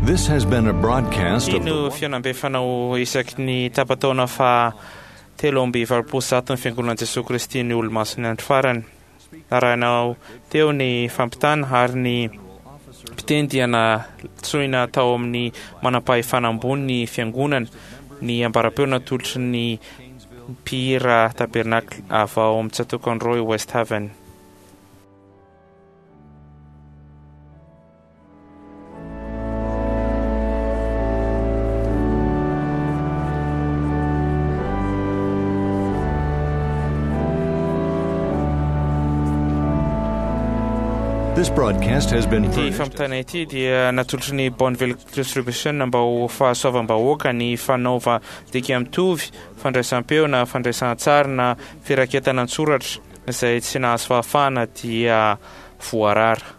This has been a broadcast Ity of the no fihaonambe fanao isaky ny tapa-taona fa telo amby valopolo sy zato ny Fiangonan'i Jesoa Kristy ny Olomasin'ny Andro Farany. Narahinao teo ny fampitana ary ny mpiteny dia nantsoina tao amin'ny manam-pahefana ambony ny Fiangonana, ny ambaram-peo natolotry ny mpihira Tabernacle avy ao amin'ny tsatòkan'i Roy West Haven. This broadcast has been Ity furnished fampitana ity dia natolotry ny Bonneville Distribution mba ho fahasoavam-bahoaka ny fanaova dika mitovy, fandraisam-peo na fandraisan-tsary na firaketana an-tsoratra izay tsy nahazo fahafahana dia voarara.